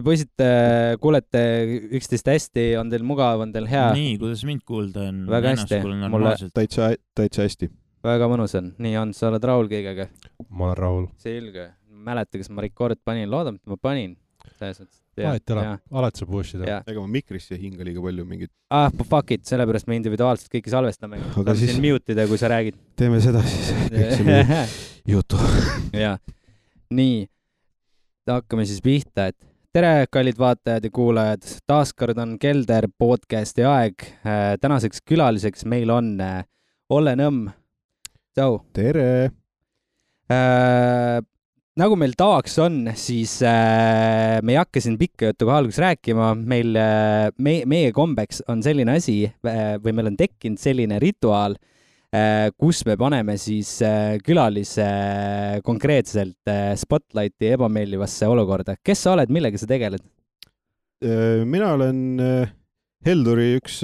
te poisid kuulete üksteist hästi, on teil mugav, on teil hea? Nii, kuidas mind kuulda on? Väga hästi. Täitsa hästi. Väga mõnus on. Nii on, sa oled Raul kõigega? Ma olen Raul. Selge. Mäleta, kas ma record panin, loodan, et ma panin. Alati saab uuesti teha. Ega ma mikrisse hinga liiga palju mingit. Fuck it, sellepärast me individuaalselt kõiki salvestame. Aga siis siin mutida, kui sa räägid. Teeme seda siis, kõik see muu jutu. Ja. Nii, hakkame siis pihta, et tere, kallid vaatajad ja kuulajad. Taaskord on Kelder podcasti aeg. Tänaseks külaliseks meil on Olle Nõmm. Tšau. Tere! Nagu meil tavaks on, siis me ei hakka siin pikka juttu kohe alguses rääkima. Meie kombeks on selline asi, või meil on tekkinud selline rituaal, kus me paneme siis külalise konkreetselt spotlighti ebameeldivasse olukorda. Kes sa oled, millega sa tegeled? Mina olen Helduri üks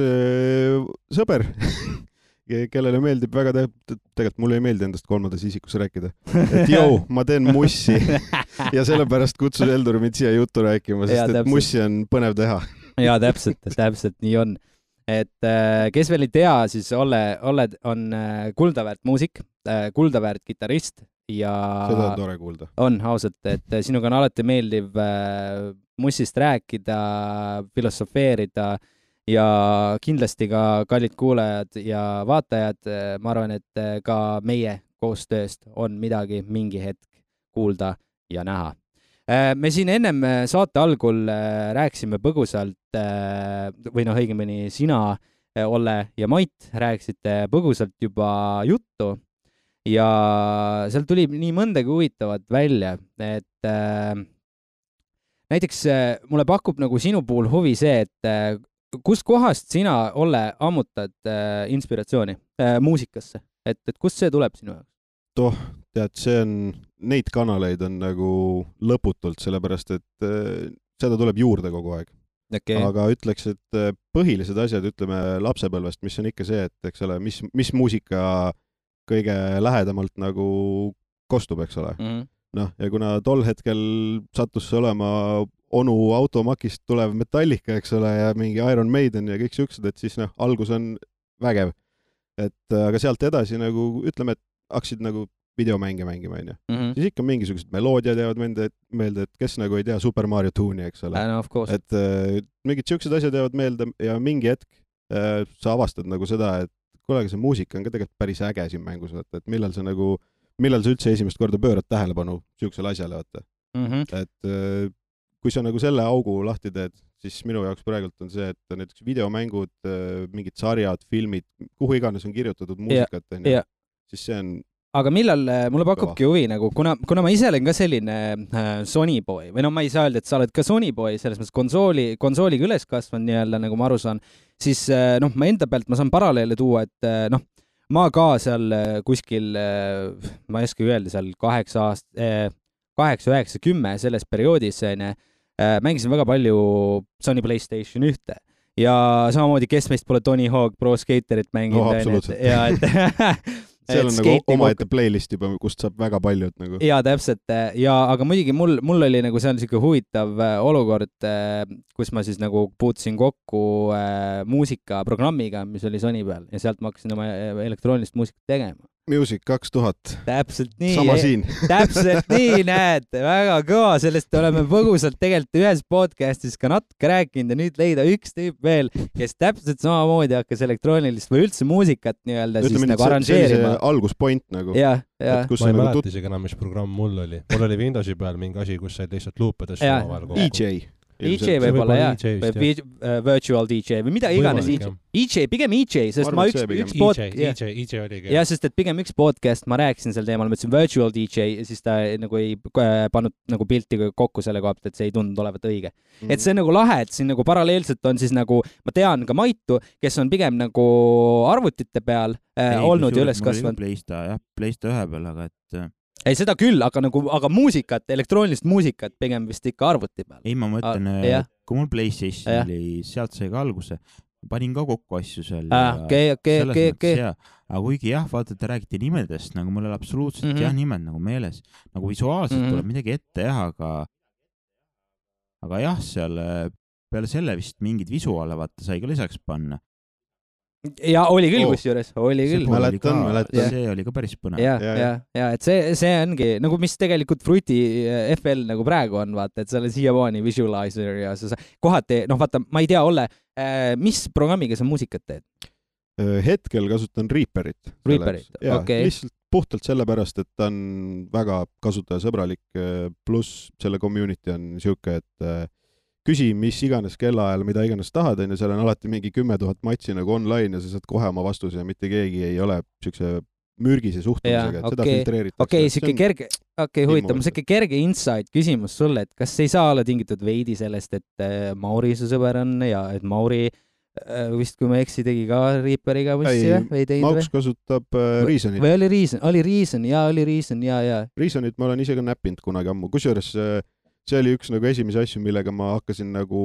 sõber, kellele meeldib väga tegelikult mulle ei meeldi endast kolmandas isikus rääkida. Et jõu, ma teen mussi ja sellepärast kutsus Heldur mind siia juttu rääkima, sest et mussi on põnev teha. Ja täpselt nii on. Et kes veel ei tea, siis Olle on kuldaväärt muusik, kuldaväärt kitarrist ja seda on tore kuulda. On ausalt, et sinuga on alati meeldiv mussist rääkida, filosofeerida ja kindlasti ka kallid kuulajad ja vaatajad, ma arvan, et ka meie koostööst on midagi mingi hetk kuulda ja näha. Me siin ennem saate algul rääkisime põgusalt, või õigemini sina, Olle ja Mait rääkisite põgusalt juba juttu ja seal tuli nii mõndagi huvitavat välja, et näiteks mulle pakub nagu sinu puhul huvi see, et kust kohast sina, Olle, ammutad inspiratsiooni muusikasse? Et kust see tuleb sinu jaoks? Tead, neid kanaleid on nagu lõputult, sellepärast et seda tuleb juurde kogu aeg. Okay. Aga ütleks, et põhilised asjad, ütleme lapsepõlvest, mis on ikka see, et eks ole, mis muusika kõige lähedamalt nagu kostub, eks ole. Noh, ja kuna tol hetkel sattus olema onu automakist tulev Metallica, eks ole, ja mingi Iron Maiden ja kõik siuksed, et siis algus on vägev. Aga sealt edasi nagu, ütleme, et hakkasid nagu videomänge mängima, on ju. Siis ikka mingisugused meloodiad jäävad meelde, et kes nagu ei tea Super Mario Tune'i, eks ole. No, of course. Et mingid siuksed asjad jäävad meelde ja mingi hetk sa avastad nagu seda, et kuule, see muusika on ka tegelikult päris äge siin mängus, et millal sa üldse esimest korda pöörad tähelepanu siuksele asjale, vaata. Et kui sa nagu selle augu lahti teed, siis minu jaoks praegult on see, et näiteks videomängud, mingid sarjad, filmid, kuhu iganes on kirjutatud muusikat, siis see on aga millal, mulle pakubki huvi, nagu, kuna ma ise olen ka selline Sony boy, või ma ei saa öelda, et sa oled ka Sony boy, selles mõttes konsooliga üles kasvanud nii-öelda, nagu ma aru saan, siis ma enda pealt ma saan paralleele tuua, et ma ka seal kuskil, ma ei oska öelda, seal 8, 9, 10 selles perioodis mängisin väga palju Sony PlayStation 1 ja samamoodi, kes meist pole Tony Hawk Pro Skaterit mänginud. No, absoluutselt. Seal on nagu omaette playlist juba, kust saab väga palju. Nagu. Ja täpselt. Aga muidugi mul oli nagu seal selline huvitav olukord, kus ma siis nagu puutusin kokku muusikaprogrammiga, mis oli Sony peal ja sealt ma hakkasin oma elektroonilist muusikat tegema. Music 2000. Täpselt nii. Sama siin. Täpselt nii, näed. Väga kõva. Sellest oleme põgusalt tegelikult ühes podcastis ka natuke rääkinud ja nüüd leida üks tüüp veel, kes täpselt samamoodi hakkas elektroonilist või üldse muusikat nii-öelda siis nagu arranžeerima. Alguspoint nagu. Ja. Ma ei mäleta isegi enam, mis programm mul oli. Mul oli Windowsi peal mingi asi, kus said lihtsalt luupedest omavahel kokku. EJ. EJ võib-olla, virtual DJ või mida iganes. EJ, pigem EJ, sest ma üks EJ oligi. Ja, sest et pigem üks podcast, ma rääkisin sel teemal, ma ütlesin virtual DJ ja siis ta nagu ei pannud nagu pilti kokku selle koha pealt, et see ei tundunud olevat õige. Et see on nagu lahe, et siin nagu paralleelselt on siis nagu, ma tean ka Maitu, kes on pigem nagu arvutite peal olnud ja üles kasvanud. Playsta 1 peal, aga et ei, seda küll, aga muusikat, elektroonilist muusikat pigem vist ikka arvuti peal. Ei, ma mõtlen, kui mul PlayStation oli, sealt sai ka alguse, panin ka kokku asju seal. Okay. Aga kuigi vaata, te räägite nimedest, nagu mul oli absoluutselt nimed nagu meeles. Nagu visuaalselt tuleb midagi ette, aga aga jah, seal peale selle vist mingid visuaale vaata sai ka lisaks panna. Ja oli küll kusjuures, oli küll. Mäletan. See oli ka päris põnev. Ja et see ongi, nagu mis tegelikult Fruity FL nagu praegu on, vaata, et seal on siiamaani visualizer ja sa kohati, vaata, ma ei tea, Olle, mis programmiga sa muusikat teed? Hetkel kasutan Reaperit. Okay. Lihtsalt puhtalt sellepärast, et ta on väga kasutajasõbralik, pluss selle community on siuke, et küsi mis iganes kellaajal, mida iganes tahad, ja seal on alati mingi 10 000 matsi nagu online ja sa saad kohe oma vastuse ja mitte keegi ei ole siukse mürgise suhtumisega, et seda filtreeritakse. Okei, huvitav, siuke kerge insight küsimus sulle, et kas ei saa olla tingitud veidi sellest, et Mauri su sõber on ja et Mauri vist, kui ma eksi, tegi ka Reaperiga mussi või? Mauks kasutab Reasonit. Või oli Reason, ja. Reasonit ma olen ise ka näppinud kunagi ammu, kusjuures see oli üks nagu esimese asju, millega ma hakkasin nagu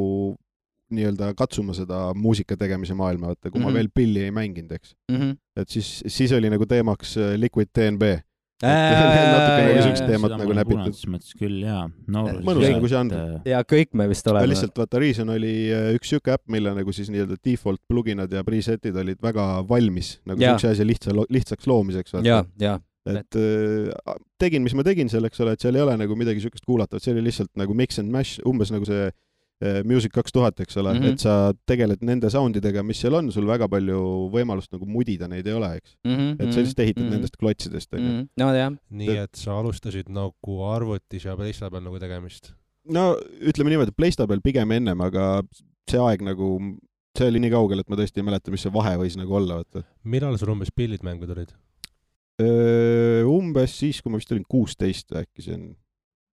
nii-öelda katsuma seda muusika tegemise maailma, vaata, kui ma veel pilli ei mänginud, eks. Et siis oli nagu teemaks Liquid TNB. Natuke nagu sellist teemat nagu näpitud. Mõttes küll, jaa. Mõnus nagu see on. Ja kõik me vist oleme. Lihtsalt vaata, Reason oli üks siuke äpp, mille nagu siis nii-öelda default pluginad ja presetid olid väga valmis, nagu siukse asja lihtsaks loomiseks. Ja. Et tegin, mis ma tegin selleks, et seal ei ole nagu midagi siukest kuulatavat, see oli lihtsalt nagu mix and mash, umbes nagu see Music 2000, eks ole, et sa tegeled nende soundidega, mis seal on, sul väga palju võimalust nagu mudida neid ei ole, eks. Et sa lihtsalt ehitad nendest klotsidest. No, jah. Nii, et sa alustasid nagu arvutis ja PlayStation nagu tegemist? No, ütleme niimoodi, PlayStation pigem ennem, aga see aeg nagu, see oli nii kaugel, et ma tõesti ei mäleta, mis see vahe võis nagu olla. Võtta. Millal sul umbes pillid mängud olid? Umbes siis, kui ma vist olin 16, äkki see on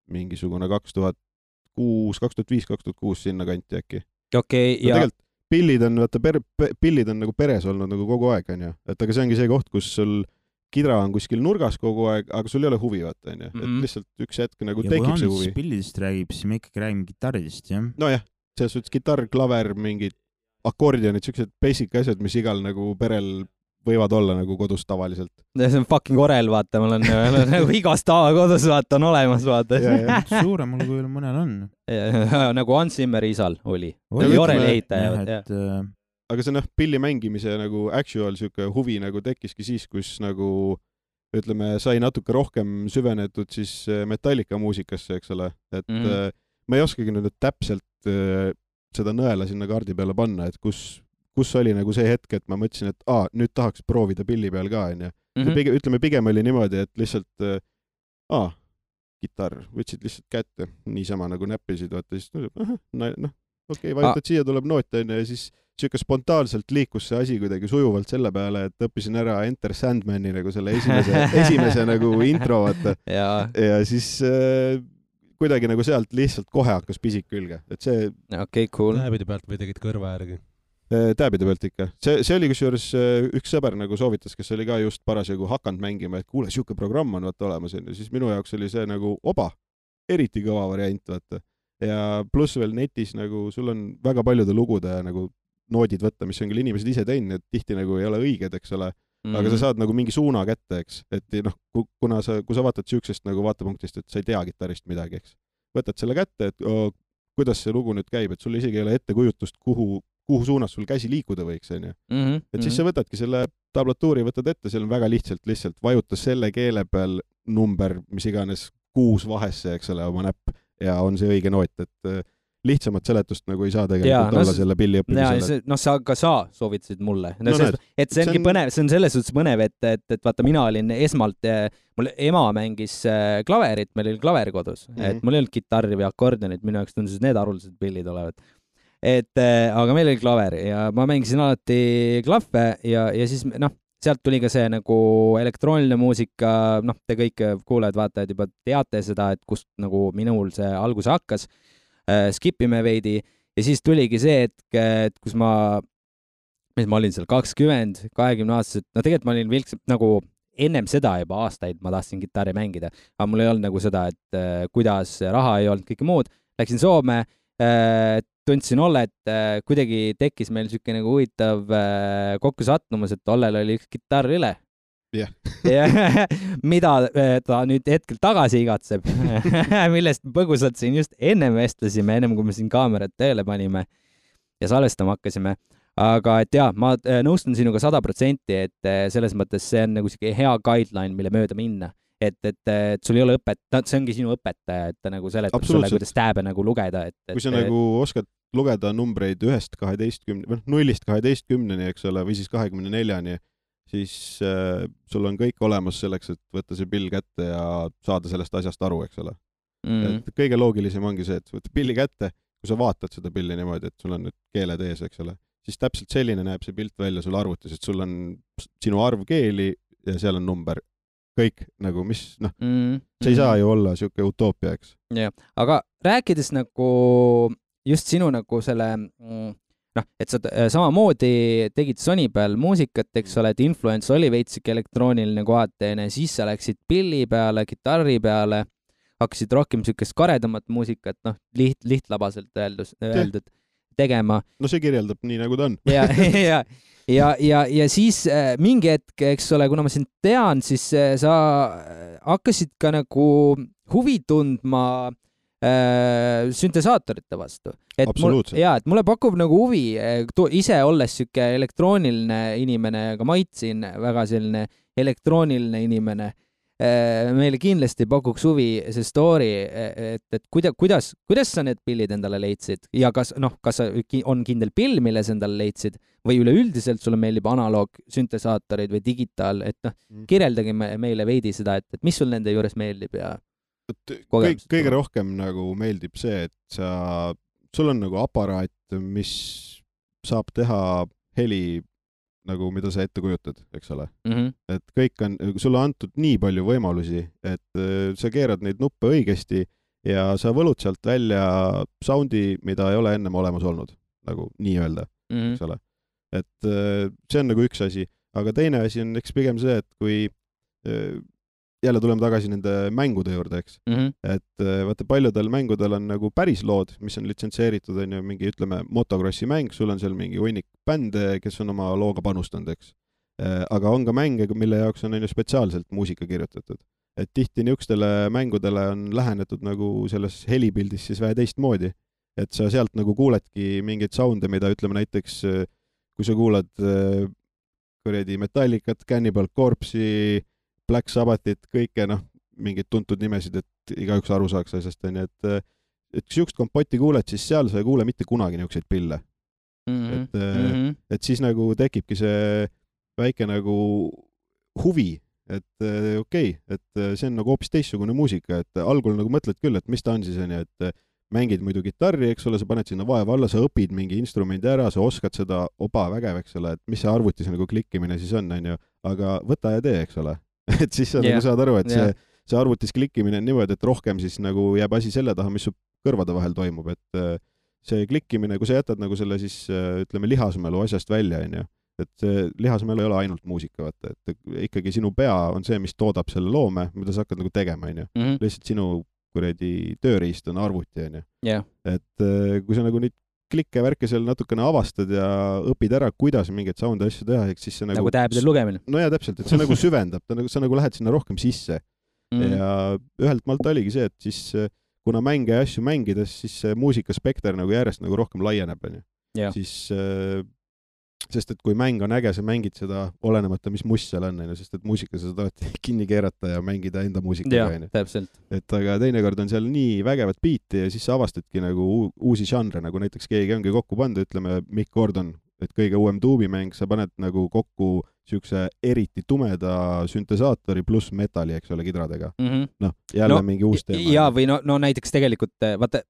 mingisugune 2005-2006 sinna kanti äkki. Okei, ja tegelikult pillid on, pillid on nagu peres olnud nagu kogu aeg, on ju. Et aga see ongi see koht, kus sul kidra on kuskil nurgas kogu aeg, aga sul ei ole huvi, vaata, on ju. Et lihtsalt üks hetk nagu tekib see huvi. Ja kui pillidest räägib, siis me ikka räägime kitarridest, jah? No jah, selles suhtes gitarr, klaver, mingid akordionid, siuksed basic asjad, mis igal nagu perel võivad olla nagu kodus tavaliselt. See on fucking Orel, vaata, mul on nagu igast tava kodus, vaata, on olemas, vaata. Suuremal kui mõnel on. Nagu Hans Zimmeri isal oli. Orel ehitaja. Aga see pilli mängimise nagu actual siuke huvi nagu tekkiski siis, kus nagu ütleme, sai natuke rohkem süvenetud siis Metallica muusikasse, eks ole. Et ma ei oskagi nüüd täpselt seda nõela sinna kaardi peale panna, et kus oli nagu see hetk, et ma mõtlesin, et nüüd tahaks proovida pilli peal ka, on ju. Ütleme, pigem oli niimoodi, et lihtsalt kitarr, võtsid lihtsalt kätte, niisama nagu näppisid, vaata, siis okei, vajutad siia, tuleb noot, on ju, ja siis siuke spontaanselt liikus see asi kuidagi sujuvalt selle peale, et õppisin ära Enter Sandmani nagu selle esimese nagu intro, vaata. Ja siis kuidagi nagu sealt lihtsalt kohe hakkas pisik külge, et see... Okei, cool. Näebide pealt või tegid kõrva järgi? Tääbide pealt ikka. See oli kusjuures üks sõber nagu soovitas, kes oli ka just parasjagu hakanud mängima, et kuule, siuke programm on vaata olemas, ja siis minu jaoks oli see nagu eriti kõva variant, vaata. Ja pluss veel netis nagu sul on väga paljude lugude nagu noodid võtta, mis on küll inimesed ise teinud, et tihti nagu ei ole õiged, eks ole, aga sa saad nagu mingi suuna kätte, eks, et kui sa vaatad siuksest nagu vaatepunktist, et sa ei tea kitarrist midagi, eks. Võtad selle kätte, et kuidas see lugu nüüd käib, et sul isegi ei ole ettekujutust, kuhu suunas sul käsi liikuda võiks, on ju. Et siis sa võtadki selle tablatuuri, võtad ette, seal on väga lihtsalt vajuta selle keele peal number, mis iganes 6 vahesse, eks ole, oma näpp, ja on see õige noot, et lihtsamat seletust nagu ei saa tegelikult olla selle pilli õppimisele. Sa soovitasid mulle. Et see ongi põnev, see on selles suhtes põnev, et vaata, mina olin esmalt, mul ema mängis klaverit, meil oli klaver kodus, et mul ei olnud kitarri või akordionit, minu jaoks tundusid need haruldased pillid olevat. Aga meil oli klaver ja ma mängisin alati klahve ja siis sealt tuli ka see nagu elektrooniline muusika, te kõik kuulajad, vaatajad juba teate seda, et kust nagu minul see alguse hakkas, skipime veidi ja siis tuligi see hetk, et kus ma olin seal 20 aastased, tegelikult ma olin nagu ennem seda juba aastaid ma tahtsin kitarri mängida, aga mul ei olnud nagu seda, et kuidas raha ei olnud, kõike muud, läksin Soome, tundsin Olle, et kuidagi tekkis meil siuke nagu huvitav kokkusattumus, et Ollel oli üks kitarr üle Jah. mida ta nüüd hetkel tagasi igatseb, millest põgusalt siin just ennem vestlesime, ennem kui me siin kaamerad tööle panime ja salvestama hakkasime. Aga et jaa, ma nõustun sinuga 100%, et selles mõttes see on nagu siuke hea guideline, mille mööda minna. Et sul ei ole see ongi sinu õpetaja, et ta nagu seletab sulle, kuidas tääbe nagu lugeda. Kui sa nagu oskad lugeda numbreid 1-12, 0-12, eks ole, või siis 24-ni, siis sul on kõik olemas selleks, et võtta see pill kätte ja saada sellest asjast aru, eks ole. Et kõige loogilisem ongi see, et võtta pilli kätte, kui sa vaatad seda pilli niimoodi, et sul on nüüd keeled ees, eks ole, siis täpselt selline näeb see pilt välja sul arvutis, et sul on sinu arv keeli ja seal on number. Kõik nagu, mis, see ei saa ju olla siuke utoopia, eks. Jah, aga rääkides nagu just sinu nagu selle, et sa samamoodi tegid Sony peal muusikat, eks ole, et influence oli veitsik elektrooniline kohateene, siis sa läksid pilli peale, kitarri peale, hakkasid rohkem siukest karedamat muusikat, lihtlabaselt öeldud tegema. No see kirjeldab nii, nagu ta on. Ja siis mingi hetk, eks ole, kuna ma sind tean, siis sa hakkasid ka nagu huvi tundma süntesaatorite vastu. Absoluutselt. Et mulle pakub nagu huvi, ise olles siuke elektrooniline inimene, aga maitsin väga selline elektrooniline inimene. Meile kindlasti pakuks huvi see story, et kuidas sa need pillid endale leidsid ja kas on kindel pill, mille sa endale leidsid või üleüldiselt sulle meeldib analoog süntesaatorid või digitaal, et kirjeldagi meile veidi seda, et mis sul nende juures meeldib ja kõige rohkem nagu meeldib see, et sul on nagu aparaat, mis saab teha heli nagu mida sa ette kujutad, eks ole. Et kõik on, sulle antud nii palju võimalusi, et sa keerad neid nuppe õigesti ja sa võlud sealt välja soundi, mida ei ole ennem olemas olnud, nagu nii öelda, eks ole. Et see on nagu üks asi, aga teine asi on eks pigem see, et kui jälle tuleme tagasi nende mängude juurde, eks. Et vaata, paljudel mängudel on nagu päris lood, mis on litsentseeritud, on ju mingi, ütleme, motocrossi mäng, sul on seal mingi hunnik bände, kes on oma looga panustanud, eks. Aga on ka mänge, mille jaoks on ju spetsiaalselt muusika kirjutatud. Et tihti niisugustele mängudele on lähenetud nagu selles helipildis siis vähe teistmoodi. Et sa sealt nagu kuuledki mingeid sounde, mida ütleme näiteks, kui sa kuulad Metallicat, Cannibal Corpse'i, Black Sabbathit, kõike, mingid tuntud nimesid, et igaüks aru saaks asjast, on ju, et kui siukest kompotti kuuled, siis seal sa ei kuule mitte kunagi niisuguseid pille. Et siis nagu tekibki see väike nagu huvi, et okei, et see on nagu hoopis teistsugune muusika, et algul nagu mõtled küll, et mis ta on siis, on ju, et mängid muidu kitarri, eks ole, sa paned sinna vaeva alla, sa õpid mingi instrumendi ära, sa oskad seda vägev, eks ole, et mis see arvutis nagu klikkimine siis on ju, aga võta ja tee, eks ole. Et siis sa nagu saad aru, et see arvutis klikkimine on niimoodi, et rohkem siis nagu jääb asi selle taha, mis su kõrvade vahel toimub, et see klikkimine, kui sa jätad nagu selle siis, ütleme, lihasmälu asjast välja, on ju, et see lihasmälu ei ole ainult muusika, vaata, et ikkagi sinu pea on see, mis toodab selle loome, mida sa hakkad nagu tegema, on ju. Lihtsalt sinu tööriist on arvuti, on ju. Et kui sa nagu nüüd klikke värke seal natukene avastad ja õpid ära, kuidas mingeid sound asju teha, eks siis see nagu tääbidel lugemine. No jaa, täpselt, et see nagu süvendab, sa nagu lähed sinna rohkem sisse. Ja ühelt maalt oligi see, et siis kuna mänge ja asju mängides, siis see muusikaspekter nagu järjest nagu rohkem laieneb, on ju. Siis, sest et kui mäng on äge, sa mängid seda olenemata, mis must seal on, sest et muusika sa tahad kinni keerata ja mängida enda muusikaga. Jah, täpselt. Et aga teinekord on seal nii vägevat biiti ja siis sa avastadki nagu uusi žanre, nagu näiteks keegi ongi kokku pannud, ütleme Mick Gordon, et kõige uuem tuubimäng, sa paned nagu kokku siukse eriti tumeda süntesaatori pluss metalli, eks ole, kidradega. Jälle mingi uus teema. Ja või no näiteks tegelikult, vaata,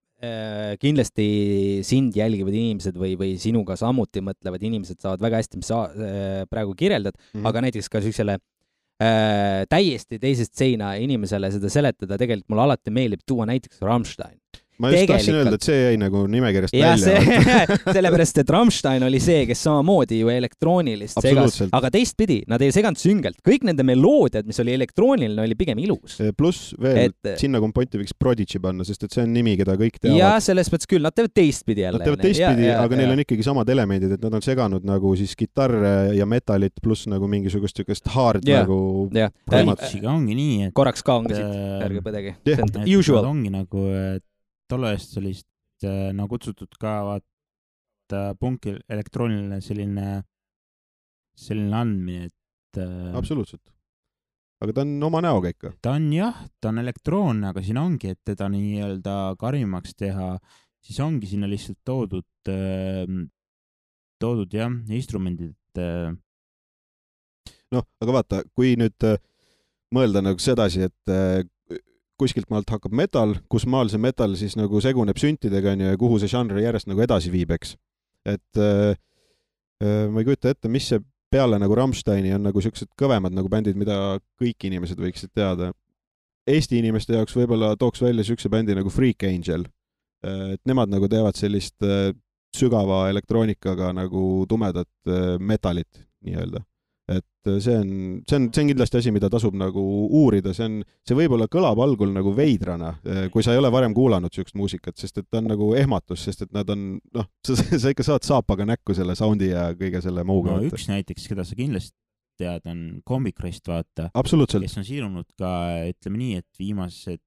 kindlasti sind jälgivad inimesed või sinuga samuti mõtlevad inimesed saavad väga hästi, mis sa praegu kirjeldad, aga näiteks ka sellisele täiesti teisest seina inimesele seda seletada, tegelikult mulle alati meeldib tuua näiteks Rammstein. ma just tahtsin öelda, et see jäi nagu nimekirjast ja välja. Sellepärast, et Rammstein oli see, kes samamoodi ju elektroonilist segas, aga teistpidi, nad ei seganud süngelt. Kõik nende meloodiad, mis oli elektrooniline, oli pigem ilus. Pluss veel, sinna komponti võiks Prodigy panna, sest et see on nimi, keda kõik teavad. Ja selles mõttes küll, nad teevad teistpidi jälle. Nad teevad teistpidi, aga neil on ikkagi samad elemendid, et nad on seganud nagu siis kitarre ja metalit pluss nagu mingisugust hard nagu... Prodigy'ga ongi nii, et... Korraks kaungasid, ärge põdegi. Usual. Ongi nagu, et tolle eest sellist nagu kutsutud ka vaata punkil elektrooniline selline andmine, et... Absoluutselt. Aga ta on oma näoga ikka. Ta on elektroonne, aga siin ongi, et teda nii-öelda karimaks teha, siis ongi sinna lihtsalt toodud instrumendid. Noh, aga vaata, kui nüüd mõelda nagu sedasi, et kuskilt maalt hakkab metal, kus maal see metal siis nagu seguneb süntidega ja kuhu see žanr järjest nagu edasi viib, eks. Et ma ei kujuta ette, mis see peale nagu Rammsteini on nagu siuksed kõvemad nagu bändid, mida kõik inimesed võiksid teada. Eesti inimeste jaoks võib-olla tooks välja siukse bändi nagu Freak Angel. Et nemad nagu teevad sellist sügava elektroonikaga nagu tumedat metalit nii-öelda. Et see on kindlasti asi, mida tasub nagu uurida. See võib-olla kõlab algul nagu veidrana, kui sa ei ole varem kuulanud siukest muusikat, sest et ta on nagu ehmatus, sest et nad on, sa ikka saad saapaga näkku selle soundi ja kõige selle muuga. No üks näiteks, keda sa kindlasti tead, on Comic Rest, vaata. Absoluutselt. Kes on siirunud ka, ütleme nii, et viimased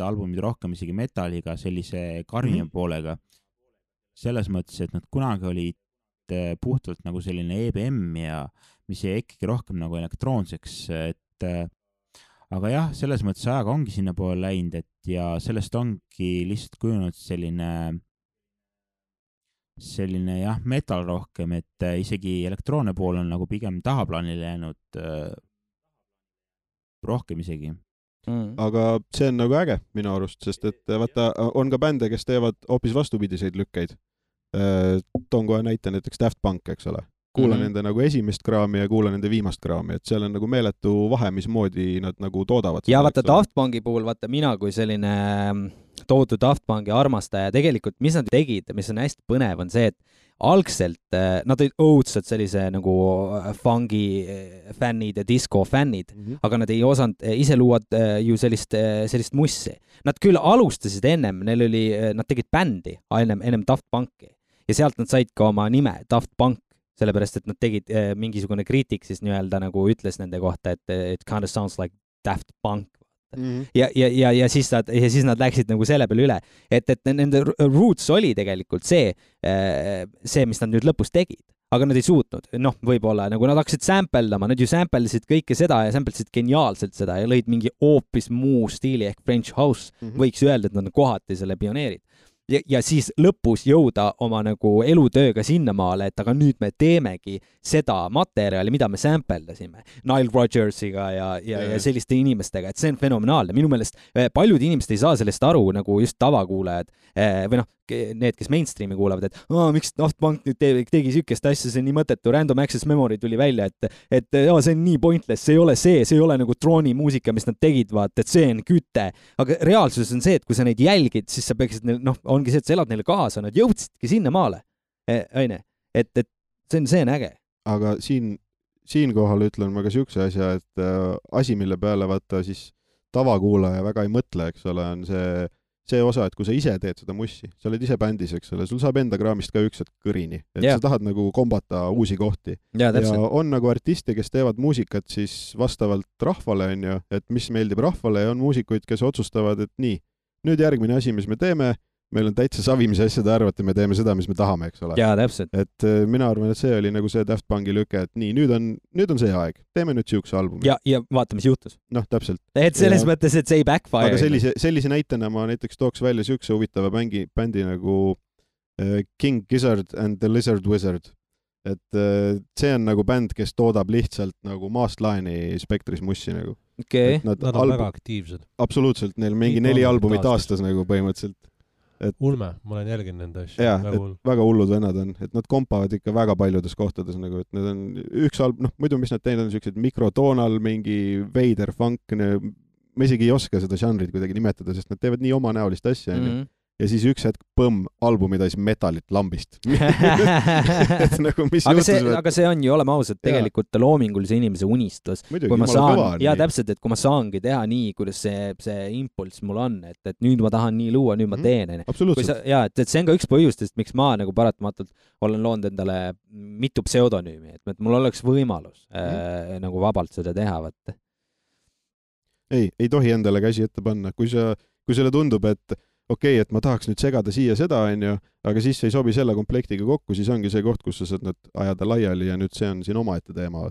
albumid rohkem isegi metalliga, sellise karmima poolega. Selles mõttes, et nad kunagi olid puhtalt nagu selline EBM ja mis jäi ikkagi rohkem nagu elektroonseks, et aga jah, selles mõttes ajaga ongi sinna poole läinud, et ja sellest ongi lihtsalt kujunud selline jah, metal rohkem, et isegi elektroonne pool on nagu pigem tahaplaanile jäänud rohkem isegi. Aga see on nagu äge minu arust, sest et vaata, on ka bände, kes teevad hoopis vastupidiseid lükkeid. Toon kohe näite näiteks Daft Punk, eks ole. Kuula nende nagu esimest kraami ja kuula nende viimast kraami, et seal on nagu meeletu vahe, mismoodi nad nagu toodavad. Ja vaata Daft Punki puhul, vaata mina kui selline tohutu Daft Punki armastaja, tegelikult mis nad tegid, mis on hästi põnev, on see, et algselt nad olid õudsad sellise nagu fungi fännid ja disco fännid, aga nad ei osanud ise luua ju sellist mussi. Nad küll alustasid ennem, nad tegid bändi ennem Daft Punki ja sealt nad said ka oma nime Daft Punk, sellepärast, et nad tegid mingisugune kriitik siis nii-öelda nagu ütles nende kohta, et it kind of sounds like Daft Punk. Ja siis nad läksid nagu selle peale üle, et nende roots oli tegelikult see, mis nad nüüd lõpus tegid, aga nad ei suutnud, võib-olla nagu nad hakkasid sampleldama, nad ju samplesid kõike seda ja samplesid geniaalselt seda ja lõid mingi hoopis muu stiili ehk French House, võiks öelda, et nad on kohati selle pioneerid. Ja siis lõpus jõuda oma nagu elutööga sinnamaale, et aga nüüd me teemegi seda materjali, mida me sampleldasime Nile Rodgersiga ja selliste inimestega, et see on fenomenaalne. Minu meelest paljud inimesed ei saa sellest aru, nagu just tavakuulajad või need, kes mainstreami kuulavad, et miks Daft Punk nüüd tegi sükest asja, see on nii mõttetu, Random Access Memory tuli välja, et see on nii pointless, see ei ole nagu trooni muusika, mis nad tegid, vaat, et see on küte. Aga reaalsus on see, et kui sa neid jälgid, siis sa peaksid, ongi see, et sa elad neile kaasa, nad jõudsidki sinna maale. Et see on äge. Aga siinkohal ütlen ma ka siukse asja, et asi, mille peale vaata siis tavakuulaja väga ei mõtle, eks ole, on see osa, et kui sa ise teed seda mussi, sa oled ise bändis, eks ole, sul saab enda kraamist ka üks kõrini, et sa tahad nagu kombata uusi kohti. Ja on nagu artiste, kes teevad muusikat siis vastavalt rahvale, on ju, et mis meeldib rahvale ja on muusikuid, kes otsustavad, et nii, nüüd järgmine asi, mis me teeme, meil on täitsa savi, mis asjad arvate, me teeme seda, mis me tahame, eks ole. Jaa, täpselt. Et mina arvan, et see oli nagu see Daft Punki lüke, et nii, nüüd on see aeg. Teeme nüüd siukse albumi. Ja vaata, mis juhtus. Täpselt. Et selles mõttes, et see ei backfire. Aga sellise näitena ma näiteks tooks välja siukse huvitava bändi nagu King Gizzard and the Lizard Wizard. Et see on nagu bänd, kes toodab lihtsalt nagu maast laeni spektris mussi nagu. Okay. Nad on väga aktiivsed. Absoluutselt, neil mingi 4 albumit aastas nagu põhimõtteliselt. Ulme, ma olen jälginud nende asja. Jaa, väga hullud vennad on, et nad kompavad ikka väga paljudes kohtades nagu, et need on üks muidu mis nad teinud on siuksed mikrotoonal, mingi veider funk, ma isegi ei oska seda žanrit kuidagi nimetada, sest nad teevad nii omanäolist asja, ja siis üks hetk põmm, albumi täis metalit lambist. Et nagu mis aga see on ju, oleme ausad, tegelikult loomingulise inimese unistus. Muidugi, kui ma saan, ja täpselt, et kui ma saangi teha nii, kuidas see impulss mul on, et nüüd ma tahan nii luua, nüüd ma teen. Absoluutselt. Ja, et see on ka üks põhjustest, miks ma nagu paratamatult olen loonud endale mitu pseudonüümi, et mul oleks võimalus nagu vabalt seda teha, vaata. Ei tohi endale käsi ette panna. Kui sulle tundub, et okei, et ma tahaks nüüd segada siia seda, aga siis ei sobi selle komplektiga kokku, siis ongi see koht, kus sa saad nüüd ajada laiali ja nüüd see on siin omaette teema.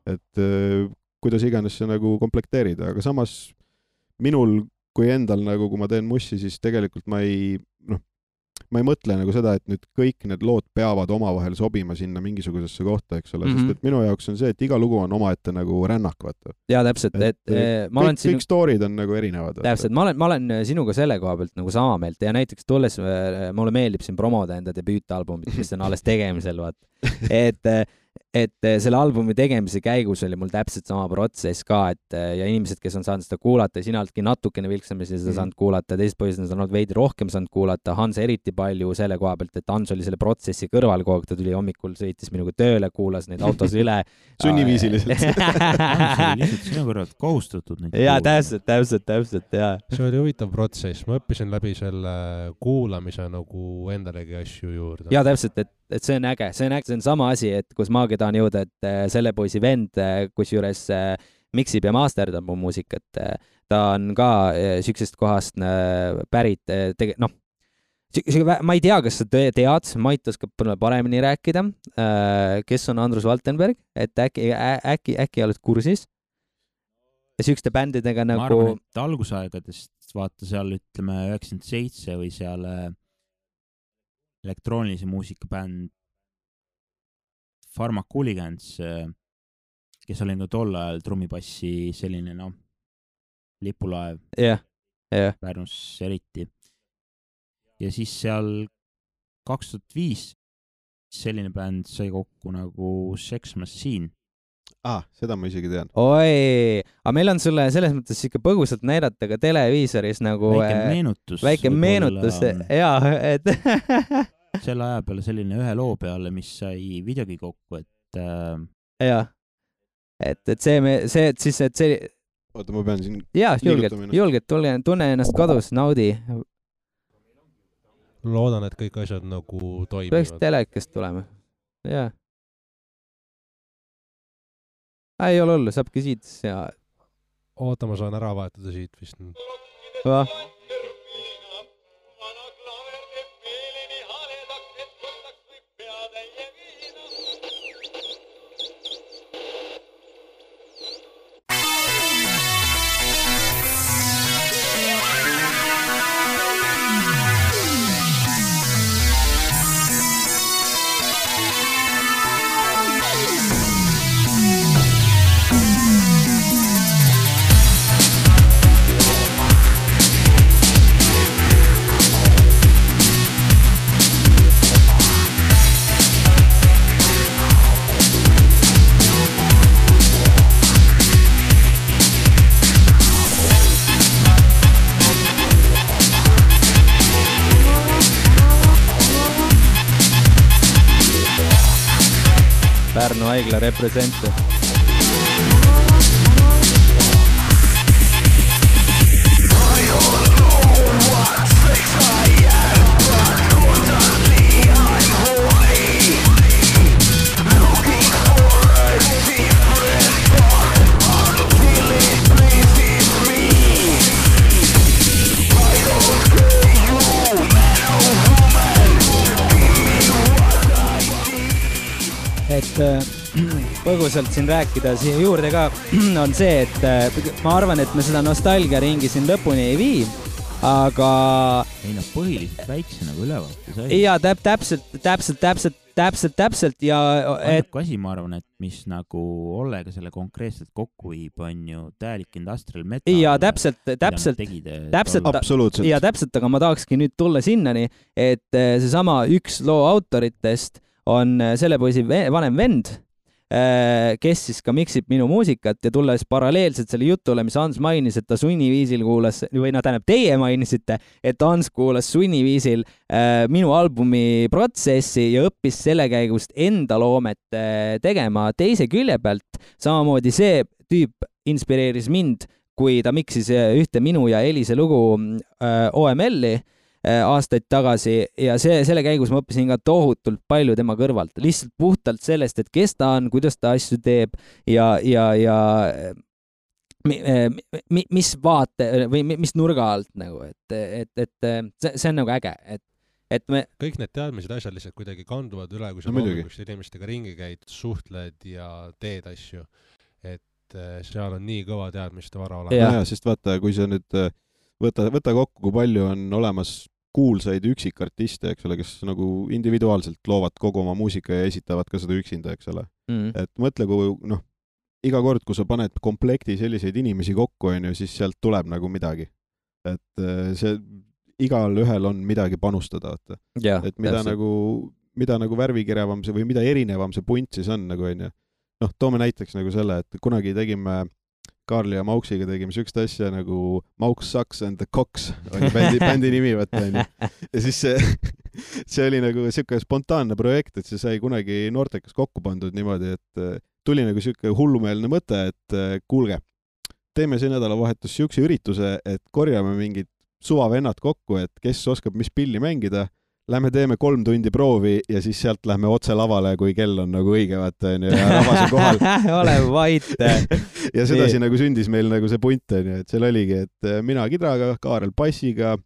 Et kuidas iganes see nagu komplekteerida, aga samas minul kui endal nagu, kui ma teen mussi, siis tegelikult ma ei mõtle nagu seda, et nüüd kõik need lood peavad omavahel sobima sinna mingisugusesse kohta, eks ole, sest et minu jaoks on see, et iga lugu on omaette nagu rännak, vaata. Jaa, täpselt, kõik stoorid on nagu erinevad. Täpselt, ma olen sinuga selle koha pealt nagu sama meelt ja näiteks tulles mulle meeldib siin promoda enda debüütalbumit, mis on alles tegemisel, vaata. Et selle albumi tegemise käigus oli mul täpselt sama protsess ka, ja inimesed, kes on saanud seda kuulata, sina oledki natukene vilksamisi seda saanud kuulata, teised põhjused on saanud veidi rohkem saanud kuulata, Hans eriti palju selle koha pealt, et Hans oli selle protsessi kõrval kogu aeg, ta tuli hommikul, sõitis minuga tööle, kuulas neid autos üle. Sunniviisiliselt. Hans oli lihtsalt sinu kõrvalt kohustatud neid jaa, täpselt, jaa. See oli huvitav protsess, ma õppisin läbi selle kuulamise nagu endalegi asju juurde. Jaa, täpselt, et see on äge, see on sama asi, et kus maagi tahan jõuda, et selle poisi vend, kus juures miksib ja masterdab mu muusikat, ta on ka siuksest kohast pärit, ma ei tea, kas sa tead, Mait oskab paremini rääkida, kes on Andrus Valtenberg, et äkki oled kursis ja siukeste bändidega nagu... Ma arvan, et algusaegadest vaata seal ütleme 97 või seal elektroonilise muusika bänd Pharmaculigans, kes oli ka tol ajal trummipassi selline lipulaev Pärnus eriti. Ja siis seal 2005 selline bänd sai kokku nagu Sex Machine. Seda ma isegi tean. Oi, aga meil on sulle selles mõttes ikka põgusalt näidata ka televiisoris nagu... Väike meenutus, jaa, et... selle aja peale selline ühe loo peale, mis sai videogi kokku, et... Jaa, et see... Oota, ma pean siin... Jaa, julgelt, tunne ennast kodus, naudi. Loodan, et kõik asjad nagu toimivad. Peaks telekast tulema, jaa. Ei ole hullu, saabki siit ja... Oota, ma saan ära vahetada siit vist. Pärnu haigla represente. Et põgusalt siin rääkida siia juurde ka on see, et ma arvan, et me seda nostalgiaringi siin lõpuni ei vii, aga... Ei põhiliselt väikse nagu ülevaate sai. Jaa, täpselt ja... Ainuke asi, ma arvan, et mis nagu Ollega selle konkreetselt kokku viib, on ju täielik industrial metal. Jaa, täpselt. Absoluutselt. Ja täpselt, aga ma tahakski nüüd tulla sinnani, et see sama üks loo autoritest on selle poisi vanem vend, kes siis ka miksib minu muusikat ja tulles paralleelselt selle jutule, mis Hans mainis, et ta sunniviisil kuulas, või tähendab, teie mainisite, et Hans kuulas sunniviisil minu albumi protsessi ja õppis selle käigust enda loomet tegema teise külje pealt. Samamoodi see tüüp inspireeris mind, kui ta miksis ühte minu ja Elise lugu OML-i aastaid tagasi ja selle käigus ma õppisin ka tohutult palju tema kõrvalt, lihtsalt puhtalt sellest, et kes ta on, kuidas ta asju teeb ja mis vaate või mis nurga alt nagu, et see on nagu äge, et me kõik need teadmised asjad lihtsalt kuidagi kanduvad üle, kui sa loomulikult inimestega ringi käid, suhtled ja teed asju, et seal on nii kõva teadmiste vara olemas. Ja, sest vaata, kui sa nüüd võta kokku, kui palju on olemas kuulsaid üksikartiste, eks ole, kes nagu individuaalselt loovad kogu oma muusika ja esitavad ka seda üksinda, eks ole. Et mõtle, kui iga kord, kui sa paned komplekti selliseid inimesi kokku, siis sealt tuleb nagu midagi. Et see igal ühel on midagi panustada. Et mida nagu värvikirevam see või mida erinevam see punt siis on, nagu on. Toome näiteks nagu selle, et kunagi tegime Kaarli ja Mauksiga tegime sükst asja nagu Mauks Sucks and the Cox oli bändi nimi, võtta. Ja siis see oli nagu siuke spontaanne projekt, et see sai kunagi noortekas kokku pandud niimoodi, et tuli nagu siuke hullumeelne mõte, et kuulge, teeme see nädalavahetus siukse ürituse, et korjame mingid suvavennad kokku, et kes oskab mis pilli mängida, lähme teeme 3 tundi proovi ja siis sealt lähme otse lavale, kui kell on nagu õige, vaata, ja rahvas on kohal. Ole vait. Ja sedasi nagu sündis meil nagu see punt, et seal oligi, et mina kidraga, Kaarel bassiga,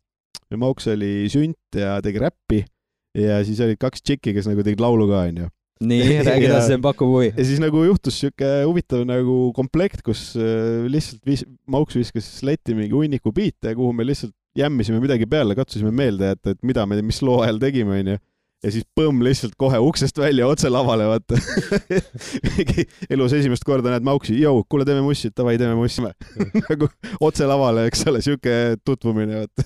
Mauks oli sünt ja tegi räppi ja siis olid 2 tšikki, kes nagu tegid laulu ka, on ju. Nii, räägid, see pakub huvi. Ja siis nagu juhtus siuke huvitav nagu komplekt, kus lihtsalt Mauks viskas letti mingi hunniku biite, kuhu me lihtsalt jämmisime midagi peale, katsusime meelde, et mida me mis loo ajal tegime, on ju. Ja siis põmm lihtsalt kohe uksest välja otse lavale, vaata. Elus esimest korda näed Mauksi, kuule, teeme mussi, tavai, teeme mussi. Nagu otse lavale, eks ole, siuke tutvumine, vaata.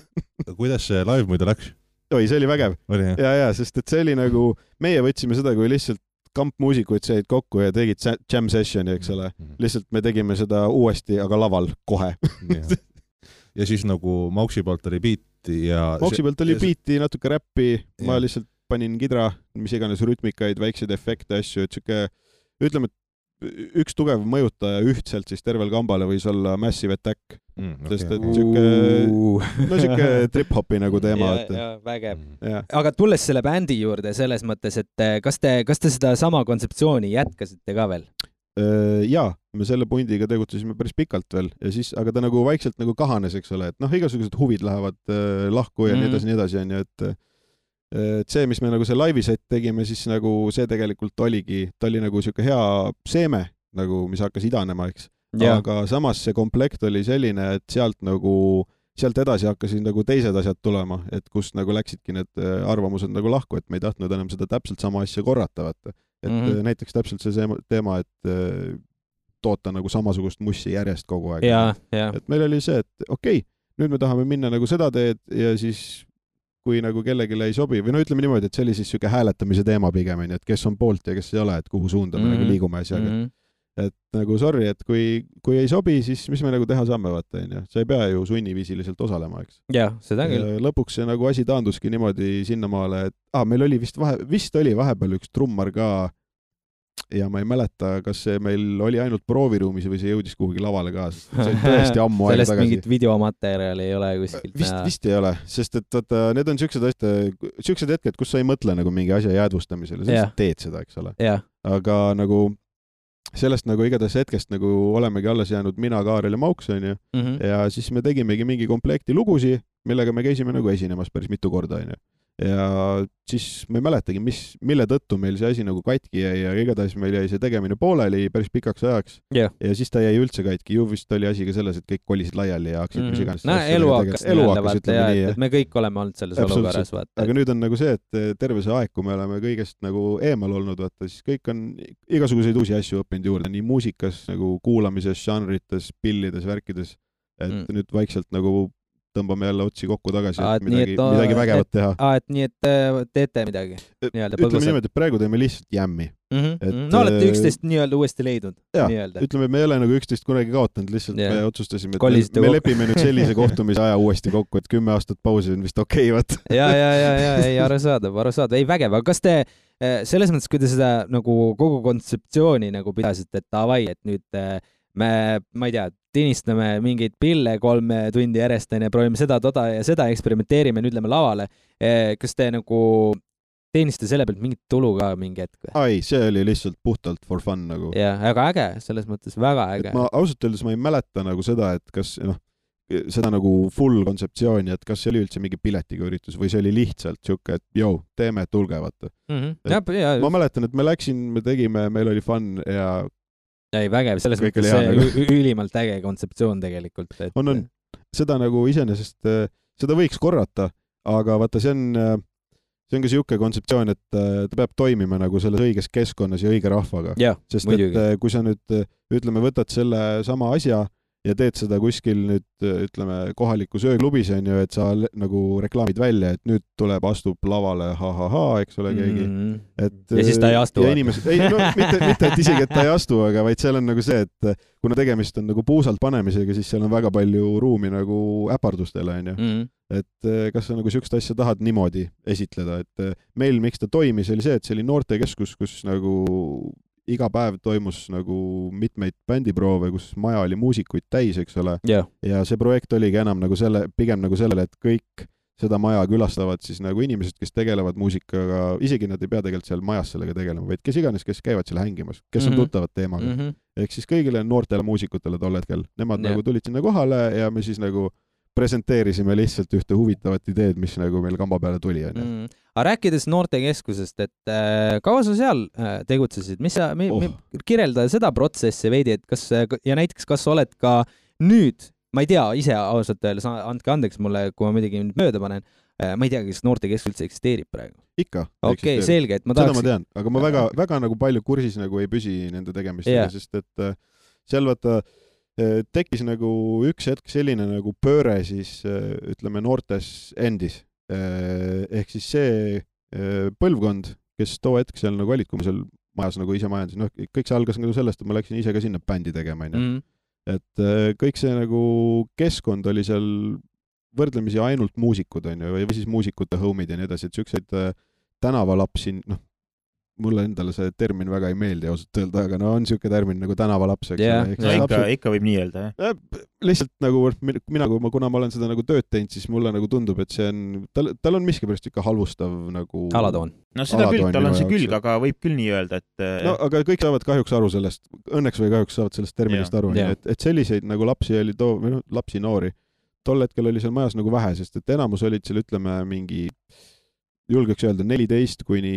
Kuidas see live muidu läks? Oi, see oli vägev. Ja, sest et see oli nagu, meie võtsime seda, kui lihtsalt kampmuusikuid said kokku ja tegid jam sessioni, eks ole. Lihtsalt me tegime seda uuesti, aga laval kohe. Ja siis nagu Mauksi poolt oli biiti ja... Mauksi poolt oli biiti, natuke räppi, ma lihtsalt panin kidra, mis iganes rütmikaid, väikseid efekte, asju, et siuke, ütleme, et üks tugev mõjutaja ühtselt siis tervel kambale võis olla Massive Attack. Sest et siuke trip-hopi nagu teema. Ja, vägev. Aga tulles selle bändi juurde selles mõttes, et kas te seda sama kontseptsiooni jätkasite ka veel? Jaa, me selle pundiga tegutsesime päris pikalt veel ja siis, aga ta nagu vaikselt nagu kahanes, eks ole, et igasugused huvid lähevad lahku ja nii edasi, on ju, et see, mis me nagu see live-set tegime, siis nagu see tegelikult oligi, ta oli nagu siuke hea seeme, nagu mis hakkas idanema, eks. Aga samas see komplekt oli selline, et sealt edasi hakkasid nagu teised asjad tulema, et kust nagu läksidki need arvamused nagu lahku, et me ei tahtnud enam seda täpselt sama asja korrata, vaata. Et näiteks täpselt see teema, et toota nagu samasugust mussi järjest kogu aeg. Et meil oli see, et okei, nüüd me tahame minna nagu seda teed ja siis kui nagu kellelegi ei sobi, või ütleme niimoodi, et see oli siis siuke hääletamise teema pigem, et kes on poolt ja kes ei ole, et kuhu suunda me nagu liigume asjaga. Et nagu sorry, et kui ei sobi, siis mis me nagu teha saame, vaata, on ju. Sa ei pea ju sunniviisiliselt osalema, eks. Jah, seda küll. Lõpuks see nagu asi taanduski niimoodi sinnamaale, et meil oli vist oli vahepeal üks trummar ka ja ma ei mäleta, kas see meil oli ainult prooviruumis või see jõudis kuhugi lavale ka. See oli tõesti ammu aega tagasi. Sellest mingit videomaterjali ei ole kuskilt. Vist ei ole, sest et vaata, need on siuksed hetked, kus sa ei mõtle nagu mingi asja jäädvustamisele, sa teed seda, eks ole. Aga nagu sellest nagu igatahes hetkest nagu olemegi alles jäänud mina, Kaarel ja Mauks, on ju. Ja siis me tegimegi mingi komplekti lugusi, millega me käisime nagu esinemas päris mitu korda, on ju. Ja siis ma ei mäletagi, mille tõttu meil see asi nagu katki jäi ja igatahes meil jäi see tegemine pooleli päris pikaks ajaks. Ja siis ta jäi üldse katki. Ju vist oli asi ka selles, et kõik kolisid laiali ja hakkasid mis iganes. Elu hakkas, ütleme nii. Et me kõik oleme olnud selles olukorras. Aga nüüd on nagu see, et terve see aeg, kui me oleme kõigest nagu eemal olnud, vaata, siis kõik on igasuguseid uusi asju õppinud juurde. Nii muusikas, nagu kuulamises, žanrites, pillides, värkides. Et nüüd vaikselt nagu tõmbame jälle otsi kokku tagasi, et midagi vägevat teha. Et nii, et teete midagi nii-öelda põgusalt. Ütleme niimoodi, et praegu teeme lihtsalt jämmi. No olete 11 nii-öelda uuesti leidnud. Ütleme, me ei ole nagu 11 kunagi kaotanud, lihtsalt me otsustasime, et me lepime nüüd sellise kohtumise aja uuesti kokku, et 10 aastat pausi on vist okei, vaat. Ja, ei, arusaadav. Ei, vägev. Aga kas te selles mõttes, kui te seda nagu kogu kontseptsiooni nagu pidasite, et davai, et nüüd ma ei tea, tinistame mingeid pille 3 tundi järjest, proovime seda, toda ja seda, eksperimenteerime, nüüd lähme lavale. Kas te nagu teeniste selle pealt mingit tulu ka mingi hetk? Ai, see oli lihtsalt puhtalt for fun nagu. Ja, aga äge, selles mõttes väga äge. Ma ausalt öeldes ma ei mäleta nagu seda, et kas seda nagu full kontseptsiooni, et kas see oli üldse mingi piletiga üritus või see oli lihtsalt siuke, et teeme, tulge, vaata. Ma mäletan, et me tegime, meil oli fun ja ei, vägev, selles mõttes see ülimalt äge kontseptsioon tegelikult. On. Seda nagu iseenesest, seda võiks korrata, aga vaata, see on ka siuke kontseptsioon, et ta peab toimima nagu selles õiges keskkonnas ja õige rahvaga. Sest et kui sa nüüd, ütleme, võtad selle sama asja ja teed seda kuskil nüüd, ütleme, kohaliku sööklubis on ju, et sa nagu reklaamid välja, et nüüd tuleb, astub lavale eks ole, keegi. Ja siis ta ei astu. Mitte, et isegi, et ta ei astu, aga vaid seal on nagu see, et kuna tegemist on nagu puusalt panemisega, siis seal on väga palju ruumi nagu äpardustele, on ju. Et kas sa nagu siukest asja tahad niimoodi esitleda, et meil, miks ta toimis, oli see, et see oli noortekeskus, kus nagu iga päev toimus nagu mitmeid bändiproove, kus maja oli muusikuid täis, eks ole. Ja see projekt oligi enam nagu pigem nagu sellele, et kõik seda maja külastavad siis nagu inimesed, kes tegelevad muusikaga, isegi nad ei pea tegelikult seal majas sellega tegelema, vaid kes iganes, kes käivad seal hängimas, kes on tuttavad teemaga. Ehk siis kõigile noortele muusikutele tol hetkel. Nemad nagu tulid sinna kohale ja me siis nagu presenteerisime lihtsalt ühte huvitavat ideed, mis nagu meil kamba peale tuli. Aga rääkides noortekeskusest, et kaua sa seal tegutsesid? Kirjelda seda protsessi veidi, et ja näiteks kas oled ka nüüd, ma ei tea, ise ausalt öeldes, andke andeks mulle, kui ma midagi mööda panen, ma ei tea, kas noortekeskus üldse eksisteerib praegu? Ikka. Okei, selge, et ma tahaks... Seda ma tean, aga ma väga nagu palju kursis nagu ei püsi nende tegemistega, sest et seal vaata tekkis nagu üks hetk selline nagu pööre siis, ütleme, noortes endis. Ehk siis see põlvkond, kes too hetk seal nagu olid, kui ma seal majas nagu ise majandasin, kõik see algas nagu sellest, et ma läksin ise ka sinna bändi tegema. Et kõik see nagu keskkond oli seal võrdlemisi ainult muusikud, või siis muusikute homid ja nii edasi, et siukseid tänavalapsi, mulle endale see termin väga ei meeldi ausalt öelda, aga on siuke termin nagu tänavalaps. Ikka võib nii öelda, jah? Lihtsalt nagu kuna ma olen seda nagu tööd teinud, siis mulle nagu tundub, et see on, tal on miskipärast ikka halvustav nagu... Alatoon. No seda küll, tal on see külg, aga võib küll nii öelda, et... No, aga kõik saavad kahjuks aru sellest, õnneks või kahjuks saavad sellest terminist aru, et selliseid nagu lapsi oli lapsi noori. Tol hetkel oli seal majas nagu vähe, sest et enamus olid seal, ütleme, mingi... julgeks öelda 14 kuni,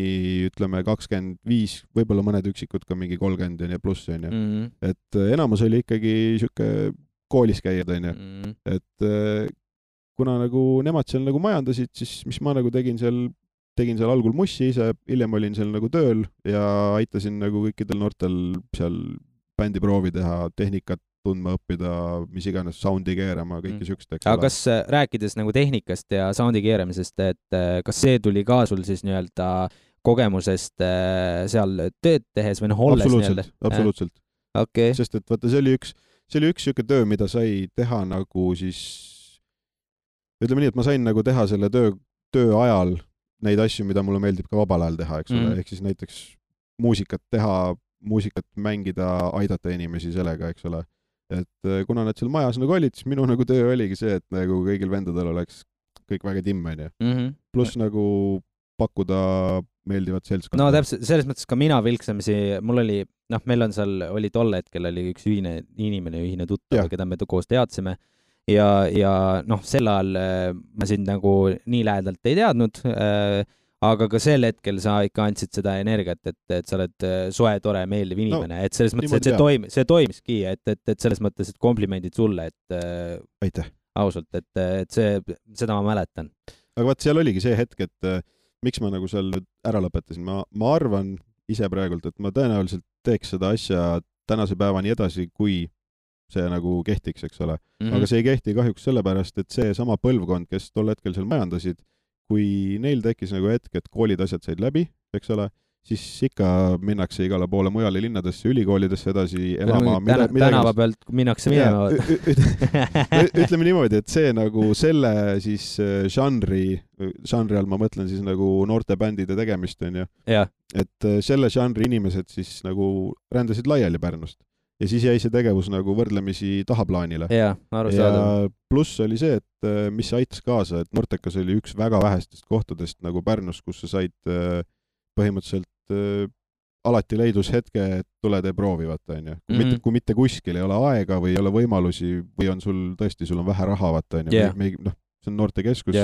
ütleme, 25, võib-olla mõned üksikud ka mingi 30 ja pluss, on ju. Et enamus oli ikkagi siuke koolis käijad, on ju. Et kuna nagu nemad seal nagu majandasid, siis mis ma nagu tegin seal algul mussi ise, hiljem olin seal nagu tööl ja aitasin nagu kõikidel noortel seal bändiproovi teha, tehnikat tundma õppida, mis iganes soundi keerama, kõike siukest. Aga kas rääkides nagu tehnikast ja soundi keeramisest, et kas see tuli ka sul siis nii-öelda kogemusest seal tööd tehes või olles? Absoluutselt. Okay. Sest et vaata, see oli üks siuke töö, mida sai teha nagu siis, ütleme nii, et ma sain nagu teha selle töö ajal neid asju, mida mulle meeldib ka vabal ajal teha, eks ole, ehk siis näiteks muusikat mängida, aidata inimesi sellega, eks ole. Et kuna nad seal majas nagu olid, siis minu nagu töö oligi see, et nagu kõigil vendadel oleks kõik väga timm, on ju. Pluss nagu pakkuda meeldivat seltskonda. No täpselt, selles mõttes ka mina vilksamisi, mul oli, meil on seal, oli tol hetkel oli üks ühine tuttav, keda me koos teadsime ja sel ajal ma sind nagu nii lähedalt ei teadnud, aga ka sel hetkel sa ikka andsid seda energiat, et sa oled soe, tore, meeldiv inimene, et selles mõttes, et see toimiski, et selles mõttes, et komplimendid sulle, et aitäh. Ausalt, et seda ma mäletan. Aga vaat seal oligi see hetk, et miks ma nagu seal ära lõpetasin. Ma arvan ise praegult, et ma tõenäoliselt teeks seda asja tänase päevani edasi, kui see nagu kehtiks, eks ole. Aga see ei kehti kahjuks sellepärast, et see sama põlvkond, kes tol hetkel seal majandasid, kui neil tekkis nagu hetk, et koolid asjad said läbi, eks ole, siis ikka minnakse igale poole mujale linnadesse, ülikoolidesse edasi elama. Tänava pealt minnakse minema. Ütleme niimoodi, et see nagu selle siis žanri all ma mõtlen siis nagu noorte bändide tegemist, on ju. Et selle žanri inimesed siis nagu rändasid laiali Pärnust. Ja siis jäi see tegevus nagu võrdlemisi tahaplaanile. Ja pluss oli see, et mis aitas kaasa, et Nortekas oli üks väga vähestest kohtadest nagu Pärnus, kus sa said põhimõtteliselt alati leidus hetke, et tule tee proovi, vaata, on ju. Kui mitte kuskil ei ole aega või ei ole võimalusi või on sul on vähe raha, vaata, on ju. See on noortekeskus,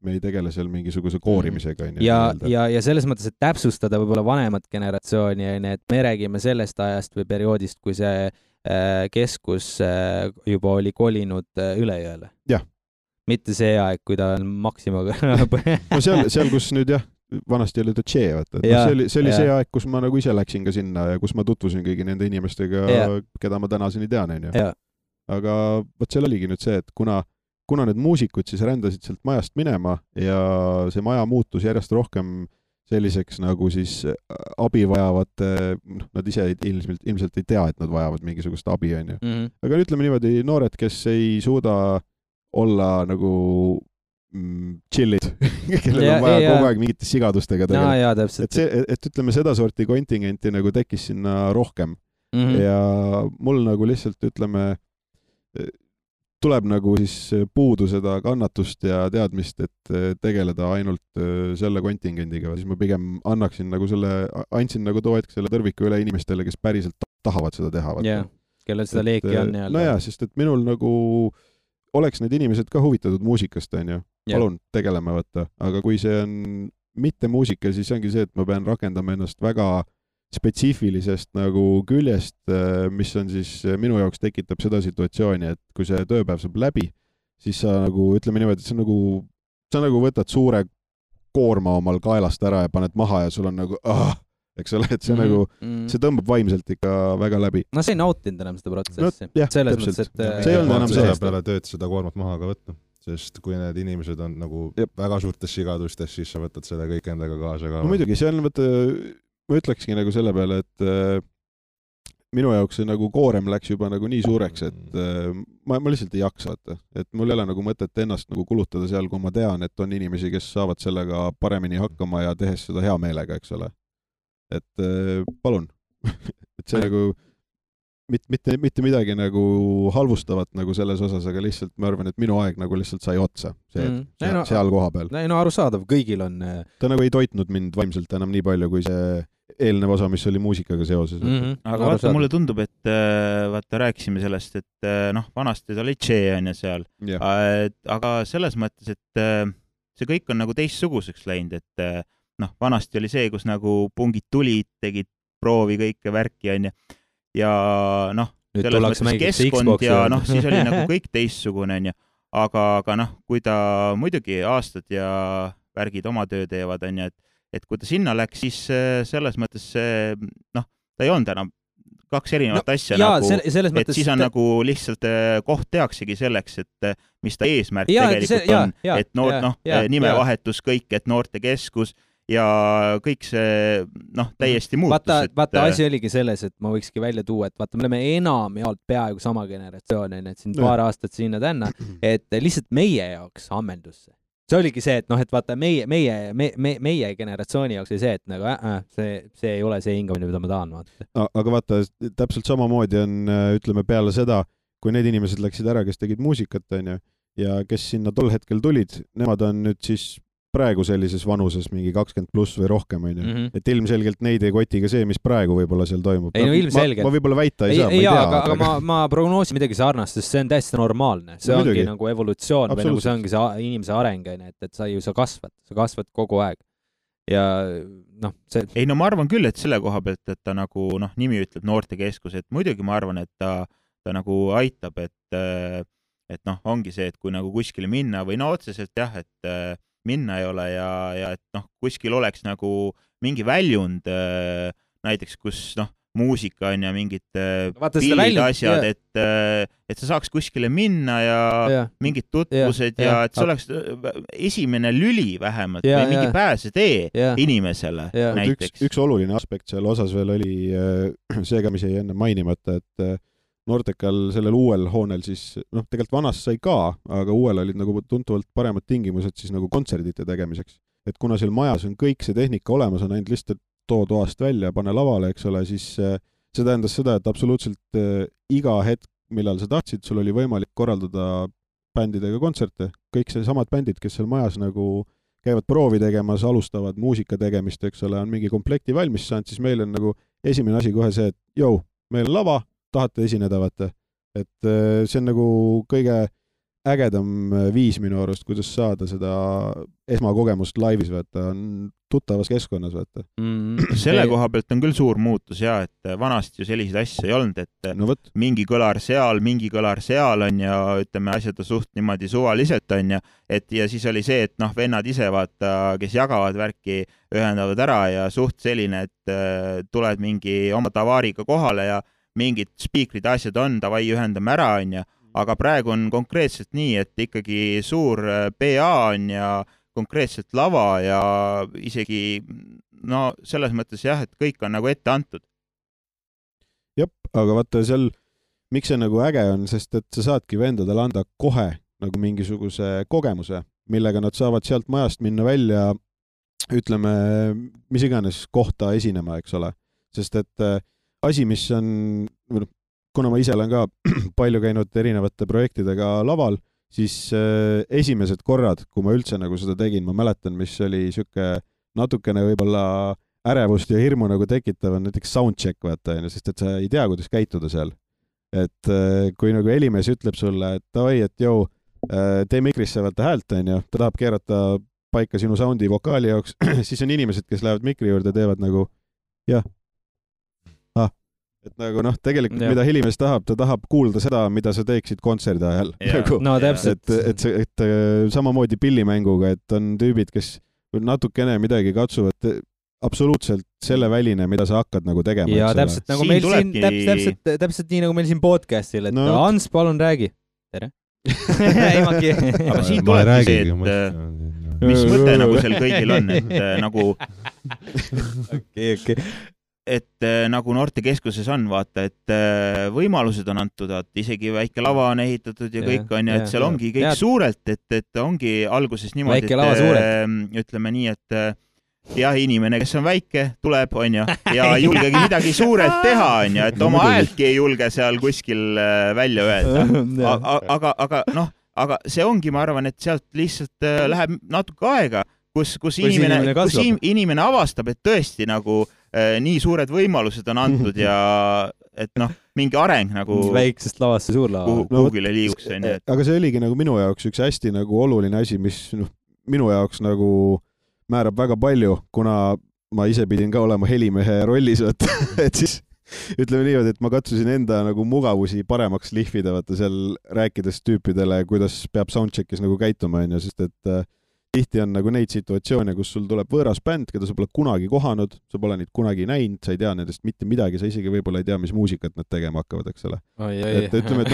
me ei tegele seal mingisuguse koorimisega. Ja selles mõttes, et täpsustada võib-olla vanemat generatsiooni, et me räägime sellest ajast või perioodist, kui see keskus juba oli kolinud üle jõele. Jah. Mitte see aeg, kui ta on Maximaga. No seal, kus nüüd vanasti oli Tšee, vaata. See oli see aeg, kus ma nagu ise läksin ka sinna ja kus ma tutvusin kõigi nende inimestega, keda ma tänaseni tean, on ju. Aga võt seal oligi nüüd see, et kuna need muusikud siis rändasid sealt majast minema ja see maja muutus järjest rohkem selliseks nagu siis abi vajavate, nad ise ilmselt ei tea, et nad vajavad mingisugust abi, on ju. Aga ütleme niimoodi, noored, kes ei suuda olla nagu chillid, kellel on vaja kogu aeg mingite sigadustega tegeleda. Et ütleme, seda sorti kontingenti nagu tekkis sinna rohkem. Ja mul nagu lihtsalt, ütleme, tuleb nagu siis puudu seda kannatust ja teadmist, et tegeleda ainult selle kontingendiga. Siis ma pigem andsin nagu too hetk selle tõrviku üle inimestele, kes päriselt tahavad seda teha. Kellel seda leeki on. No jaa, sest et minul nagu oleks need inimesed ka huvitatud muusikast, on ju. Palun, tegeleme, võtta. Aga kui see on mitte muusika, siis ongi see, et ma pean rakendama ennast väga spetsiifilisest nagu küljest, mis on siis minu jaoks tekitab seda situatsiooni, et kui see tööpäev saab läbi, siis sa nagu, ütleme niimoodi, et sa nagu võtad suure koorma omal kaelast ära ja paned maha ja sul on nagu eks ole, et see nagu, see tõmbab vaimselt ikka väga läbi. No see ei nautinud enam seda protsessi. Selles mõttes, et see ei olnud enam selle peale tööd seda koormat maha ka võtta. Sest kui need inimesed on nagu väga suurtes sigadustes, siis sa võtad selle kõik endaga kaasa ka. No muidugi, see on, ma ütlekski nagu selle peale, et minu jaoks see nagu koorem läks juba nagu nii suureks, et ma lihtsalt ei jaksa, et mul ei ole nagu mõtet ennast nagu kulutada seal, kui ma tean, et on inimesi, kes saavad sellega paremini hakkama ja tehes seda hea meelega, eks ole. Et palun, et see nagu mitte midagi nagu halvustavat nagu selles osas, aga lihtsalt ma arvan, et minu aeg nagu lihtsalt sai otsa seal koha peal. No arusaadav, kõigil on. Ta nagu ei toitnud mind vaimselt enam nii palju, kui see eelnev osa, mis oli muusikaga seoses. Aga vaata, mulle tundub, et vaata, rääkisime sellest, et vanasti ta oli Tšee on ja seal. Aga selles mõttes, et see kõik on nagu teistsuguseks läinud, et vanasti oli see, kus nagu pungid tulid, tegid proovi kõike värki on ja selles mõttes keskkond ja siis oli nagu kõik teistsugune on aga kui ta muidugi aastad ja värgid oma töö teevad on et kui ta sinna läks, siis selles mõttes ta ei olnud enam kaks erinevat asja et siis on nagu lihtsalt koht teaksegi selleks, et mis ta eesmärk tegelikult on, et nimevahetus kõik, et noortekeskus ja kõik see täiesti muutus. Vaata asi oligi selles, et ma võikski välja tuua, et vaata, me oleme enam ja peaaegu sama generatsioon, et siin paar aastat sinna tänna, et lihtsalt meie jaoks ammendus see. See oligi see, et et vaata, meie generatsiooni jaoks oli see, et nagu see ei ole see hingamine, mida ma tahan. Aga vaata, täpselt samamoodi on, ütleme, peale seda, kui need inimesed läksid ära, kes tegid muusikat, on ju, ja kes sinna tol hetkel tulid, nemad on nüüd siis praegu sellises vanuses mingi 20+ või rohkem, on ju. Et ilmselgelt neid ei koti ka see, mis praegu võib-olla seal toimub. Ei, no ilmselgelt. Ma võib-olla väita ei saa, ma ei tea. Aga ma prognoosin midagi sarnast, sest see on täiesti normaalne. See ongi nagu evolutsioon või nagu see ongi see inimese areng, et sa kasvad kogu aeg. Ja see... Ei, no ma arvan küll, et selle koha pealt, et ta nagu nimi ütleb noortekeskus, et muidugi ma arvan, et ta nagu aitab, et ongi see, et kui nagu kuskile minna või otseselt jah, et minna ei ole ja et kuskil oleks nagu mingi väljund näiteks, kus muusika on ja mingid pillid, asjad, et sa saaks kuskile minna ja mingid tutvused ja et see oleks esimene lüli vähemalt või mingi pääsetee inimesele näiteks. Üks oluline aspekt seal osas veel oli see ka, mis jäi enne mainimata, et Nortekal sellel uuel hoonel siis, tegelikult vanas sai ka, aga uuel olid nagu tuntuvalt paremad tingimused siis nagu kontserdite tegemiseks. Et kuna seal majas on kõik see tehnika olemas, on ainult lihtsalt too toast välja, pane lavale, eks ole, siis see tähendas seda, et absoluutselt iga hetk, millal sa tahtsid, sul oli võimalik korraldada bändidega kontserte. Kõik see samad bändid, kes seal majas nagu käivad proovi tegemas, alustavad muusika tegemist, eks ole, on mingi komplekti valmis saanud, siis meil on nagu esimene asi kohe see, et meil on lava, tahate esineda, vaata. Et see on nagu kõige ägedam viis minu arust, kuidas saada seda esmakogemust laivis, vaata, on tuttavas keskkonnas, vaata. Selle koha pealt on küll suur muutus ja, et vanasti ju selliseid asju ei olnud, et mingi kõlar seal on ja ütleme asjad suht niimoodi suvaliselt on ja siis oli see, et vennad ise vaata, kes jagavad värki, ühendavad ära ja suht selline, et tuled mingi oma tavaariga kohale ja mingid spiikrid asjad on, davai ühendame ära on ja, aga praegu on konkreetselt nii, et ikkagi suur PA on ja konkreetselt lava ja isegi selles mõttes jah, et kõik on nagu ette antud. Jep, aga vaata seal, miks see nagu äge on, sest et sa saadki vendadele anda kohe nagu mingisuguse kogemuse, millega nad saavad sealt majast minna välja, ütleme, mis iganes kohta esinema, eks ole. Sest et asi, mis on, kuna ma ise olen ka palju käinud erinevate projektidega laval, siis esimesed korrad, kui ma üldse nagu seda tegin, ma mäletan, mis oli siuke natukene võib-olla ärevust ja hirmu nagu tekitav on näiteks soundcheck, vaata, sest et sa ei tea, kuidas käituda seal. Et kui nagu helimees ütleb sulle, et davai, et tee mikrisse vaata häält, on ju, ta tahab keerata paika sinu soundi vokaali jaoks, siis on inimesed, kes lähevad mikri juurde, teevad nagu jah. Et nagu tegelikult mida helimees tahab, ta tahab kuulda seda, mida sa teeksid kontserdi ajal. No täpselt. Et samamoodi pillimänguga, et on tüübid, kes natukene midagi katsuvad absoluutselt selle väline, mida sa hakkad nagu tegema. Ja täpselt nagu meil siin, täpselt nii nagu meil siin podcastil, et Hans, palun räägi. Tere. Aga siin tulebki see, et mis mõte nagu seal kõigil on, et nagu et nagu noortekeskuses on, vaata, et võimalused on antud, et isegi väike lava on ehitatud ja kõik on ja et seal ongi kõik suurelt, et ongi alguses niimoodi, et ütleme nii, et jah, inimene, kes on väike, tuleb, on ja julgegi midagi suurelt teha, on ja, et oma häältki ei julge seal kuskil välja öelda. Aga see ongi, ma arvan, et sealt lihtsalt läheb natuke aega, kus inimene avastab, et tõesti nagu nii suured võimalused on antud ja et mingi areng nagu väiksest lavast see suur lava kuhugile liiguks. Aga see oligi nagu minu jaoks üks hästi nagu oluline asi, mis minu jaoks nagu määrab väga palju, kuna ma ise pidin ka olema helimehe rollis, et siis ütleme niimoodi, et ma katsusin enda nagu mugavusi paremaks lihvida, vaata seal rääkides tüüpidele, kuidas peab soundcheckis nagu käituma, sest et tihti on nagu neid situatsioone, kus sul tuleb võõras bänd, keda sa pole kunagi kohanud, sa pole neid kunagi näinud, sa ei tea nendest mitte midagi, sa isegi võib-olla ei tea, mis muusikat nad tegema hakkavad, eks ole. Et ütleme, et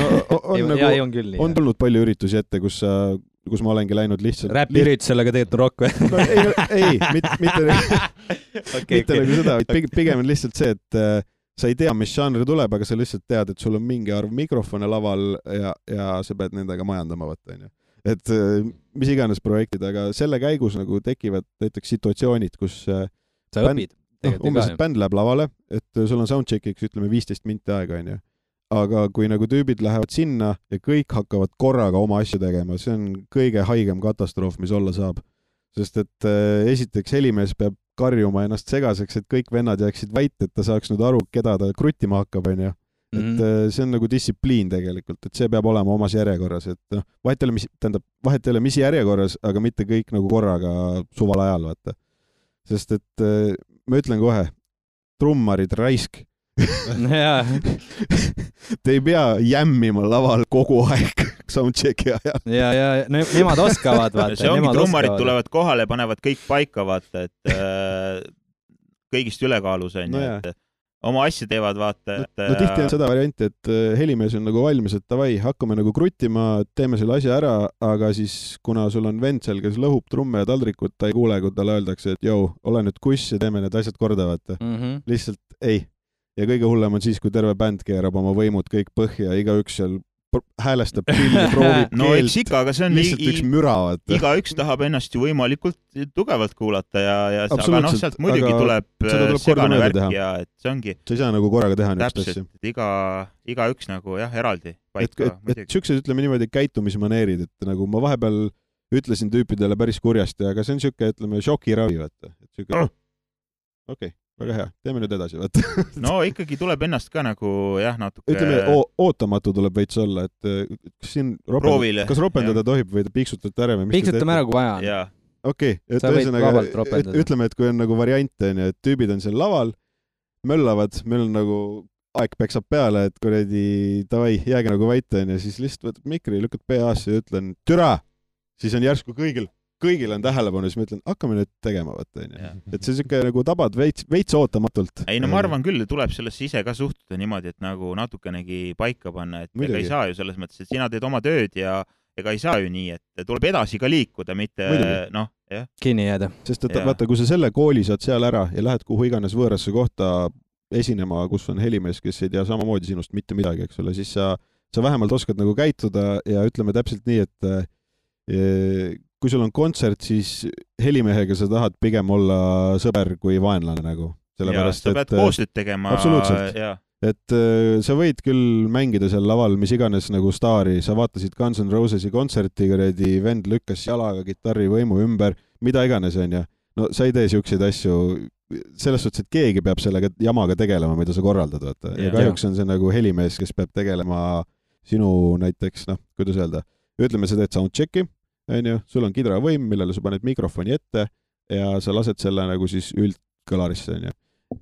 on tulnud palju üritusi ette, kus ma olengi läinud lihtsalt... Räpi-üritusel, aga tegelikult on rock või? Ei, mitte nagu seda, pigem on lihtsalt see, et sa ei tea, mis žanr tuleb, aga sa lihtsalt tead, et sul on mingi arv mikrofone laval ja sa pead nendega majandama, vaata, on ju. Et mis iganes projektid, aga selle käigus nagu tekivad näiteks situatsioonid, kus sa õpid. Umbes bänd läheb lavale, et sul on soundcheckiks, ütleme 15 minti aega, on ju. Aga kui nagu tüübid lähevad sinna ja kõik hakkavad korraga oma asju tegema, see on kõige haigem katastroof, mis olla saab. Sest et esiteks helimees peab karjuma ennast segaseks, et kõik vennad jääksid vait, et ta saaks nüüd aru, keda ta kruttima hakkab, on ju. Et see on nagu distsipliin tegelikult, et see peab olema omas järjekorras, et vahet ei ole mis järjekorras, aga mitte kõik nagu korraga suval ajal, vaata. Sest et ma ütlen kohe, trummarid raisk. Te ei pea jämmima laval kogu aeg soundchecki ajal. Ja nemad oskavad, vaata. See ongi, trummarid tulevad kohale, panevad kõik paika, vaata, et kõigist ülekaalus on, et oma asja teevad, vaata. No tihti on seda varianti, et helimees on nagu valmis, et davai, hakkame nagu kruttima, teeme selle asja ära, aga siis kuna sul on vend seal, kes lõhub trumme ja taldrikut, ta ei kuule, kui talle öeldakse, et jõu, ole nüüd kuss ja teeme need asjad korda, vaata. Lihtsalt ei. Ja kõige hullem on siis, kui terve bänd keerab oma võimud kõik põhja, igaüks seal häälestab pilli, proovib no, keelt, ikka, aga see on lihtsalt üks müra, vaata. Igaüks tahab ennast ju võimalikult tugevalt kuulata ja aga noh, sealt muidugi tuleb segane värk ja et see ongi. Sa ei saa nagu korraga teha niisugust asja. Täpselt, igaüks nagu jah, eraldi paika. Et siuksed, ütleme niimoodi, käitumismaneerid, et nagu ma vahepeal ütlesin tüüpidele päris kurjasti, aga see on siuke, ütleme, šokiravi, vaata. Okei. Väga hea, teeme nüüd edasi, vaata. No ikkagi tuleb ennast ka nagu jah, natuke... Ütleme, ootamatu tuleb veits olla, et kas siin kas ropendada tohib või piiksutate ära või mis piiksutame ära, kui vaja on. Okei, et ütleme, et kui on nagu variante, et tüübid on seal laval, möllavad, meil on nagu aeg peksab peale, et kuradi davai, jääge nagu vaita, ja siis lihtsalt võtad mikri, lükkad PA-sse ja ütlen türa, siis on järsku kõigil on tähelepanu, siis ma ütlen, hakkame nüüd tegema, vaata, et see siuke nagu tabad veits ootamatult. Ei, no ma arvan küll, tuleb sellesse ise ka suhtuda niimoodi, et nagu natukenegi paika panna, et ega ei saa ju selles mõttes, et sina teed oma tööd ja ega ei saa ju nii, et tuleb edasi ka liikuda, mitte noh, jah. Kinni jääda. Sest et vaata, kui sa selle kooli saad seal ära ja lähed kuhu iganes võõrasse kohta esinema, kus on helimees, kes ei tea samamoodi sinust mitte midagi, eks ole, siis sa vähemalt oskad nagu käituda ja ütleme täpselt nii, et kui sul on kontsert, siis helimehega sa tahad pigem olla sõber kui vaenlane nagu. Sellepärast, sa pead koostööd tegema. Absoluutselt. Et sa võid küll mängida seal laval, mis iganes nagu staari, sa vaatasid Guns N' Rosesi kontserti, vend lükkas jalaga kitarri võimu ümber, mida iganes on ja. No sa ei tee siukseid asju, selles suhtes, et keegi peab sellega jamaga tegelema, mida sa korraldad. Vaata. Ja kahjuks on see nagu helimees, kes peab tegelema sinu näiteks, noh, kuidas öelda, ütleme, sa teed soundchecki, sul on kidravõim, millele sa paned mikrofoni ette ja sa lased selle nagu siis üldkõlarisse.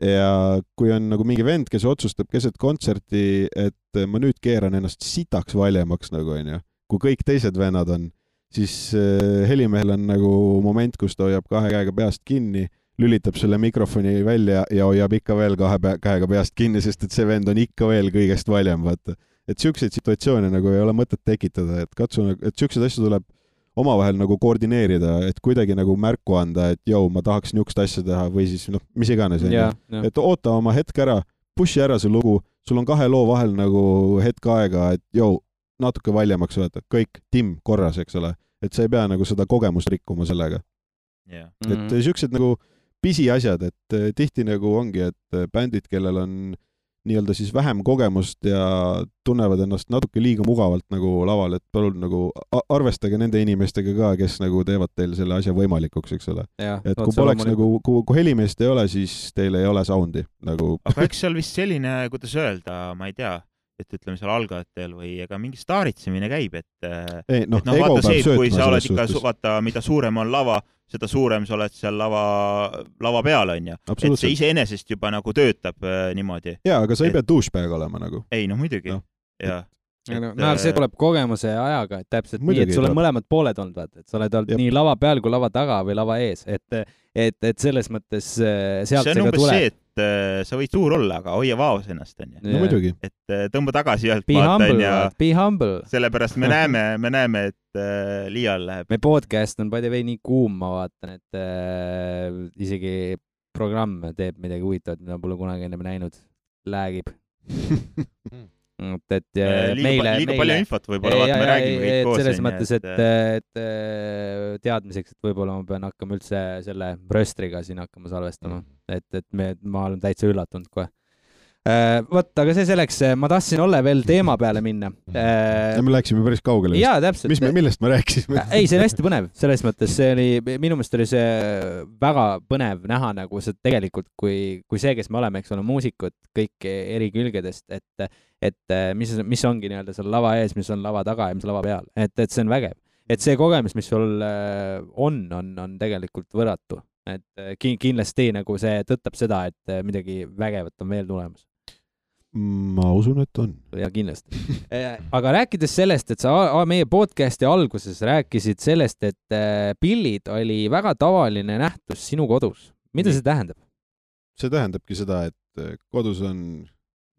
Ja kui on nagu mingi vend, kes otsustab keset kontserti, et ma nüüd keeran ennast sitaks valjemaks nagu, kui kõik teised vennad on, siis helimehel on nagu moment, kus ta hoiab kahe käega peast kinni, lülitab selle mikrofoni välja ja hoiab ikka veel kahe käega peast kinni, sest et see vend on ikka veel kõigest valjem, vaata. Et siukseid situatsioone nagu ei ole mõtet tekitada, et katsu, et siukseid asju tuleb omavahel nagu koordineerida, et kuidagi nagu märku anda, et jõu, ma tahaks niisugust asja teha või siis noh, mis iganes. Et oota oma hetk ära, pushi ära see lugu, sul on kahe loo vahel nagu hetk aega, et jõu, natuke valjemaks võtta, kõik timm korras, eks ole, et sa ei pea nagu seda kogemust rikkuma sellega. Et siuksed nagu pisiasjad, et tihti nagu ongi, et bändid, kellel on nii-öelda siis vähem kogemust ja tunnevad ennast natuke liiga mugavalt nagu laval, et palun nagu arvestage nende inimestega ka, kes nagu teevad teil selle asja võimalikuks, eks ole. Et kui poleks nagu, kui helimeest ei ole, siis teil ei ole soundi nagu. Aga eks seal vist selline, kuidas öelda, ma ei tea, et ütleme seal algajatel või ega mingi staaritsemine käib, et vaata see, et kui sa oled ikka, vaata, mida suurem on lava, seda suurem sa oled seal lava peal, on ju. Et see iseenesest juba nagu töötab niimoodi. Jaa, aga sa ei pea douchebag olema nagu. Ei, no muidugi. See tuleb kogemuse ajaga, et täpselt nii, et sul on mõlemad pooled olnud, vaata, et sa oled olnud nii lava peal kui lava taga või lava ees, et selles mõttes sealt see on umbes see, et sa võid suur olla, aga hoia vaos ennast, on ju. No muidugi. Et tõmba tagasi ühelt be humble. Sellepärast me näeme, et liial läheb. Me podcast on by the way nii kuum, ma vaatan, et isegi programm teeb midagi huvitavat, mida pole kunagi ennem näinud. Läägib. Liiga palju infot võib-olla, vaata, me räägime kõik koos. Selles mõttes, et teadmiseks, et võib-olla ma pean hakkama üldse selle röstriga siin hakkama salvestama, et ma olen täitsa üllatunud kohe. Vot, aga see selleks, ma tahtsin Olle veel teema peale minna. Me läksime päris kaugele. Jaa, täpselt. Millest me rääkisime? Ei, see on hästi põnev. Selles mõttes see oli, minu meelest oli see väga põnev näha nagu see tegelikult, kui see, kes me oleme, eks ole, muusikud kõik eri külgedest, et mis ongi nii-öelda seal lava ees, mis on lava taga ja mis lava peal. Et see on vägev. Et see kogemus, mis sul on tegelikult võrratu. Et kindlasti nagu see tõttab seda, et midagi vägevat on veel tulemas. Ma usun, et on. Ja kindlasti. Aga rääkides sellest, et sa meie podcasti alguses rääkisid sellest, et pillid oli väga tavaline nähtus sinu kodus. Mida see tähendab? See tähendabki seda, et kodus on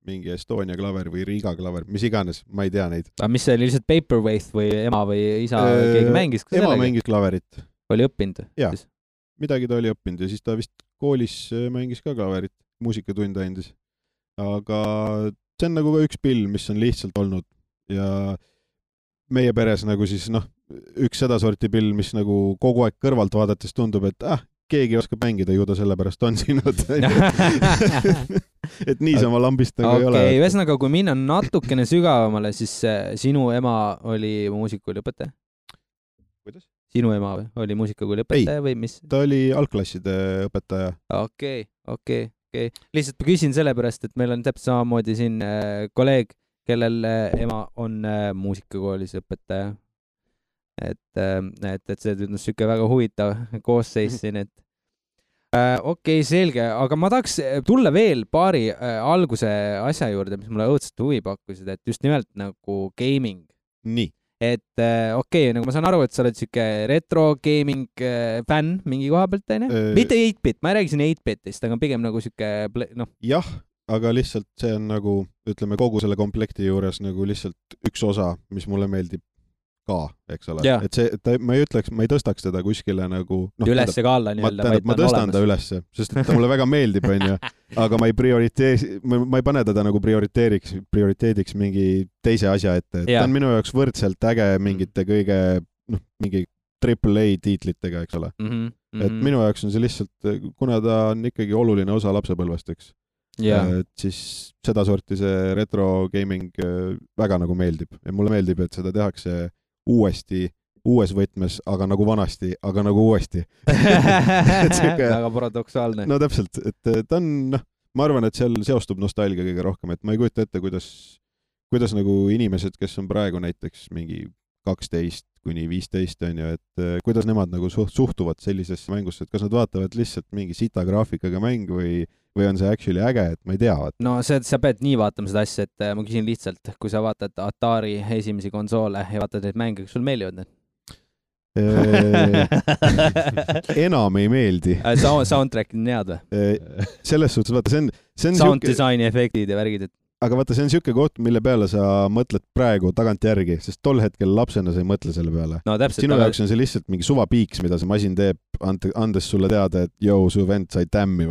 mingi Estonia klaver või Riga klaver, mis iganes, ma ei tea neid. Aga mis see oli lihtsalt Paperweight või ema või isa keegi mängis? Ema mängis klaverit. Oli õppinud? Jaa, midagi ta oli õppinud ja siis ta vist koolis mängis ka klaverit, muusikatunde andis. Aga see on nagu ka üks pill, mis on lihtsalt olnud ja meie peres nagu siis üks seda sorti pill, mis nagu kogu aeg kõrvalt vaadates tundub, et keegi oskab mängida, ju ta sellepärast on sinud. Et niisama lambist nagu ei ole. Okei, ühesõnaga, kui minna natukene sügavamale, siis sinu ema oli muusikakooli õpetaja? Kuidas? Sinu ema oli muusikakooli õpetaja või mis? Ta oli algklasside õpetaja. Okei. Lihtsalt küsin sellepärast, et meil on täpselt samamoodi siin kolleeg, kellel ema on muusikakoolis õpetaja. Et see tundus siuke väga huvitav koosseis siin, et okei, selge, aga ma tahaks tulla veel paari alguse asja juurde, mis mulle õudselt huvi pakkusid, et just nimelt nagu gaming. Nii. Et okei, nagu ma saan aru, et sa oled siuke retro gaming fänn mingi koha pealt, mitte 8-bit, ma ei räägi siin 8-bitist, aga pigem nagu siuke, Jah, aga lihtsalt see on nagu, ütleme, kogu selle komplekti juures nagu lihtsalt üks osa, mis mulle meeldib ka, eks ole. Et see, ma ei tõstaks teda kuskile nagu ülesse ka alla nii-öelda, ma tõstan ta ülesse, sest ta mulle väga meeldib, aga ma ei pane teda nagu prioriteediks mingi teise asja ette. Ta on minu jaoks võrdselt äge mingite kõige mingi AAA tiitlitega, eks ole. Et minu jaoks on see lihtsalt, kuna ta on ikkagi oluline osa lapsepõlvest, eks. Et siis seda sorti see retro gaming väga nagu meeldib ja mulle meeldib, et seda tehakse uuesti, uues võtmes, aga nagu vanasti, aga nagu uuesti. Väga paradoksaalne. No täpselt, et ta on, ma arvan, et seal seostub nostalgia kõige rohkem, et ma ei kujuta ette, kuidas nagu inimesed, kes on praegu näiteks mingi 12 kuni 15 on ju, et kuidas nemad nagu suhtuvad sellisesse mängusse, et kas nad vaatavad lihtsalt mingi sita graafikaga mäng või on see actually äge, et ma ei tea. No sa pead nii vaatama seda asja, et ma küsin lihtsalt, kui sa vaatad Atari esimesi konsoole ja vaatad neid mänge, kas sul meeldivad need? Enam ei meeldi. Soundtrack on head või? Selles suhtes, vaata, see on sound designi efektid ja värgid, et aga vaata, see on siuke koht, mille peale sa mõtled praegu tagantjärgi, sest tol hetkel lapsena sa ei mõtle selle peale. No, täpselt, sinu jaoks on see lihtsalt mingi suvapiiks, mida see masin teeb, andes sulle teada, et su vend sai tämmi.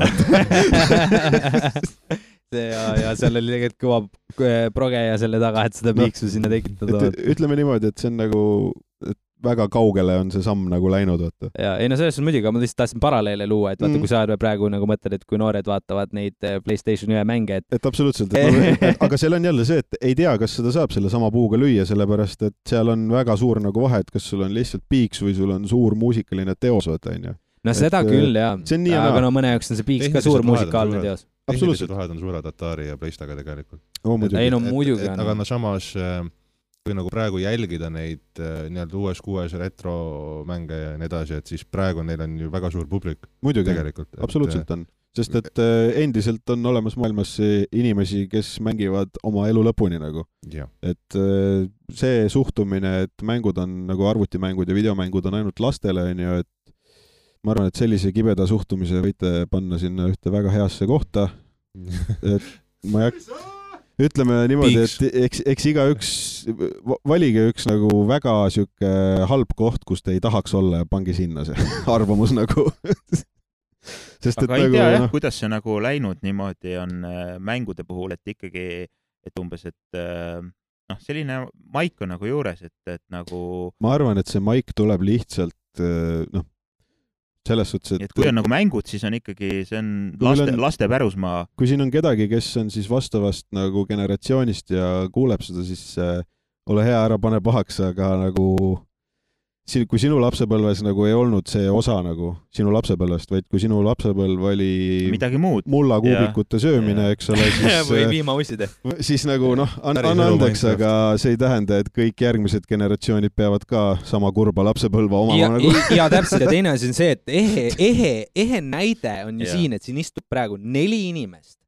ja seal oli tegelikult kõva proge ja selle taga, et seda piiksu sinna tekitada. Ütleme niimoodi, et see on nagu väga kaugele on see samm nagu läinud, vaata. Ja, ei no selles on muidugi, ma lihtsalt tahtsin paralleele luua, et vaata, kui sa praegu nagu mõtled, et kui noored vaatavad neid PlayStation 1 mänge, et absoluutselt, aga seal on jälle see, et ei tea, kas seda saab selle sama puuga lüüa, sellepärast, et seal on väga suur nagu vahe, et kas sul on lihtsalt piiks või sul on suur muusikaline teos, vaata, on ju. No seda küll, jah. Aga no mõne jaoks on see piiks ka suur muusikaalne teos. Tehnilised vahed on suured Atari ja PlayStaga tegelikult. Ei no muidugi on. Aga no samas kui nagu praegu jälgida neid nii-öelda uues retromänge ja nii edasi, et siis praegu neil on ju väga suur publik. Muidugi, tegelikult, absoluutselt on. Sest et endiselt on olemas maailmas inimesi, kes mängivad oma elu lõpuni nagu. Ja. Et see suhtumine, et mängud on nagu arvutimängud ja videomängud on ainult lastele, on ju, et ma arvan, et sellise kibeda suhtumise võite panna sinna ühte väga heasse kohta. Et ma ütleme niimoodi, et eks igaüks valige üks nagu väga siuke halb koht, kus te ei tahaks olla ja pange sinna see arvamus nagu. Sest, aga ei tea jah, kuidas see nagu läinud niimoodi on mängude puhul, et ikkagi, et umbes, et selline maik on nagu juures, et nagu... Ma arvan, et see maik tuleb lihtsalt selles suhtes, et kui on nagu mängud, siis on ikkagi, see on laste pärusmaa. Kui siin on kedagi, kes on siis vastavast nagu generatsioonist ja kuuleb seda, siis ole hea, ära pane pahaks, aga nagu kui sinu lapsepõlves nagu ei olnud see osa nagu sinu lapsepõlvest, vaid kui sinu lapsepõlv oli midagi muud, mullakuubikute söömine, eks ole, siis või viimauside. Siis nagu anna andeks, aga see ei tähenda, et kõik järgmised generatsioonid peavad ka sama kurba lapsepõlva omama nagu. Ja täpselt, ja teine asi on see, et ehe näide on ju siin, et siin istub praegu 4 inimest,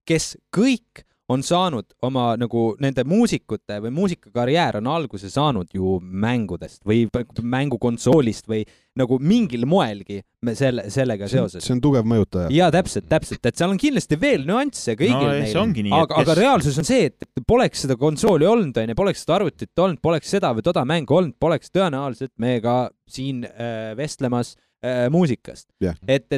kes kõik on saanud oma nagu nende muusikute või muusikakarjäär on alguse saanud ju mängudest või mängukonsoolist või nagu mingil moelgi sellega seoses. See on tugev mõjutaja. Ja täpselt, et seal on kindlasti veel nüansse kõigil neil. Aga reaalsus on see, et poleks seda konsooli olnud, poleks seda arvutit olnud, poleks seda või toda mängu olnud, poleks tõenäoliselt me ka siin vestlemas muusikast. Yeah. Et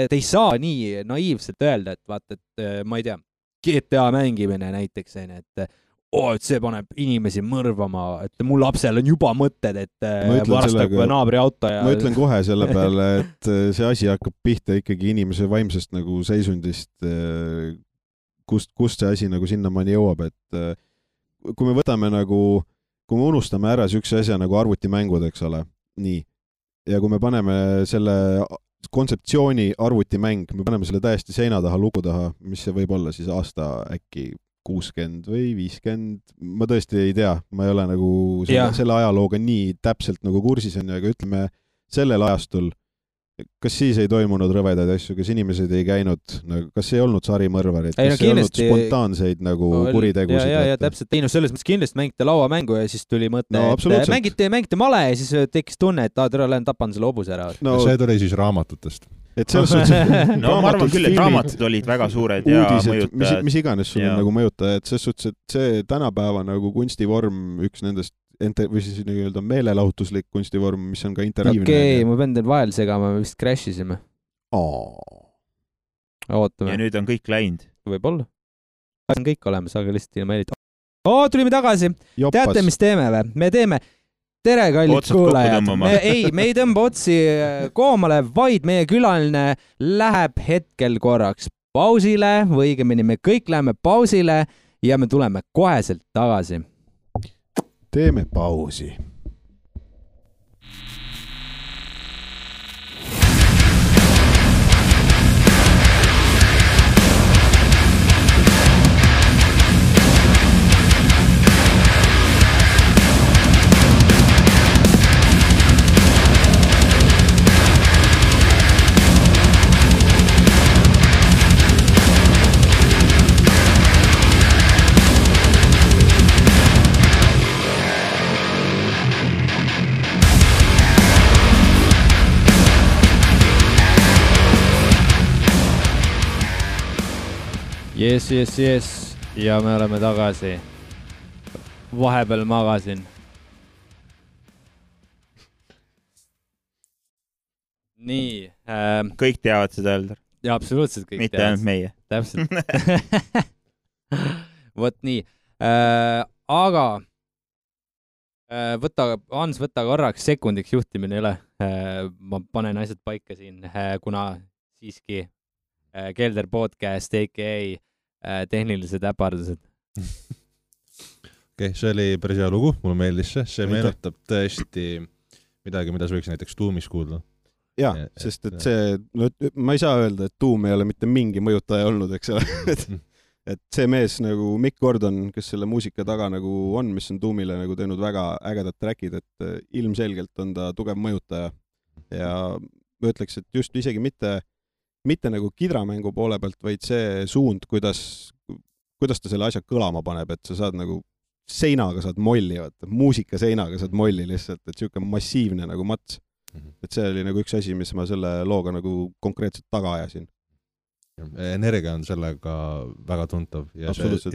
ei saa nii naiivselt öelda, et vaata, et ma ei tea, GTA mängimine näiteks, et see paneb inimesi mõrvama, et mu lapsel on juba mõtted, et varastab naabri auto ja... Ma ütlen kohe selle peale, et see asi hakkab pihta ikkagi inimese vaimsest nagu seisundist, kust see asi nagu sinnamaani jõuab, et kui me võtame nagu, kui me unustame ära sükse asja nagu arvutimängud, eks ole, nii, ja kui me paneme selle kontseptsiooni arvutimäng, me paneme selle täiesti seina taha, lugu taha, mis see võib olla siis aasta äkki 60 või 50, ma tõesti ei tea, ma ei ole nagu selle ajalooga nii täpselt nagu kursis on, aga ütleme sellel ajastul, kas siis ei toimunud rõvedaid asju, kas inimesed ei käinud, kas ei olnud sarimõrvarid, kas ei olnud spontaanseid nagu kuritegusid? Ja täpselt, selles mõttes kindlasti mängite lauamängu ja siis tuli mõte, et mängite male ja siis tekkis tunne, et lähen tapan selle hobuse ära. See tuli siis raamatutest. Et selles suhtes, ma arvan küll, et raamatud olid väga suured ja mõjutajad. Mis iganes sul on nagu mõjutajad, selles suhtes, et see tänapäeva nagu kunstivorm, üks nendest või siis nii-öelda meelelahutuslik kunstivorm, mis on ka interaktiivne. Okei, ma pean teil vahel segama, me vist crashisime. Ootame. Ja nüüd on kõik läinud. Võib-olla. On kõik olemas, aga lihtsalt ilma helita. Tulime tagasi. Teate, mis teeme või? Me teeme tere, kallid kuulajad. Me ei tõmba otsi koomale, vaid meie külaline läheb hetkel korraks pausile või õigemini me kõik läheme pausile ja me tuleme koheselt tagasi. Teeme pausi. Yes. Ja me oleme tagasi. Vahepeal magasin. Nii. Kõik teavad seda öelda. Ja absoluutselt kõik mitte ainult meie. Täpselt. Vot nii. Aga Hans, võta korraks sekundiks juhtimine üle. Ma panen asjad paika siin, kuna siiski Kelder podcast, a.k.a. Tehnilised äpardused. Okei, see oli päris hea lugu, mulle meeldis see meenutab tõesti midagi, mida sa võiks näiteks Tuumis kuulda. Jaa, sest et see, ma ei saa öelda, et Tuum ei ole mitte mingi mõjutaja olnud, eks ole. Et see mees nagu Mick Gordon, kes selle muusika taga nagu on, mis on Tuumile nagu teinud väga ägedad trackid, et ilmselgelt on ta tugev mõjutaja. Ja ma ütleks, et just isegi mitte nagu kidramängu poole pealt, vaid see suund, kuidas ta selle asja kõlama paneb, et sa saad nagu seinaga saad molli, muusika seinaga saad molli lihtsalt, et siuke massiivne nagu mats. Et see oli nagu üks asi, mis ma selle looga nagu konkreetselt taga ajasin. Energia on sellega väga tuntav ja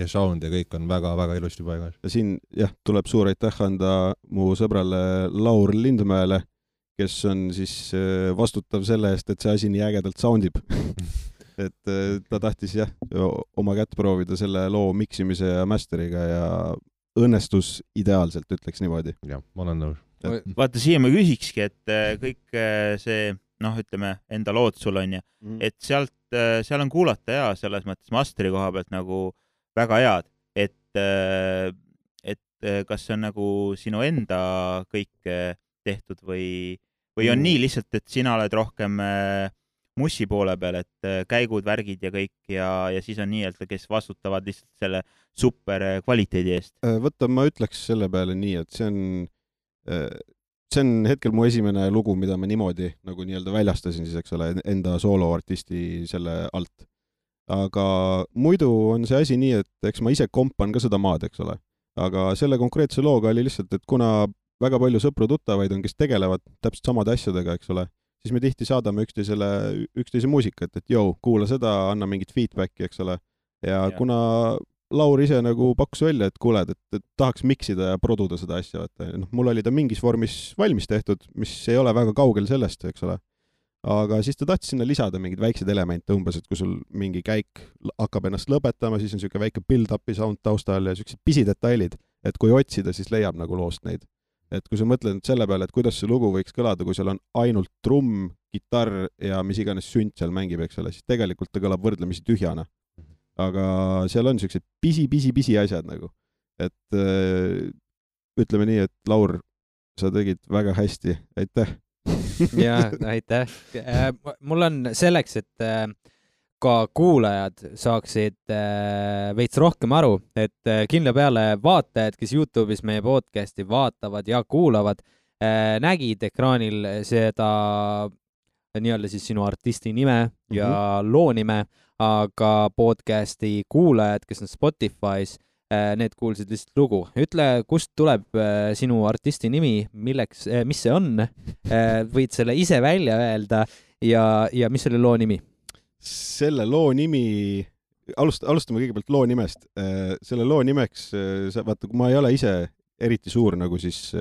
sound ja kõik on väga-väga ilusti paigas. Ja siin tuleb suur aitäh anda mu sõbrale Laur Lindmäele, kes on siis vastutav selle eest, et see asi nii ägedalt soundib. Et ta tahtis oma kätt proovida selle loo miksimise ja masteriga ja õnnestus ideaalselt, ütleks niimoodi. Jah, ma olen nõus. Vaata, siia ma küsikski, et kõik see, ütleme, enda lood sul on ja, et seal on kuulata ja selles mõttes masteri koha pealt nagu väga head, et kas see on nagu sinu enda kõik tehtud või on nii lihtsalt, et sina oled rohkem mussi poole peal, et käigud, värgid ja kõik ja siis on nii, et kes vastutavad lihtsalt selle super kvaliteedi eest? Võtta, ma ütleks selle peale nii, et see on hetkel mu esimene lugu, mida ma niimoodi nagu nii-öelda väljastasin siis, eks ole, enda sooloartisti selle alt. aga muidu on see asi nii, et eks ma ise kompan ka seda maad, eks ole. Aga selle konkreetse looga oli lihtsalt, et kuna väga palju sõpru-tuttavaid on, kes tegelevad täpselt samade asjadega, eks ole, siis me tihti saadame üksteise muusikat, et jõu, kuula seda, anna mingit feedbacki, eks ole. Ja kuna Laur ise nagu pakkus välja, et kuuled, et tahaks miksida ja produda seda asja, et mul oli ta mingis vormis valmis tehtud, mis ei ole väga kaugel sellest, eks ole. Aga siis ta tahtis sinna lisada mingeid väikseid elemente umbes, et kui sul mingi käik hakkab ennast lõpetama, siis on siuke väike build-upi sound taustal ja siuksed pisidetailid, et kui otsida, siis leiab nagu loost neid. Et kui sa mõtled selle peale, et kuidas see lugu võiks kõlada, kui seal on ainult trumm, kitarr ja mis iganes sünt seal mängib, eks ole, siis tegelikult ta kõlab võrdlemisi tühjana. Aga seal on siuksed pisi asjad nagu. Et ütleme nii, et Laur, sa tegid väga hästi. Aitäh! Ja, aitäh. Mul on selleks, et ka kuulajad saaksid veits rohkem aru, et kindla peale vaatajad, kes YouTube'is meie podcasti vaatavad ja kuulavad, nägid ekraanil seda nii-öelda siis sinu artisti nime ja loo nime, aga podcasti kuulajad, kes on Spotify's, need kuulsid lihtsalt lugu. Ütle, kust tuleb sinu artisti nimi, mis see on? Võid selle ise välja öelda ja mis selle loo nimi? Selle loo nimi, alustame kõigepealt loo nimest. Selle loo nimeks, vaata, kui ma ei ole ise eriti suur nagu siis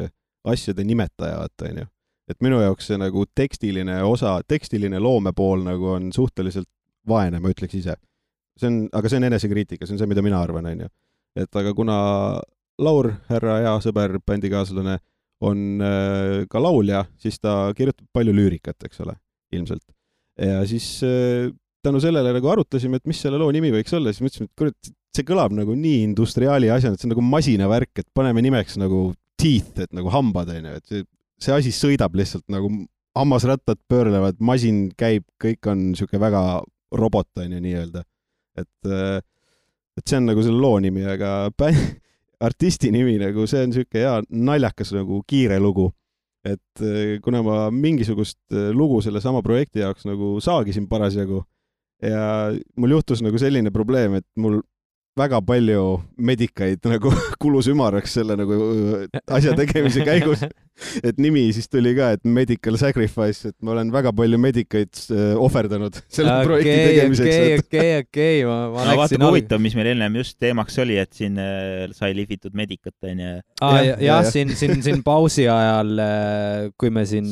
asjade nimetaja, on ju. Et minu jaoks see nagu tekstiline loomepool nagu on suhteliselt vaene, ma ütleks ise. Aga see on enesekriitika, see on see, mida mina arvan, on ju. Et aga kuna Laur, härra hea sõber, bändikaaslane, on ka laulja, siis ta kirjutab palju lüürikat, eks ole, ilmselt. Ja siis tänu sellele nagu arutasime, et mis selle loo nimi võiks olla, siis mõtlesime, et kurat, see kõlab nagu nii industriaali asjana, et see on nagu masinavärk, et paneme nimeks nagu teeth, et nagu hambad, et see asi sõidab lihtsalt nagu hammasrattad pöörlevad, masin käib, kõik on siuke väga robot, on ju nii-öelda. Et see on nagu selle loo nimi, aga artisti nimi nagu see on siuke hea naljakas nagu kiire lugu. Et kuna ma mingisugust lugu selle sama projekti jaoks nagu saagisin parasjagu ja mul juhtus nagu selline probleem, et mul väga palju medikaid nagu kulus ümaraks selle nagu asja tegemise käigus. Et nimi siis tuli ka, et medical sacrifice, et ma olen väga palju medikaid ohverdanud selle projekti tegemiseks. Okei. Ma vaata huvitav, mis meil ennem just teemaks oli, et siin sai lihvitud medikat. Jah, siin pausi ajal, kui me siin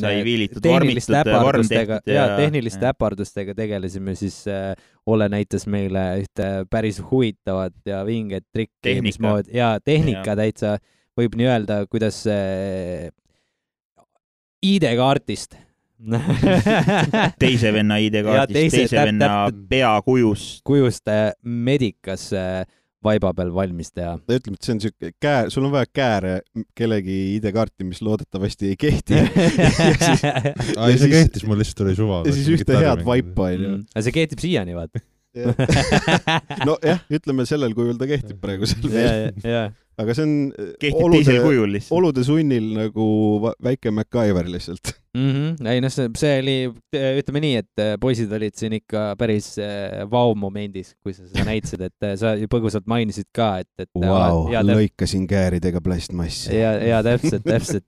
tehniliste äpardustega tegelesime, siis Ole näitas meile ühte päris huvitavat ja vinget trikki. Tehnika täitsa võib nii öelda, kuidas ID-kaartist. Teise venna ID-kaartist, teise venna kujust medikas vaiba peal valmis teha. Ta ütleb, et see on siuke sul on vaja kääre kellegi ID-kaarti, mis loodetavasti ei kehti. See kehtis, mul lihtsalt oli suva. Ja siis ühte head vaipa. Aga see kehtib siiani, vaat. No jah, ütleme sellel kujul ta kehtib praegusel veel. Aga see on kehtib teisel kujul lihtsalt. Olude sunnil nagu väike MacGyver lihtsalt. Ei, see oli, ütleme nii, et poisid olid siin ikka päris vau-momendis, kui sa seda näitasid, et sa põgusalt mainisid ka, et wow, lõikasin kääridega plastmassi. Ja täpselt.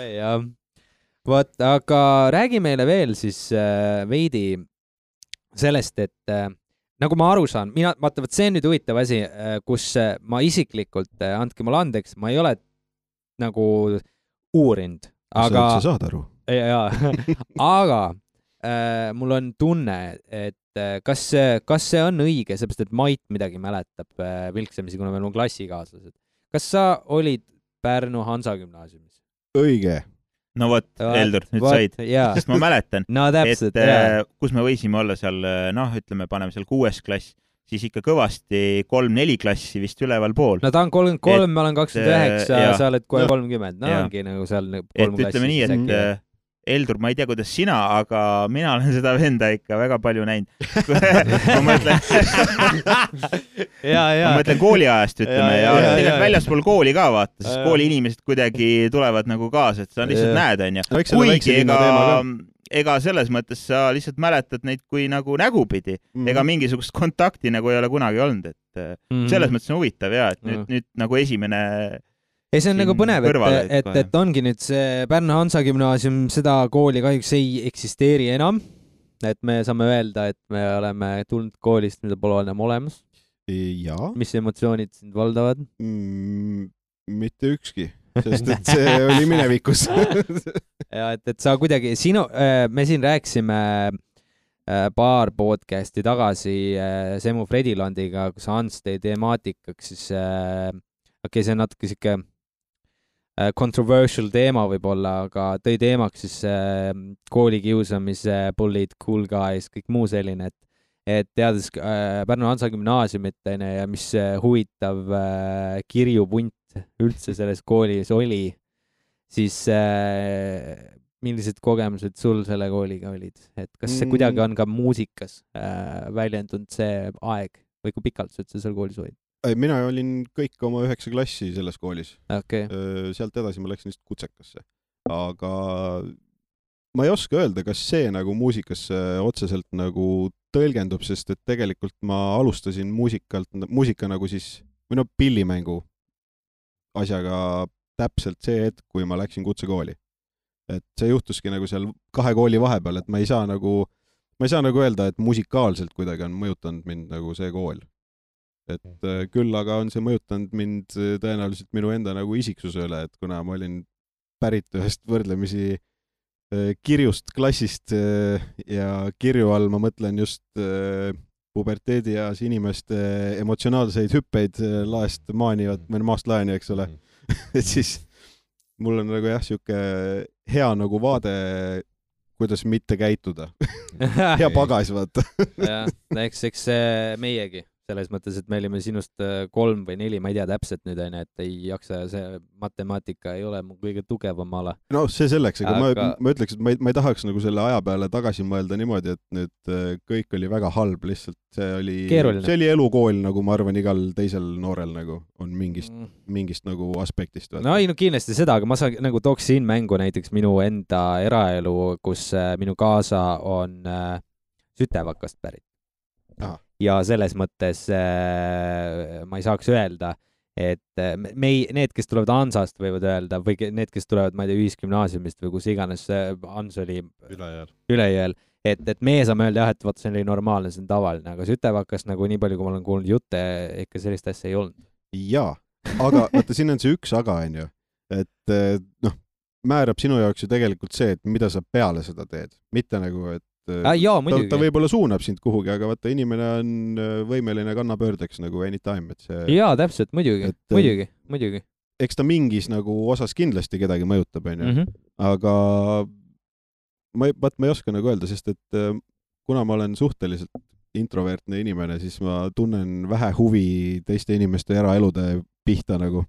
Ja vot, aga räägi meile veel siis veidi sellest, et nagu ma aru saan, vaata, see on nüüd huvitav asi, kus ma isiklikult, andke mulle andeks, ma ei ole nagu uurinud. Aga sa saad aru? Jaa, aga mul on tunne, et kas see on õige, seepärast, et Mait midagi mäletab vilksamisi, kuna meil on klassikaaslased. Kas sa olid Pärnu Hansa gümnaasiumis? Õige. No vot, Heldur, nüüd said, sest ma mäletan, täpselt, et kus me võisime olla seal, ütleme, paneme seal 6. klass, siis ikka kõvasti 3-4 klassi vist üleval pool. No ta on 33, ma olen 29 ja sa oled kohe 30, ongi nagu seal 3 klassi. Et ütleme nii, et Heldur, ma ei tea, kuidas sina, aga mina olen seda venda ikka väga palju näinud. Ma mõtlen kooliajast, ütleme, ja tegelikult väljaspool kooli ka vaata, sest kooli inimesed kuidagi tulevad nagu kaasa, et sa lihtsalt näed, on ju. Kuigi ega selles mõttes sa lihtsalt mäletad neid kui nagu nägupidi, ega mingisugust kontakti nagu ei ole kunagi olnud, et selles mõttes on huvitav ja, et nüüd nagu esimene ei, see on nagu põnev, et ongi nüüd see Pärnu Hansa Gümnaasium, seda kooli kahjuks ei eksisteeri enam, et me saame öelda, et me oleme tulnud koolist, mida pole enam olemas. Ja. Mis emotsioonid sind valdavad? Mitte ükski. Sest et see oli minevikus. ja, et sa kuidagi, me siin rääkisime paar podcasti tagasi Semu Fredilandiga, kus Hans tõi temaatikaks, siis see on natuke siuke controversial teema võib-olla, aga tõi teemaks siis koolikiusamise, bullied, cool guys, kõik muu selline, et teades Pärnu Hansa Gümnaasiumit ja mis huvitav kirjupunt üldse selles koolis oli, siis millised kogemused sul selle kooliga olid? Et kas see kuidagi on ka muusikas väljendunud see aeg või kui pikalt sa üldse seal koolis olid? Mina olin kõik oma 9 klassi selles koolis. Okay. Sealt edasi ma läksin lihtsalt kutsekasse. Aga ma ei oska öelda, kas see nagu muusikasse otseselt nagu tõlgendub, sest et tegelikult ma alustasin muusika nagu siis, või pillimängu asjaga täpselt see hetk, kui ma läksin kutsekooli. Et see juhtuski nagu seal 2 kooli vahepeal, et ma ei saa nagu öelda, et musikaalselt kuidagi on mõjutanud mind nagu see kool. Et küll aga on see mõjutanud mind tõenäoliselt minu enda nagu isiksuse üle, et kuna ma olin pärit ühest võrdlemisi kirjust klassist ja kirju all ma mõtlen just puberteedieas inimeste emotsionaalseid hüppeid laest maanivad, või maast laeni, eks ole. Et siis mul on nagu jah, siuke hea nagu vaade, kuidas mitte käituda. Hea pagas, vaata. Ja, eks meiegi. Selles mõttes, et me olime sinust 3 või 4, ma ei tea täpselt nüüd, et ei jaksa, see matemaatika ei ole mu kõige tugevam ala. No see selleks, aga ma ütleks, et ma ei tahaks nagu selle aja peale tagasi mõelda niimoodi, et nüüd kõik oli väga halb, lihtsalt see oli elukool, nagu ma arvan, igal teisel noorel nagu on mingist nagu aspektist. No ei, no kindlasti seda, aga ma nagu tooks siin mängu näiteks minu enda eraelu, kus minu kaasa on Sütevakast pärit. Ja selles mõttes ma ei saaks öelda, et need, kes tulevad Hansast, võivad öelda, või need, kes tulevad, ma ei tea, ühisgümnaasiumist või kus iganes Hans oli ülejääl, et meie saame öelda jah, et vaata, see oli normaalne, see on tavaline, aga Sütevakast nagu nii palju, kui ma olen kuulnud jutte, ikka sellist asja ei olnud. Jaa, aga vaata, siin on see üks aga, on ju, et määrab sinu jaoks ju tegelikult see, et mida sa peale seda teed, mitte nagu, et ta võib-olla suunab sind kuhugi, aga vaata, inimene on võimeline kannapöördeks nagu anytime, et see... Jaa, täpselt, muidugi. Eks ta mingis nagu osas kindlasti kedagi mõjutab, on ju. Aga ma ei oska nagu öelda, sest et kuna ma olen suhteliselt introvertne inimene, siis ma tunnen vähe huvi teiste inimeste eraelude pihta nagu.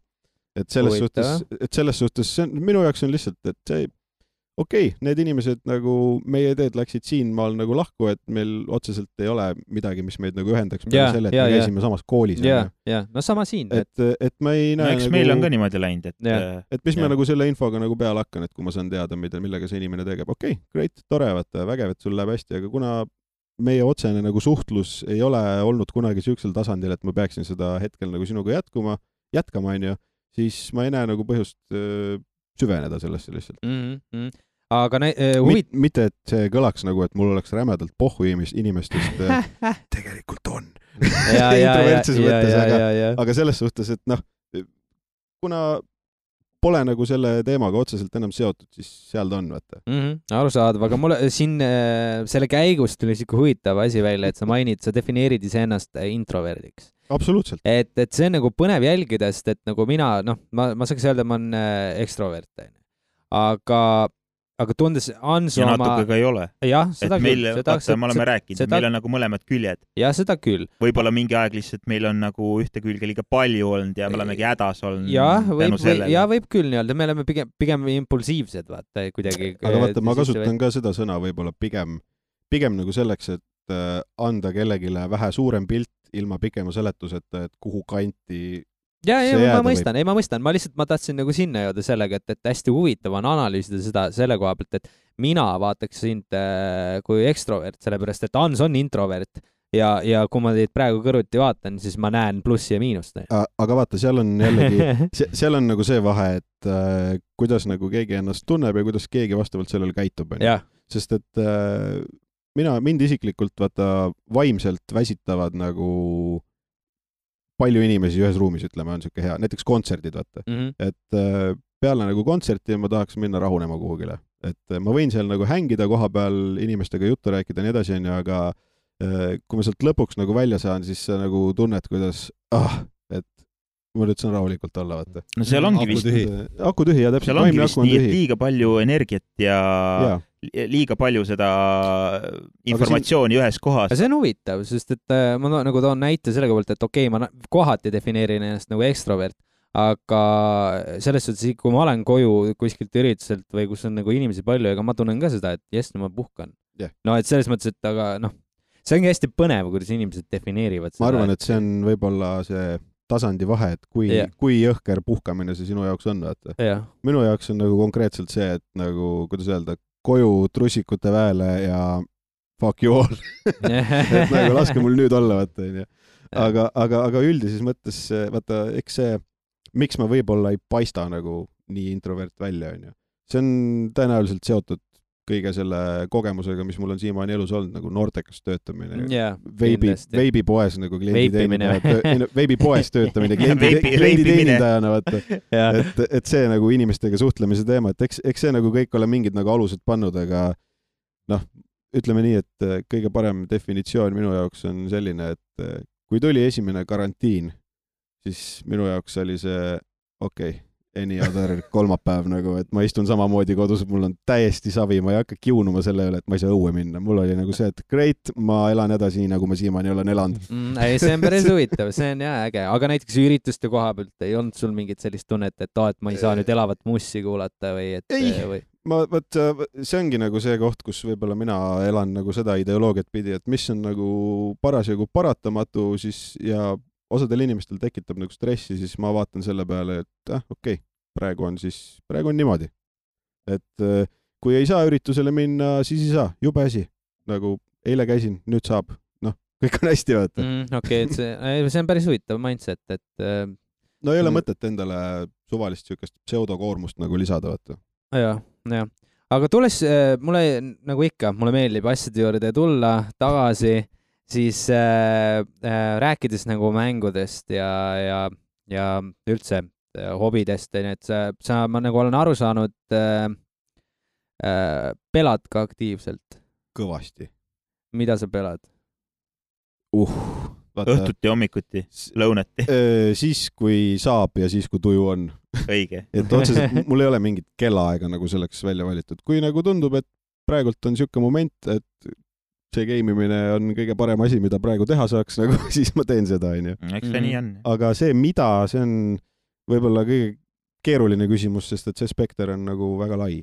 Et selles suhtes minu jaoks on lihtsalt, et see okei, need inimesed nagu meie teed läksid siin maal nagu lahku, et meil otseselt ei ole midagi, mis meid nagu ühendaks peale selle, et me käisime samas koolis. No sama siin. Et ma ei näe eks nagu... meil on ka niimoodi läinud, et mis ma nagu selle infoga nagu peale hakkan, et kui ma saan teada, millega see inimene tegeb. Okei, great, tore, vaata, vägev, et sul läheb hästi, aga kuna meie otsene nagu suhtlus ei ole olnud kunagi süüksel tasandil, et ma peaksin seda hetkel nagu sinuga jätkama, on ju, siis ma ei näe nagu põhjust süveneda sellesse lihtsalt. Aga mitte, et see kõlaks nagu, et mul oleks rämedalt pohhu inimestest. Tegelikult on. Introvertses mõttes, aga selles suhtes, et kuna pole nagu selle teemaga otseselt enam seotud, siis seal ta on, vaata. Arusaadav, aga mulle siin selle käigus tuli siuke huvitav asi välja, et sa defineerid iseennast introverdiks. Absoluutselt. Et see on nagu põnev jälgida, sest et nagu mina, ma saaks öelda, ma olen ekstrovert. Aga tundes Hansu ja natuke ka ei ole. Jah, seda küll. Me oleme rääkinud, meil on nagu mõlemad küljed. Ja seda küll. Võib-olla mingi aeg lihtsalt meil on nagu ühte külge liiga palju olnud ja me olemegi hädas olnud. Ja võib küll nii-öelda, me oleme pigem impulsiivsed, vaata, kuidagi. Aga vaata, ma kasutan ka seda sõna võib-olla pigem nagu selleks, et anda kellegile vähe suurem pilt ilma pikema seletuseta, et kuhu kanti ma mõistan, ma tahtsin nagu sinna jõuda sellega, et hästi huvitav on analüüsida seda selle koha pealt, et mina vaataks sind kui ekstrovert, sellepärast et Ants on introvert ja kui ma teid praegu kõrvuti vaatan, siis ma näen plussi ja miinust. Aga vaata, seal on jällegi, seal on nagu see vahe, et kuidas nagu keegi ennast tunneb ja kuidas keegi vastavalt sellele käitub. Sest et mind isiklikult vaata vaimselt väsitavad nagu palju inimesi ühes ruumis, ütleme, on siuke hea, näiteks kontserdid, vaata. Et peale nagu kontserti ma tahaks minna rahunema kuhugile. Et ma võin seal nagu hängida koha peal, inimestega juttu rääkida ja nii edasi, aga kui ma sealt lõpuks nagu välja saan, siis sa nagu tunned, kuidas, et ma nüüd saan rahulikult olla, vaata. No seal ongi vist aku tühi, ja täpselt. Seal ongi vist nii, et liiga palju energiat ja liiga palju seda informatsiooni ühes kohas. See on huvitav, sest et ma nagu toon näite selle poolt, et okei, ma kohati defineerin ennast nagu ekstrovert, aga selles suhtes, kui ma olen koju kuskilt ürituselt või kus on nagu inimesi palju, ega ma tunnen ka seda, et jess, no ma puhkan. No, et selles mõttes, et aga see ongi hästi põnev, kuidas inimesed defineerivad seda. Ma arvan, et see on võib-olla see tasandi vahe, et kui jõhker puhkamine see sinu jaoks on, vaata. Minu jaoks on nagu konkreetselt see, et nagu, kuidas öelda, koju trussikute väele ja fuck you all. Et nagu laske mul nüüd olla, vaata. Aga üldises mõttes, vaata, eks see, miks ma võib-olla ei paista nagu nii introvert välja, on ju. See on tõenäoliselt seotud kõige selle kogemusega, mis mul on siiamaani elus olnud, nagu noortekas töötamine, veibipoes nagu veibipoes töötamine, klienditeenindajana, vaata. Et see nagu inimestega suhtlemise teema, et eks see nagu kõik ole mingid nagu alused pannud, aga ütleme nii, et kõige parem definitsioon minu jaoks on selline, et kui tuli esimene karantiin, siis minu jaoks oli see any other kolmapäev nagu, et ma istun samamoodi kodus, mul on täiesti savi, ma ei hakka kiunuma selle üle, et ma ei saa õue minna. Mul oli nagu see, et great, ma elan edasi, nagu ma siiamaani olen elanud. See on päris huvitav, see on äge. Aga näiteks ürituste koha pealt ei olnud sul mingit sellist tunnet, et ma ei saa nüüd elavat mussi kuulata või et... Ei, see ongi nagu see koht, kus võib-olla mina elan nagu seda ideoloogiat pidi, et mis on nagu parasjagu paratamatu siis ja osadel inimestel tekitab nagu stressi, siis ma vaatan selle peale, et praegu on niimoodi. Et kui ei saa üritusele minna, siis ei saa, jube asi. Nagu eile käisin, nüüd saab. Kõik on hästi, vaata. Et see on päris huvitav mindset, et... No ei ole mõtet endale suvalist sükest pseudokoormust nagu lisada, vaata. Ja. Aga tulles, nagu ikka, mulle meeldib asjade juurde tulla tagasi, siis rääkides nagu mängudest ja üldse hobidest, et ma nagu olen aru saanud, pelad ka aktiivselt? Kõvasti. Mida sa pelad? Õhtuti, hommikuti, lõunati. Siis, kui saab ja siis, kui tuju on. Õige. Et otseselt mul ei ole mingit kellaaega nagu selleks välja valitud. Kui nagu tundub, et praegult on siuke moment, et see geimimine on kõige parem asi, mida praegu teha saaks, nagu, siis ma teen seda, on ju. Eks see nii on. Aga see, mida, see on võib-olla kõige keeruline küsimus, sest et see spekter on nagu väga lai.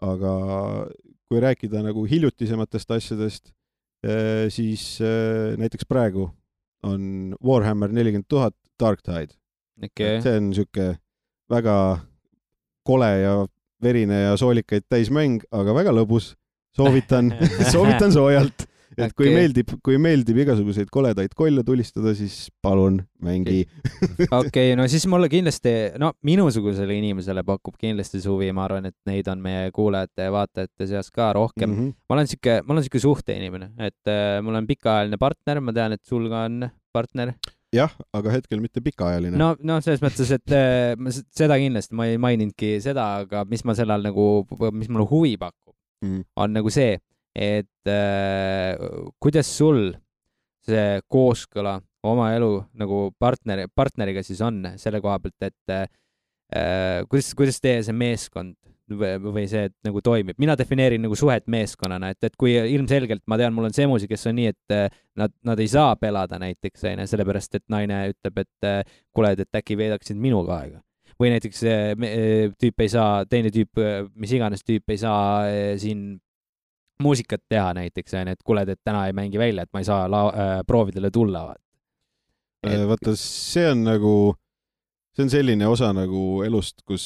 Aga kui rääkida nagu hiljutisematest asjadest, siis näiteks praegu on Warhammer 40 000 Dark Tide. See on siuke väga kole ja verine ja soolikaid täismäng, aga väga lõbus. Soovitan soojalt, et kui meeldib igasuguseid koledaid kolle tulistada, siis palun mängi. No siis mulle kindlasti, minusugusele inimesele pakub kindlasti suvi, ma arvan, et neid on meie kuulajate ja vaatajate seas ka rohkem. Ma olen siuke suhteinimene, et mul on pikaajaline partner, ma tean, et sul ka on partner. Jah, aga hetkel mitte pikaajaline. No selles mõttes, et seda kindlasti, ma ei maininudki seda, aga mis ma sellal nagu, mis mulle huvi pakub, on nagu see, et kuidas sul see kooskõla oma elu nagu partneriga siis on selle koha pealt, et kuidas teie see meeskond või see nagu toimib. Mina defineerin nagu suhet meeskonnana, et kui ilmselgelt ma tean, mul on semusi, kes on nii, et nad ei saa pelada näiteks, sellepärast, et naine ütleb, et kuule, et äkki veedaksid minuga aega. Või näiteks tüüp ei saa, teine tüüp, mis iganes tüüp ei saa siin muusikat teha näiteks, et kuule, et täna ei mängi välja, et ma ei saa proovidele tulla. Vaata, see on nagu see on selline osa nagu elust, kus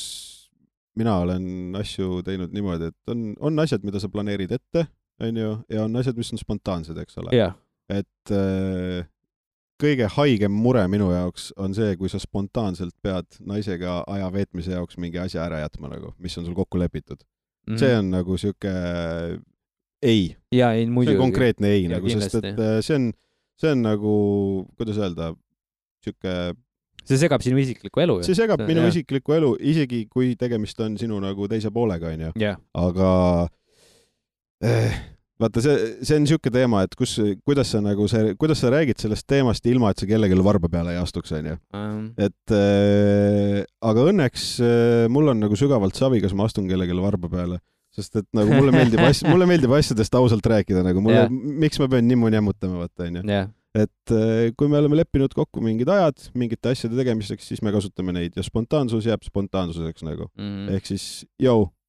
mina olen asju teinud niimoodi, et on asjad, mida sa planeerid ette, on ju, ja on asjad, mis on spontaansed, eks ole. Yeah. Et kõige haigem mure minu jaoks on see, kui sa spontaanselt pead naisega aja veetmise jaoks mingi asja ära jätma, nagu, mis on sul kokku lepitud. See on nagu siuke ei. Ja, ei muidu. See on konkreetne ei, nagu, sest et see on nagu, kuidas öelda, siuke... See segab sinu isiklikku elu. See segab minu isiklikku elu, isegi kui tegemist on sinu nagu teise poolega, on ju. Yeah. Aga vaata, see on siuke teema, et kuidas sa räägid sellest teemast ilma, et sa kellelegi varba peale ei astuks, on ju. Et aga õnneks mul on nagu sügavalt savi, kas ma astun kellelegi varba peale. Sest et nagu mulle meeldib asjadest ausalt rääkida, nagu mulle, miks ma pean nimmu jämmutama, vaata, on ju. Yeah. Et kui me oleme leppinud kokku mingid ajad, mingite asjade tegemiseks, siis me kasutame neid ja spontaansus jääb spontaansuseks nagu. Ehk siis,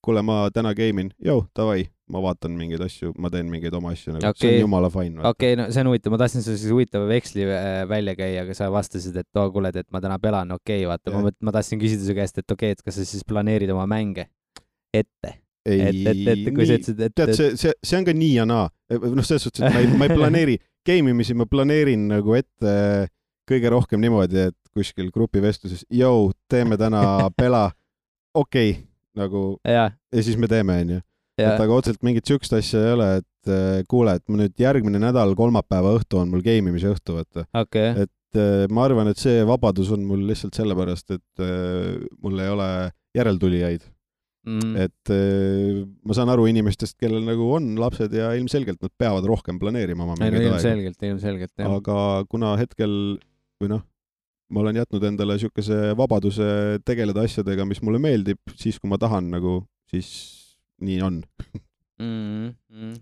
kuule, ma täna game'in, davai, ma vaatan mingeid asju, ma teen mingeid oma asju, nagu. See on jumala fine. Okei, no see on huvitav, ma tahtsin siis huvitava veksli välja käia, aga sa vastasid, et kuule, et ma täna pelan, vaata, ma tahtsin küsida su käest, et et kas sa siis planeerid oma mänge ette? Kui sa ütlesid, tead, see on ka nii ja naa. Noh, selles suhtes, et ma ei planeeri game'imisi, ma planeerin nagu ette kõige rohkem niimoodi, et kuskil grupivestluses, teeme täna pela, nagu, ja siis me teeme, on ju. Et aga otseselt mingit sükst asja ei ole, et kuule, et ma nüüd järgmine nädal kolmapäeva õhtu on mul game'imise õhtu, vaata. Et ma arvan, et see vabadus on mul lihtsalt sellepärast, et mul ei ole järeltulijaid. Et ma saan aru inimestest, kellel nagu on lapsed ja ilmselgelt nad peavad rohkem planeerima oma mingeid aega. Ilmselgelt, jah. Aga kuna hetkel, või noh, ma olen jätnud endale siukese vabaduse tegeleda asjadega, mis mulle meeldib, siis kui ma tahan, nagu, siis nii on.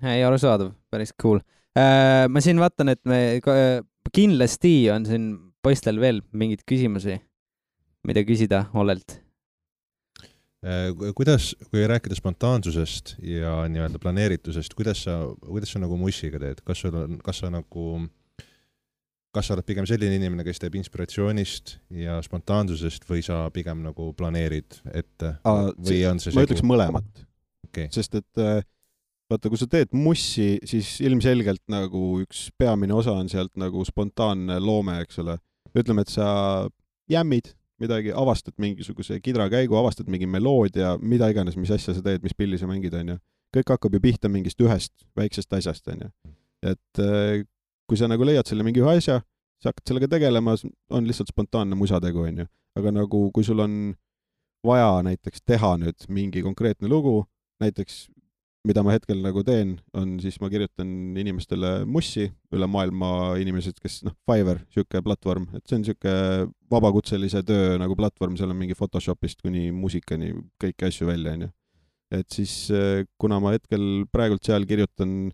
Ei, arusaadav, päris cool. Ma siin vaatan, et me kindlasti on siin poistel veel mingid küsimusi, mida küsida Ollelt. Kuidas, kui rääkida spontaansusest ja nii-öelda planeeritusest, kuidas sa nagu mussiga teed? Kas sa oled pigem selline inimene, kes teeb inspiratsioonist ja spontaansusest või sa pigem nagu planeerid ette? Ma ütleks mõlemat. Sest et vaata, kui sa teed mussi, siis ilmselgelt nagu üks peamine osa on sealt nagu spontaanne loome, eks ole. Ütleme, et sa jämmid midagi, avastad mingisuguse kidrakäigu, avastad mingi meloodia, mida iganes, mis asja sa teed, mis pilli sa mängid, on ju. Kõik hakkab ju pihta mingist ühest väiksest asjast, on ju. Et kui sa nagu leiad selle mingi ühe asja, sa hakkad sellega tegelema, on lihtsalt spontaanne musategu, on ju. Aga nagu, kui sul on vaja näiteks teha nüüd mingi konkreetne lugu, näiteks mida ma hetkel nagu teen, on siis ma kirjutan inimestele mussi, üle maailma inimesed, kes, Fiverr, siuke platvorm, et see on siuke vabakutselise töö nagu platvorm, seal on mingi Photoshopist kuni muusikani kõiki asju välja, on ju. Et siis, kuna ma hetkel praegult seal kirjutan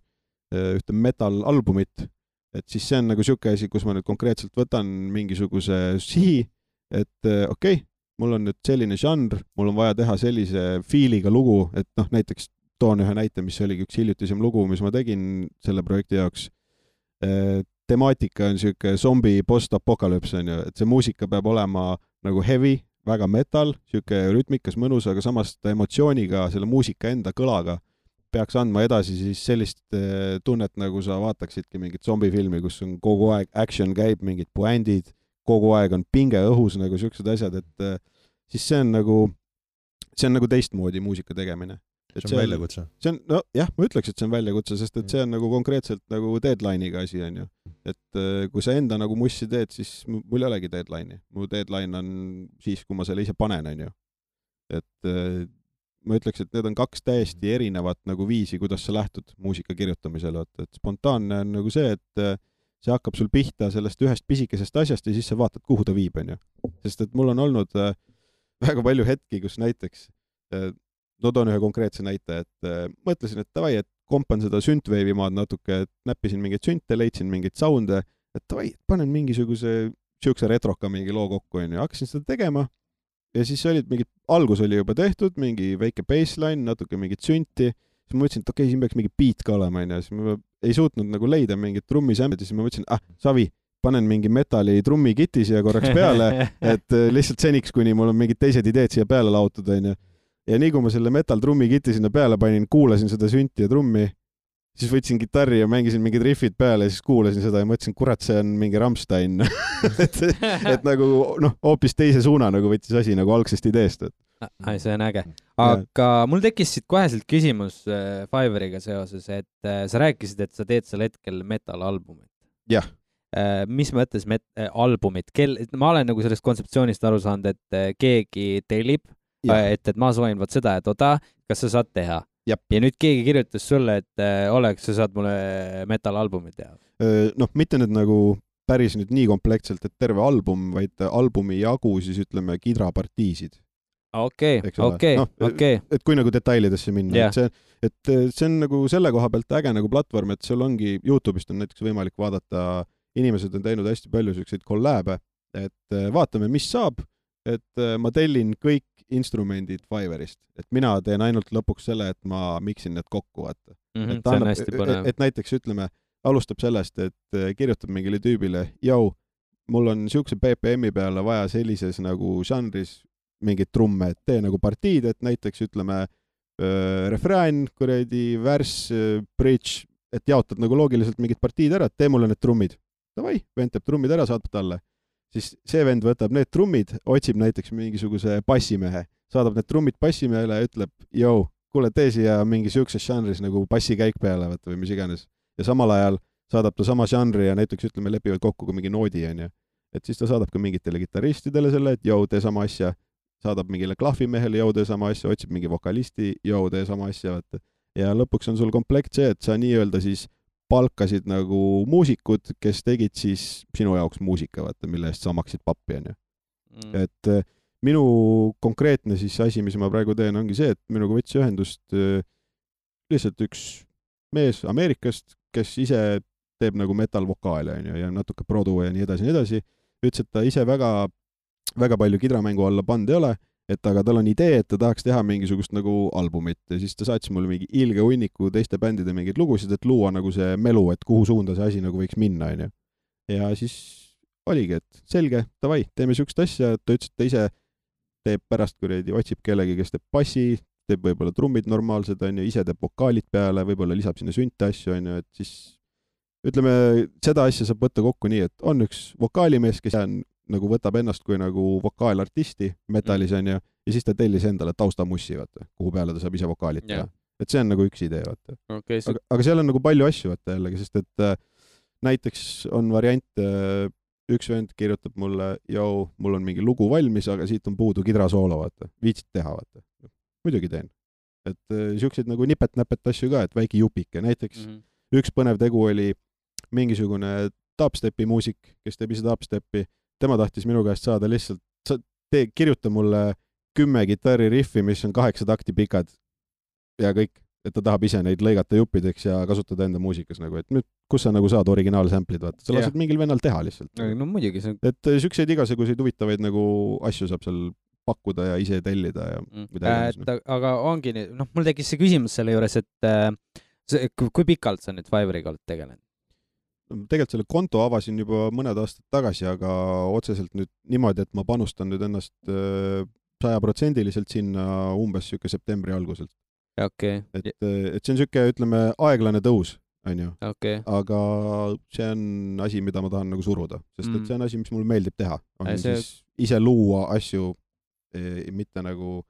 ühte metal-albumit, et siis see on nagu siuke asi, kus ma nüüd konkreetselt võtan mingisuguse sihi, et mul on nüüd selline žanr, mul on vaja teha sellise fiiliga lugu, et näiteks toon ühe näite, mis oligi üks hiljutisem lugu, mis ma tegin selle projekti jaoks. Temaatika on siuke zombi post-apokalüps, on ju, et see muusika peab olema nagu heavy, väga metal, siuke rütmikas, mõnus, aga samas emotsiooniga, selle muusika enda kõlaga peaks andma edasi siis sellist tunnet, nagu sa vaataksidki mingit zombifilmi, kus on kogu aeg action käib, mingid puändid, kogu aeg on pinge õhus, nagu siuksed asjad, et siis see on nagu teistmoodi muusika tegemine. See on väljakutse. Ma ütleks, et see on väljakutse, sest et see on nagu konkreetselt nagu deadline'iga asi, on ju. Et kui sa enda nagu mussi teed, siis mul ei olegi deadline'i. Mu deadline on siis, kui ma selle ise panen, on ju. Et ma ütleks, et need on kaks täiesti erinevat nagu viisi, kuidas sa lähtud muusika kirjutamisele. Et spontaanne on nagu see, et see hakkab sul pihta sellest ühest pisikesest asjast ja siis sa vaatad, kuhu ta viib, on ju. Sest et mul on olnud väga palju hetki, kus näiteks toon ühe konkreetse näite, et mõtlesin, et davai, et kompan seda synthwave'i maad natuke, et näppisin mingeid synte, leidsin mingeid sounde, et davai, panen mingisuguse siukse retroka mingi loo kokku, on ju, hakkasin seda tegema ja siis olid mingid, algus oli juba tehtud, mingi väike baseline, natuke mingit synti, siis ma mõtlesin, et siin peaks mingi beat ka olema, on ju, siis ma ei suutnud nagu leida mingit trummisämbed ja siis ma mõtlesin, Savi, panen mingi metali trummikiti siia korraks peale, et lihtsalt seniks, kuni mul on mingid teised ideed siia peale laotud, onju. Ja nii kui ma selle metal trummikiti sinna peale panin, kuulasin seda sünti ja trummi, siis võtsin kitarri ja mängisin mingid riffid peale ja siis kuulasin seda ja mõtlesin, kurat, see on mingi Rammstein. et nagu, hoopis teise suuna nagu võttis asi nagu algsest ideest. Ai, see on äge. Aga mul tekkis siit koheselt küsimus Fiveriga seoses, et sa rääkisid, et sa teed sel hetkel metal-albumit. Jah. Mis mõttes albumit? Ma olen nagu sellest kontseptsioonist aru saanud, et keegi tellib, et ma soovin võt seda, et oda, kas sa saad teha? Ja nüüd keegi kirjutas sulle, et oleks, sa saad mulle metal-albumit teha? Mitte nüüd nagu päris nüüd nii komplektselt, et terve album, vaid albumi jagu siis ütleme kidrapartiisid. Okei. Et kui nagu detailidesse minna, et see on nagu selle koha pealt äge nagu platvorm, et seal ongi, YouTube'ist on näiteks võimalik vaadata, inimesed on teinud hästi palju selliseid kollääbe, et vaatame, mis saab, et ma tellin kõik instrumendid Fiverrist, et mina teen ainult lõpuks selle, et ma miksin need kokku, vaata. See on hästi põnev. Et näiteks ütleme, alustab sellest, et kirjutab mingile tüübile, mul on siukse BPM-i peale vaja sellises nagu žanris mingid trumme, et tee nagu partiid, et näiteks ütleme refrään, kuradi, värss, bridge, et jaotad nagu loogiliselt mingid partiid ära, et tee mulle need trummid. Davai, vend teeb trummid ära, saadab talle. Siis see vend võtab need trummid, otsib näiteks mingisuguse bassimehe, saadab need trummid bassimehele ja ütleb, kuule, tee siia mingi siukses žanris nagu bassikäik peale või mis iganes. Ja samal ajal saadab ta sama žanri ja näiteks ütleme lepivad kokku kui mingi noodi, onju. Et siis ta saadab ka mingitele kitarristidele selle, et tee sama asja, saadab mingile klahvimehele, tee sama asja, otsib mingi vokalisti, tee sama asja, vaata. Ja lõpuks on sul komplekt see, et sa nii-öelda siis palkasid nagu muusikud, kes tegid siis sinu jaoks muusika, vaata, mille eest sa maksid pappi, onju. Et minu konkreetne siis asi, mis ma praegu teen, ongi see, et minuga võtsi ühendust lihtsalt üks mees Ameerikast, kes ise teeb nagu metal-vokaale, onju, ja natuke produ ja nii edasi. Ütles, et ta ise väga palju kidramängu alla pand ei ole, et aga tal on idee, et ta tahaks teha mingisugust nagu albumit ja siis ta saatis mulle mingi ilge hunniku teiste bändide mingeid lugusid, et luua nagu see melu, et kuhu suunda see asi nagu võiks minna, onju. Ja siis oligi, et selge, davai, teeme siukest asja, ta ütles, et ta ise teeb pärast kuradi, otsib kellegi, kes teeb bassi, teeb võib-olla trummid normaalsed, onju, ise teeb vokaalid peale, võib-olla lisab sinna sünte asju, onju, et siis ütleme, seda asja saab võtta kokku nii, et on üks vokaalimees, kes nagu võtab ennast kui nagu vokaalartisti metalis, onju, ja siis ta tellis endale taustamussi, vaata, kuhu peale ta saab ise vokaalit teha. Et see on nagu üks idee, vaata. Aga seal on nagu palju asju, vaata jällegi, sest et näiteks on variant, üks vend kirjutab mulle, mul on mingi lugu valmis, aga siit on puudu kidrasoolo, vaata. Viitsid teha, vaata. Muidugi teen. Et siukseid nagu nipet-näpet asju ka, et väike jupike. Näiteks üks põnev tegu oli mingisugune dubstepi muusik, kes teeb ise dubstepi. Tema tahtis minu käest saada lihtsalt, kirjuta mulle 10 kitarririffi, mis on 8 takti pikad ja kõik, et ta tahab ise neid lõigata juppideks ja kasutada enda muusikas nagu, et nüüd, kus sa nagu saad originaalsamplid, vaata, sa lased mingil vennal teha lihtsalt. No muidugi see. Et siukseid igasuguseid huvitavaid nagu asju saab seal pakkuda ja ise tellida ja midagi. Aga ongi, mul tekkis see küsimus selle juures, et kui pikalt sa nüüd Fiveriga oled tegelenud? Tegelikult selle konto avasin juba mõned aastad tagasi, aga otseselt nüüd niimoodi, et ma panustan nüüd ennast 100% sinna umbes siuke septembri alguselt. Okay. Et see on siuke, ütleme, aeglane tõus, onju. Okay. Aga see on asi, mida ma tahan nagu suruda, sest et see on asi, mis mulle meeldib teha. On siis ise luua asju, mitte nagu,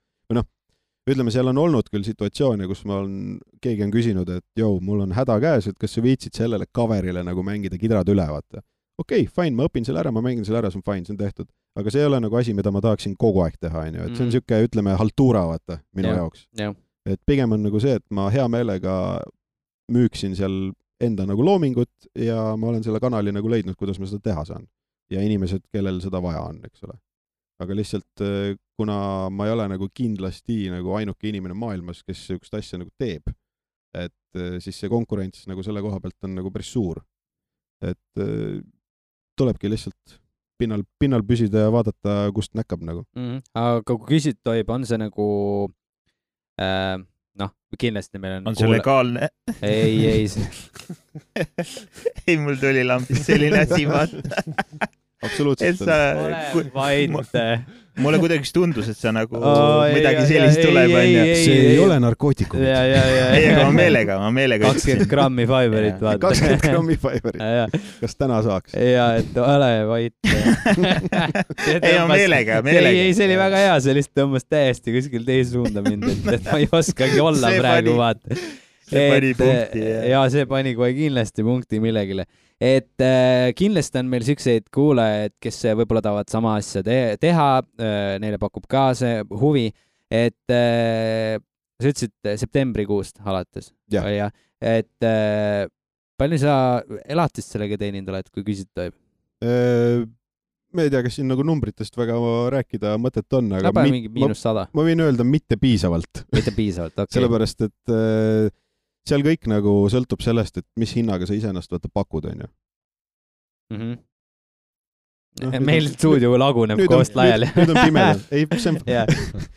ütleme, seal on olnud küll situatsioone, kus keegi on küsinud, et mul on häda käes, et kas sa viitsid sellele coverile nagu mängida kidrad üle, vaata. Okei, fine, ma õpin selle ära, ma mängin selle ära, see on fine, see on tehtud. Aga see ei ole nagu asi, mida ma tahaksin kogu aeg teha, onju. Et see on siuke, ütleme, haltuura, vaata, minu jaoks. Et pigem on nagu see, et ma hea meelega müüksin seal enda nagu loomingut ja ma olen selle kanali nagu leidnud, kuidas ma seda teha saan. Ja inimesed, kellel seda vaja on, eks ole. Aga lihtsalt, kuna ma ei ole nagu kindlasti nagu ainuke inimene maailmas, kes üks asja nagu teeb, et siis see konkurents nagu selle koha pealt on nagu päris suur. Et tulebki lihtsalt pinnal püsida ja vaadata, kust näkkab nagu. Aga kui küsid tohib, on see nagu, kindlasti meil on... On see legaalne? Ei. okei, mul tuli lambis selline asi, vaata. Absoluutselt. Mulle kuidagi tundus, et sa nagu midagi sellist tuleb. See ei ole narkootikum. Ei, aga ma meelega 20 grammi Fiberit, vaata. 20 grammi Fiberit. Kas täna saaks? Ja, et ole vait. Ei, ma meelega. Ei, see oli väga hea, see lihtsalt tõmbas täiesti kuskil teise suunda mind, et ma ei oskagi olla praegu, vaata. See pani punkti. Ja see pani kohe kindlasti punkti millegile. Et kindlasti on meil siukseid kuulajaid, kes võib-olla tahavad sama asja teha, neile pakub ka see huvi, et sa ütlesid septembrikuust alates. Ja. Et palju sa elatist sellega teeninud oled, kui küsida tohib? Ma ei tea, kas siin nagu numbritest väga rääkida mõtet on, aga mingi -100. Ma võin öelda mitte piisavalt. Mitte piisavalt, okei. Sellepärast, et seal kõik nagu sõltub sellest, et mis hinnaga sa iseennast pakud, on ju. Meil stuudio laguneb koost laiali. Nüüd on pimedad. Ei, see on...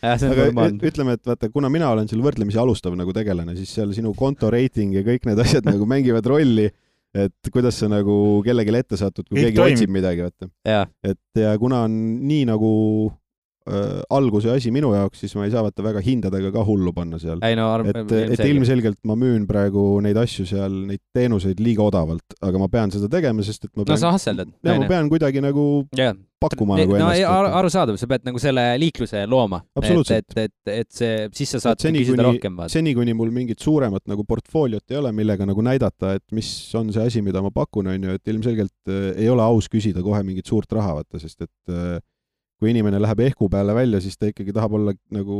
Aga ütleme, et vaata, kuna mina olen seal võrdlemisi alustav nagu tegelane, siis seal sinu konto rating ja kõik need asjad nagu mängivad rolli, et kuidas sa nagu kellelegi ette satud, kui keegi otsib midagi, vaata. Et ja kuna on nii nagu alguse asi minu jaoks, siis ma ei saa vaata väga hindadega ka hullu panna seal. Et ilmselgelt ma müün praegu neid asju seal, neid teenuseid liiga odavalt, aga ma pean seda tegema, sest et ma pean... No sa hasseldad. Ja ma pean kuidagi nagu pakkuma nagu ennast. Arusaadav, sa pead nagu selle liikluse looma. Absoluutselt. Et see, siis sa saad küsida rohkem. Seni, kuni mul mingit suuremat nagu portfooliot ei ole, millega nagu näidata, et mis on see asi, mida ma pakun, on ju, et ilmselgelt ei ole aus küsida kohe mingit suurt raha, vaata, sest et kui inimene läheb ehku peale välja, siis ta ikkagi tahab olla nagu,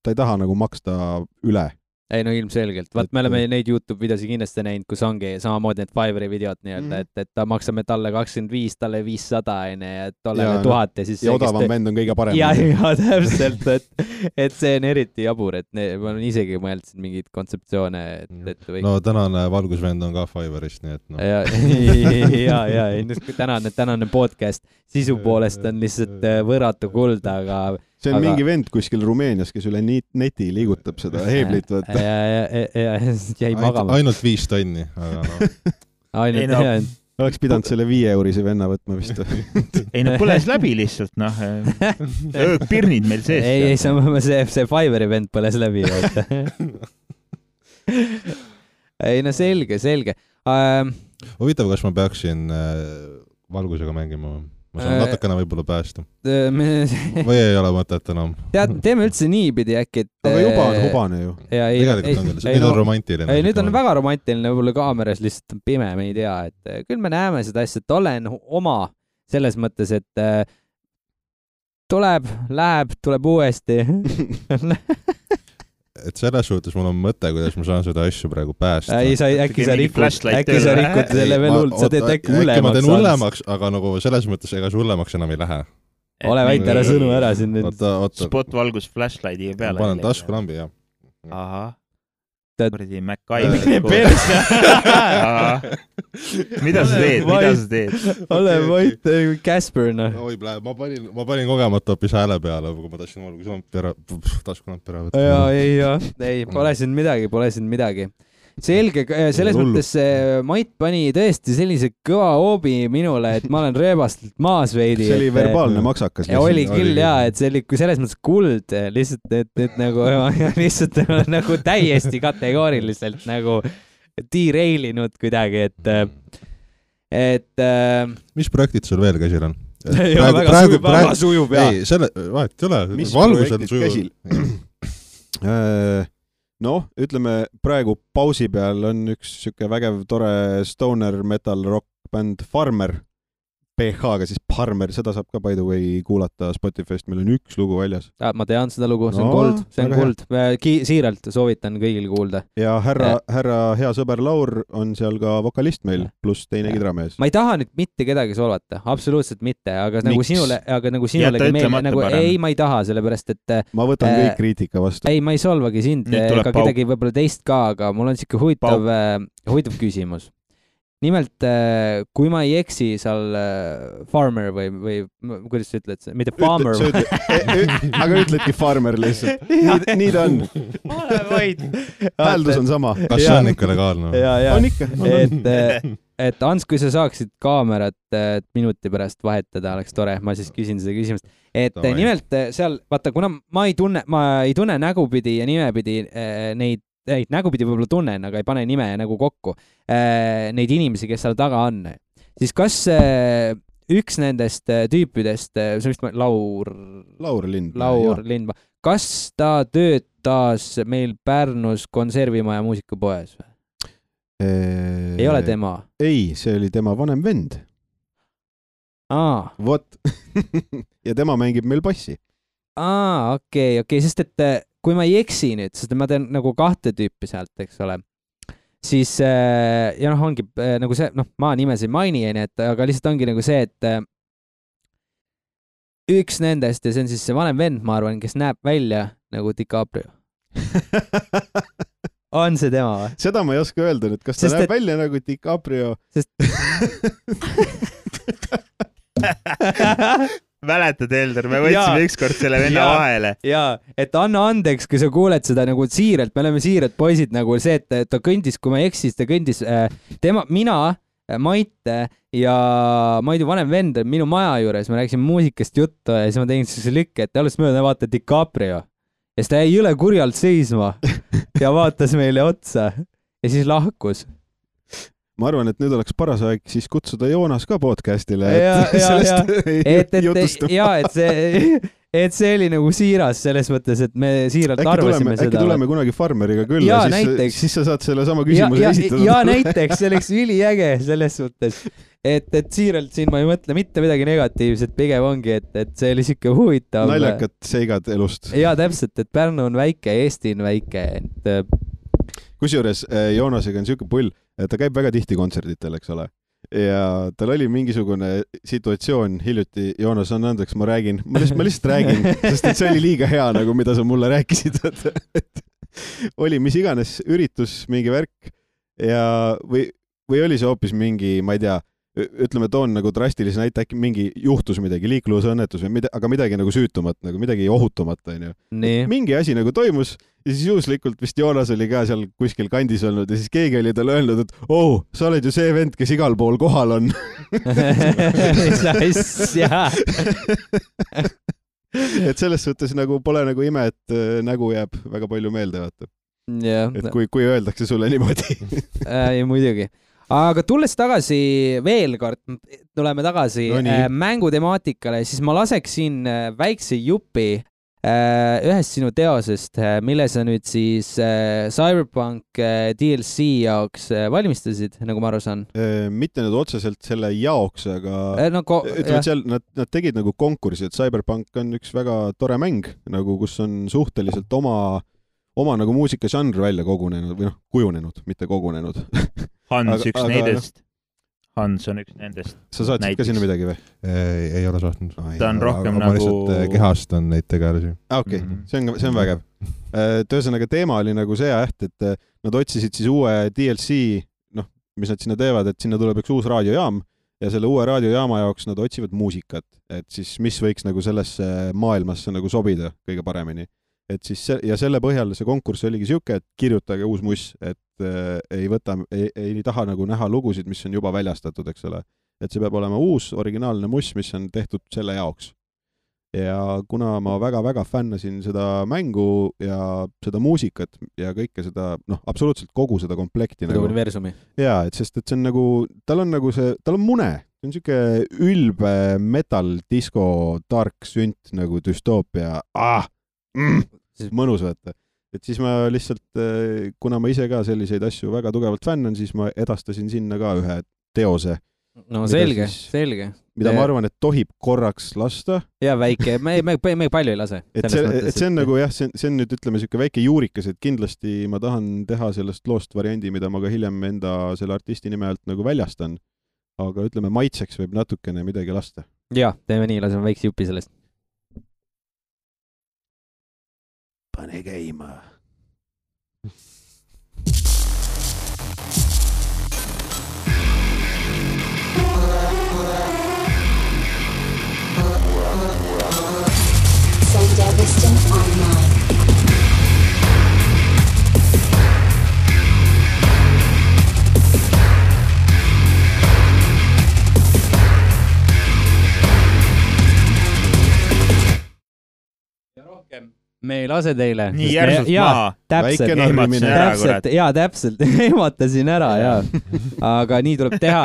ta ei taha nagu maksta üle. Ei, no ilmselgelt. Vaat me oleme neid YouTube videosi kindlasti näinud, kus ongi samamoodi need Fiveri videod nii-öelda, et ta maksame talle 25, talle 500 ja tollele 1000 ja siis... Ja odavam vend on kõige parem. Ja täpselt, et see on eriti jabur, et ma olen isegi mõelnud mingid kontseptsioone, et või... No tänane valgusvend on ka Fiverist, nii et no. Ja, tänane podcast sisu poolest on lihtsalt võrratu kuld, aga... See on mingi vend kuskil Rumeenias, kes üle neti liigutab seda heeblit, vaata. Ja jäi magama. Ainult 5 tonni, aga no. Ainult, Oleks pidanud selle 5 eurisi venna võtma vist. Ei, no põles läbi lihtsalt, noh. Pirnid meil sees. Ei, see Fiveri vend põles läbi. Ei, no selge. Huvitav, kas ma peaksin valgusega mängima? Ma saan natukene võib-olla päästa. Või ei ole mõtet enam? Teeme üldse niipidi äkki, et... Aga juba on hubane ju. Tegelikult on küll, nüüd on romantiline. Ei, nüüd on väga romantiline, võib-olla kaameras lihtsalt pime, me ei tea, et küll me näeme seda asja, et olen oma selles mõttes, et tuleb uuesti. Et selles suhtes mul on mõte, kuidas ma saan seda asju praegu päästa. Äkki sa rikud selle veel hull, sa teed äkki hullemaks. Äkki ma teen hullemaks, aga nagu selles mõttes ega see hullemaks enam ei lähe. Ole väite, ära sõnu ära siin nüüd. Spotvalgus flashlightiga peale. Ma panen taskulambi, jah. Ahah. Kurdi MacGyver. Mida sa teed? Ole vait, Casper, noh. Ma panin kogemata hoopis hääle peale, kui ma tahtsin taskulampi ära võtta. Ei, pole siin midagi. Selge, selles mõttes Mait pani tõesti sellise kõva hoobi minule, et ma olen rööbastelt maas veidi. See oli verbaalne maksakas. Ja oli küll, jaa, et see oli selles mõttes kuld, lihtsalt, et nagu, lihtsalt nagu täiesti kategooriliselt nagu derailinud kuidagi, et mis projektid sul veel käsil on? Väga sujub, jaa. Ei, selle, vahet ei ole, valgus on sujuv. Noh, ütleme, praegu pausi peal on üks siuke vägev, tore stoner metal rock band Farmer. PH-ga siis Farmer, seda saab ka by the way kuulata Spotify'st, meil on üks lugu väljas. Ma tean seda lugu, see on kuld. Siiralt soovitan kõigil kuulda. Ja härra hea sõber Laur on seal ka vokalist meil, pluss teine kidramees. Ma ei taha nüüd mitte kedagi solvata, absoluutselt mitte, aga nagu sinulegi meelde, nagu ei, ma ei taha, sellepärast, et... Ma võtan kõik kriitika vastu. Ei, ma ei solvagi sind, ega kedagi võib-olla teist ka, aga mul on siuke huvitav küsimus. Nimelt, kui ma ei eksi seal farmer või kuidas sa ütled, mitte farmer. Aga ütledki farmer lihtsalt. Nii ta on. Ole vaid. Hääldus on sama. Kas see on ikka legaalne? On ikka. et Ants, kui sa saaksid kaamerat minuti pärast vahetada, oleks tore, ma siis küsin seda küsimust. Et nimelt seal, vaata, kuna ma ei tunne nägupidi ja nimepidi neid nägupidi võib-olla tunnen, aga ei pane nime ja nägu kokku neid inimesi, kes seal taga on. Siis kas üks nendest tüüpidest, see vist Laur Lindma, kas ta töötas meil Pärnus konservimaja muusikapoes või? Ei ole tema? Ei, see oli tema vanem vend. Vot. Ja tema mängib meil bassi. Okei, sest et kui ma ei eksi nüüd, sest ma teen nagu 2 tüüpi sealt, eks ole, siis ja ongi nagu see, ma nimesid mainieni, aga lihtsalt ongi nagu see, et üks nendest ja see on siis see vanem vend, ma arvan, kes näeb välja nagu DiCaprio. On see tema või? Seda ma ei oska öelda nüüd, kas ta näeb välja nagu DiCaprio? Mäletad, Elder, me võtsime ükskord selle venna vahele. Jaa, et anna andeks, kui sa kuuled seda nagu siiralt, me oleme siirad poisid nagu see, et ta kõndis, kui ma eksis, ta kõndis mina, Maite ja Maidu vanem vend minu maja juures, me rääkisime muusikast juttu ja siis ma tegin sellise lükke, et alles mööda vaata DiCaprio. Ja siis ta jäi üle kurjalt seisma ja vaatas meile otsa ja siis lahkus. Ma arvan, et nüüd oleks paras aeg siis kutsuda Joonas ka podcastile, et see oli nagu siiras selles mõttes, et me siiralt arvasime seda. Äkki tuleme kunagi farmeriga külla, siis sa saad selle sama küsimuse esitada. Ja näiteks, see oleks üliäge selles mõttes, et siiralt siin ma ei mõtle mitte midagi negatiivset, pigem ongi, et see oli siuke huvitav. Naljakad seigad elust. Ja täpselt, et Pärnu on väike, Eesti on väike. Kusjuures Joonasega on siuke pull, et ta käib väga tihti kontserditel, eks ole. Ja tal oli mingisugune situatsioon hiljuti, Joonas, on andeks, ma lihtsalt räägin, sest et see oli liiga hea, nagu mida sa mulle rääkisid, et oli mis iganes üritus, mingi värk ja või oli see hoopis mingi, ma ei tea, ütleme, toon nagu drastilise näite, äkki mingi juhtus midagi, liiklusõnnetus või aga midagi nagu süütumat, nagu midagi ohutumat, on ju. Mingi asi nagu toimus ja siis juhuslikult vist Joonas oli ka seal kuskil kandis olnud ja siis keegi oli talle öelnud, et sa oled ju see vend, kes igal pool kohal on. Et selles suhtes nagu pole nagu ime, et nägu jääb väga palju meelde, vaata. Et kui öeldakse sulle niimoodi. Muidugi. Aga tulles tagasi veel kord, tuleme tagasi mängutemaatikale, siis ma laseksin väikse jupi ühest sinu teosest, mille sa nüüd siis Cyberpunk DLC jaoks valmistasid, nagu ma aru saan. Mitte nüüd otseselt selle jaoks, aga ütleme, seal nad tegid nagu konkursi, et Cyberpunk on üks väga tore mäng, nagu kus on suhteliselt oma nagu muusikažanr välja kogunenud või kujunenud, mitte kogunenud. Hans on üks nendest. Sa saatsid ka sinna midagi või? Ei ole saatnud. Ta on rohkem ma lihtsalt kehastan neid tegelasi. Okei, see on vägev. Tõesõnaga teema oli nagu see et nad otsisid siis uue DLC, mis nad sinna teevad, et sinna tuleb üks uus raadiojaam ja selle uue raadiojaama jaoks nad otsivad muusikat, et siis mis võiks nagu sellesse maailmasse nagu sobida kõige paremini. Et siis ja selle põhjal see konkurss oligi siuke, et kirjutage uus muss, et ei taha nagu näha lugusid, mis on juba väljastatud, eks ole. Et see peab olema uus, originaalne muss, mis on tehtud selle jaoks. Ja kuna ma väga-väga fännasin seda mängu ja seda muusikat ja kõike seda, absoluutselt kogu seda komplekti. Seda universumi. Jaa, et sest et see on nagu, tal on mune. See on siuke ülbe metal, disco, dark sünt nagu düstoopia. Mõnus võtta. Et siis ma lihtsalt, kuna ma ise ka selliseid asju väga tugevalt fännan, siis ma edastasin sinna ka ühe teose. No selge. Mida ma arvan, et tohib korraks lasta. Ja väike, me palju ei lase. Et see on nagu see on nüüd ütleme siuke väike juurikas, et kindlasti ma tahan teha sellest loost variandi, mida ma ka hiljem enda selle artisti nime alt nagu väljastan. Aga ütleme, maitseks võib natukene midagi lasta. Ja, teeme nii, laseme väikse jupi sellest. Pane käima. Sandeviston Online. me ei lase teile. Nii järsult maha. Täpselt, täpselt. Ehmatasin ära, jaa. Aga nii tuleb teha.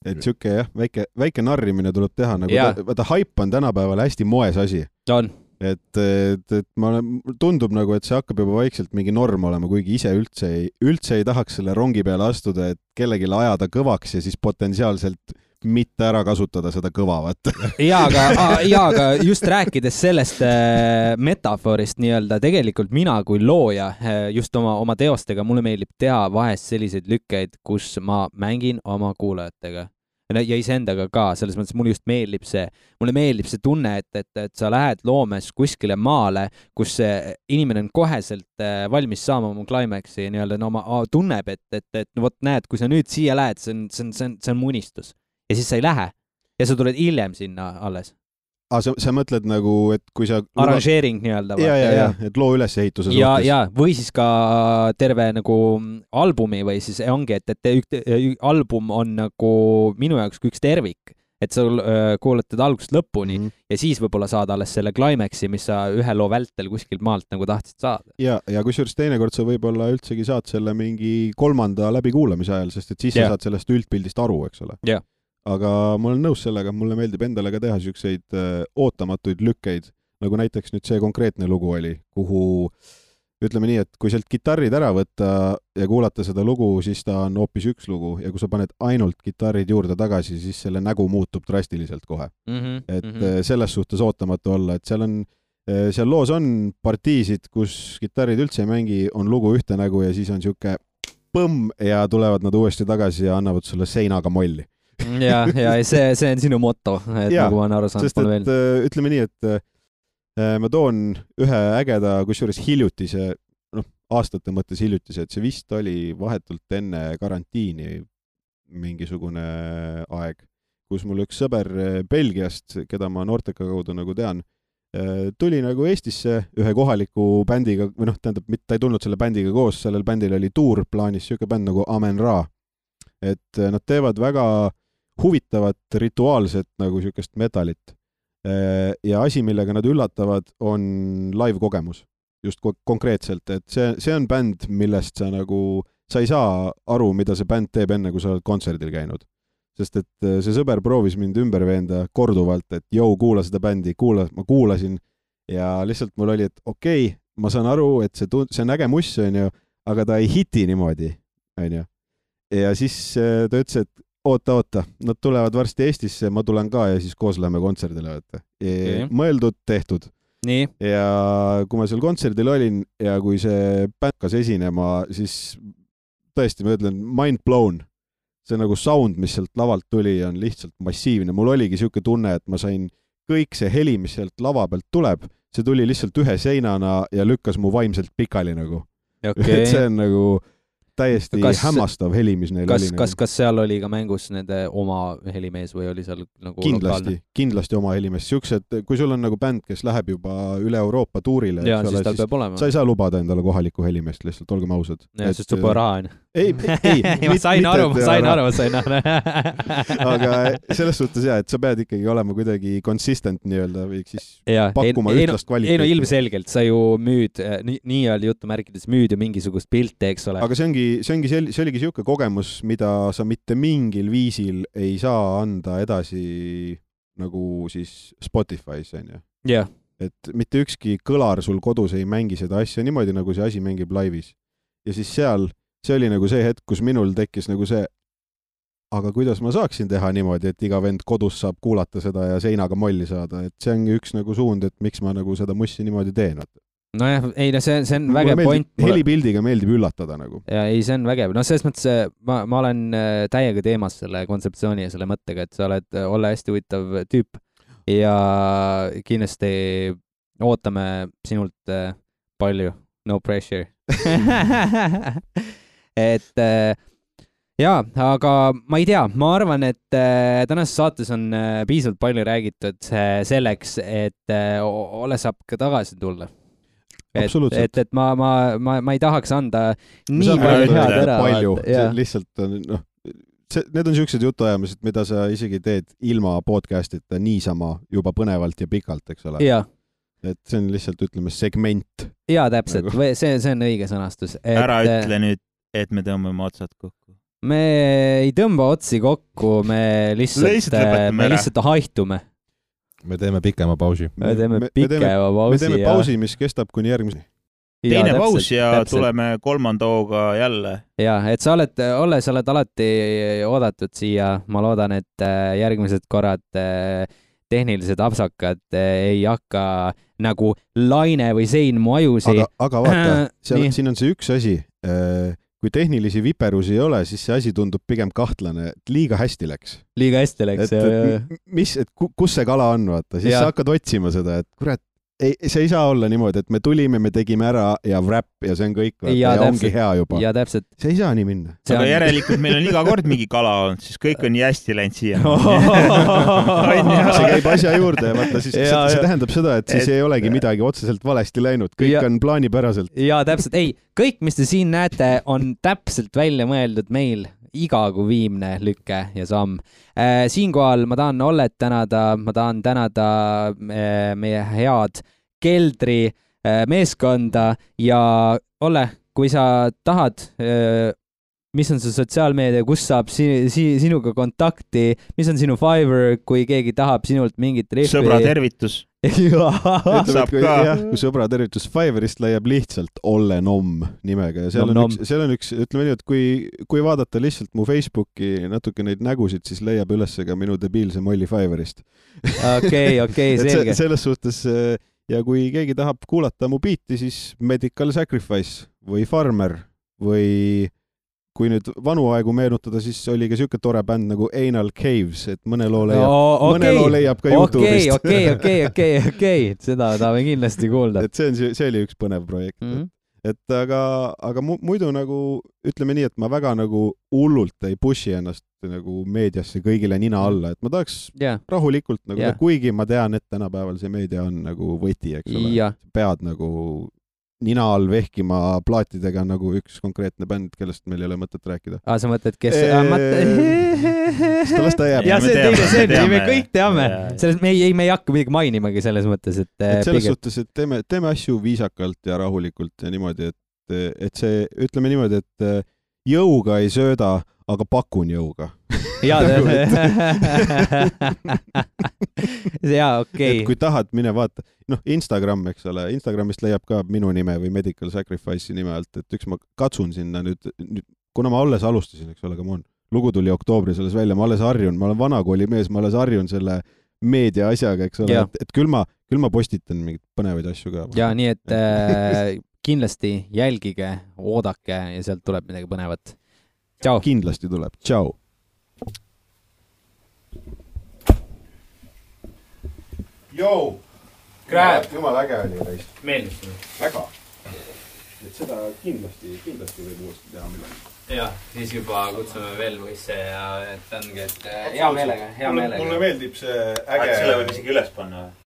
Et siuke jah, väike narrimine tuleb teha, nagu vaata hype on tänapäeval hästi moes asi. On. Et tundub nagu, et see hakkab juba vaikselt mingi norm olema, kuigi ise üldse ei tahaks selle rongi peale astuda, et kellelegi ajada kõvaks ja siis potentsiaalselt mitte ära kasutada seda kõva, vaata. aga just rääkides sellest metafoorist nii-öelda, tegelikult mina kui looja just oma teostega, mulle meeldib teha vahest selliseid lükkeid, kus ma mängin oma kuulajatega ja iseendaga ka, selles mõttes mulle just meeldib see tunne, et sa lähed loomes kuskile maale, kus inimene on koheselt valmis saama oma climaxi nii-öelda, tunneb, et vot näed, kui sa nüüd siia lähed, see on mu unistus. Ja siis sa ei lähe ja sa tuled hiljem sinna alles. Sa mõtled nagu, et kui sa... Arrangeering nii-öelda. Ja, et loo ülesehituse suhtes. Ja, või siis ka terve nagu albumi või siis ongi, et album on nagu minu jaoks üks tervik, et sa kuuletad algusest lõpuni ja siis võib-olla saad alles selle climaxi, mis sa ühe loo vältel kuskilt maalt nagu tahtsid saada. Ja kusjuures teinekord sa võib-olla üldsegi saad selle mingi 3. läbikuulamise ajal, sest et siis sa saad sellest üldpildist aru, eks ole. Jah. Aga ma olen nõus sellega, mulle meeldib endale ka teha siukseid ootamatuid lükkeid, nagu näiteks nüüd see konkreetne lugu oli, kuhu ütleme nii, et kui sealt kitarrid ära võtta ja kuulata seda lugu, siis ta on hoopis üks lugu ja kui sa paned ainult kitarrid juurde tagasi, siis selle nägu muutub drastiliselt kohe. Selles suhtes ootamatu olla, et seal loos on partiisid, kus kitarrid üldse ei mängi, on lugu ühte nägu ja siis on siuke põmm ja tulevad nad uuesti tagasi ja annavad sulle seinaga molli. ja see on sinu moto, et nagu ma olen aru saanud. Sest et ütleme nii, et ma toon ühe ägeda, kusjuures hiljutise, aastate mõttes hiljutise, et see vist oli vahetult enne karantiini mingisugune aeg, kus mul üks sõber Belgiast, keda ma Norteka kaudu nagu tean, tuli nagu Eestisse ühe kohaliku bändiga, või tähendab, ta ei tulnud selle bändiga koos, sellel bändil oli tuur plaanis, siuke bänd nagu Amen Ra. Et nad teevad väga huvitavat rituaalset nagu siukest metalit. Ja asi, millega nad üllatavad, on live-kogemus. Just konkreetselt, et see on bänd, millest sa ei saa aru, mida see bänd teeb enne, kui sa oled kontserdil käinud. Sest et see sõber proovis mind ümber veenda korduvalt, et kuula seda bändi, ma kuulasin ja lihtsalt mul oli, et okei, ma saan aru, et see on äge muss, aga ta ei hiti niimoodi, Ja siis ta ütles, et oota, nad tulevad varsti Eestisse, ma tulen ka ja siis koos läheme kontserdile. Mõeldud, tehtud. Nii. Ja kui ma seal kontserdil olin ja kui see bänd hakkas esinema, siis tõesti, ma ütlen, mind blown. See nagu sound, mis sealt lavalt tuli, on lihtsalt massiivne. Mul oligi siuke tunne, et ma sain kõik see heli, mis sealt lava pealt tuleb, see tuli lihtsalt ühe seinana ja lükkas mu vaimselt pikali nagu. Okay. See on nagu täiesti hämmastav heli, mis neil oli. Kas seal oli ka mängus nende oma helimees või oli seal nagu kindlasti oma helimees. Siuksed, kui sul on nagu bänd, kes läheb juba üle Euroopa tuurile, siis tal peab olema. Sa ei saa lubada endale kohaliku helimeest, lihtsalt olgem ausad. Ja, sest sul pole raha on. Ei. Ma sain aru. Aga selles suhtes et sa pead ikkagi olema kuidagi consistent nii-öelda või siis pakkuma ühtlast kvaliteeti. Ilmselgelt sa ju müüd, nii-öelda jutumärkides müüd ju mingisugust pilte, eks ole. Aga see oligi siuke kogemus, mida sa mitte mingil viisil ei saa anda edasi nagu siis Spotify's, Yeah. Et mitte ükski kõlar sul kodus ei mängi seda asja niimoodi, nagu see asi mängib laivis. Ja siis see oli nagu see hetk, kus minul tekkis nagu see, aga kuidas ma saaksin teha niimoodi, et iga vend kodus saab kuulata seda ja seinaga molli saada, et see ongi üks nagu suund, et miks ma nagu seda mussi niimoodi teen. Nojah, see on vägev point. Helipildiga meeldib üllatada nagu. Ja see on vägev. Selles mõttes ma olen täiega teemas selle kontseptsiooni ja selle mõttega, et sa oled olla hästi huvitav tüüp ja kindlasti ootame sinult palju. No pressure. Et jaa, aga ma ei tea, ma arvan, et tänases saates on piisavalt palju räägitud selleks, et Ole saab ka tagasi tulla. Et ma ei tahaks anda nii palju head ära. Lihtsalt need on siuksed jutuajamised, mida sa isegi teed ilma podcast'ita niisama juba põnevalt ja pikalt, eks ole. Jaa. et see on lihtsalt, ütleme, segment. Jaa, täpselt, see on õige sõnastus. Ära ütle nüüd, et me tõmbame otsad kokku. Me ei tõmba otsi kokku, me lihtsalt haihtume. Me teeme pikema pausi. Me teeme pausi, mis kestab kuni järgmise. Teine paus ja tuleme 3. hooga jälle. Ja, et sa oled alati oodatud siia. Ma loodan, et järgmised korrad tehnilised apsakad ei hakka nagu Laine või Sein mu ajusi. Aga vaata, siin on see üks asi. Kui tehnilisi viperusi ei ole, siis see asi tundub pigem kahtlane, et liiga hästi läks. Kus see kala on, vaata. Siis sa hakkad otsima seda, et kurat, see ei saa olla niimoodi, et me tulime, me tegime ära ja wrap ja see on kõik ja ongi hea juba. Ja täpselt. See ei saa nii minna. Aga järelikult meil on iga kord mingi kala olnud, siis kõik on nii hästi läinud siia. See käib asja juurde ja vaata, siis see tähendab seda, et siis ei olegi midagi otseselt valesti läinud. Kõik on plaanipäraselt. Ja täpselt. Ei, kõik, mis te siin näete, on täpselt välja mõeldud meil iga kui viimne lükke ja samm. Siinkohal ma tahan Ollet tänada, ma tahan tänada meie head keldri meeskonda ja Olle, kui sa tahad, mis on see sotsiaalmeedia, kus saab sinuga kontakti, mis on sinu Fiverr, kui keegi tahab sinult mingit riffi. Sõbra tervitus. Kui sõbra tervitus Fiverrist leiab lihtsalt Olle Nomm nimega ja seal on üks, ütleme nii, et kui vaadata lihtsalt mu Facebooki natuke neid nägusid, siis leiab üles ka minu debiilse molli Fiverrist. Okei, selge. Selles suhtes, ja kui keegi tahab kuulata mu biiti, siis Medical Sacrifice või Farmer või kui nüüd vanu aegu meenutada, siis oli ka siuke tore bänd nagu Anal Caves, et mõne loo leiab ka YouTube'ist. Okei, seda tahame kindlasti kuulda. Et see oli üks põnev projekt. Et aga muidu nagu, ütleme nii, et ma väga nagu hullult ei pushi ennast nagu meediasse kõigile nina alla, et ma tahaks rahulikult nagu, kuigi ma tean, et tänapäeval see meedia on nagu võti, eks ole. Pead nagu nina all vehkima plaatidega nagu üks konkreetne bänd, kellest meil ei ole mõtet rääkida. Sa mõtled, kes... Las ta jääb. Ja see me kõik teame. Me ei hakka midagi mainimagi selles mõttes, et... selles suhtes, et teeme asju viisakalt ja rahulikult ja niimoodi, et see, ütleme niimoodi, et jõuga ei sööda, aga pakun jõuga. Okei. Kui tahad, mine vaata. Instagram, eks ole. Instagramist leiab ka minu nime või Medical Sacrifice'i nime alt, et üks ma katsun sinna nüüd, kuna ma alles alustasin, eks ole, lugu tuli oktoobris alles välja, ma alles harjun, ma olen vanakooli mees, ma alles harjun selle meedia asjaga, eks ole, et küll ma postitan mingid põnevaid asju ka. Ja nii, et kindlasti jälgige, oodake ja sealt tuleb midagi põnevat. Tšau. Kindlasti tuleb. Tšau. Jou! Krääb! Jumal äge oli reist. Meeldib. Väga. Et seda kindlasti võib uuesti teha midagi. Ja, siis juba kutsume veel võisse ja et ongi, et hea meelega. Mulle meeldib see äge... Selle võib isegi üles panna.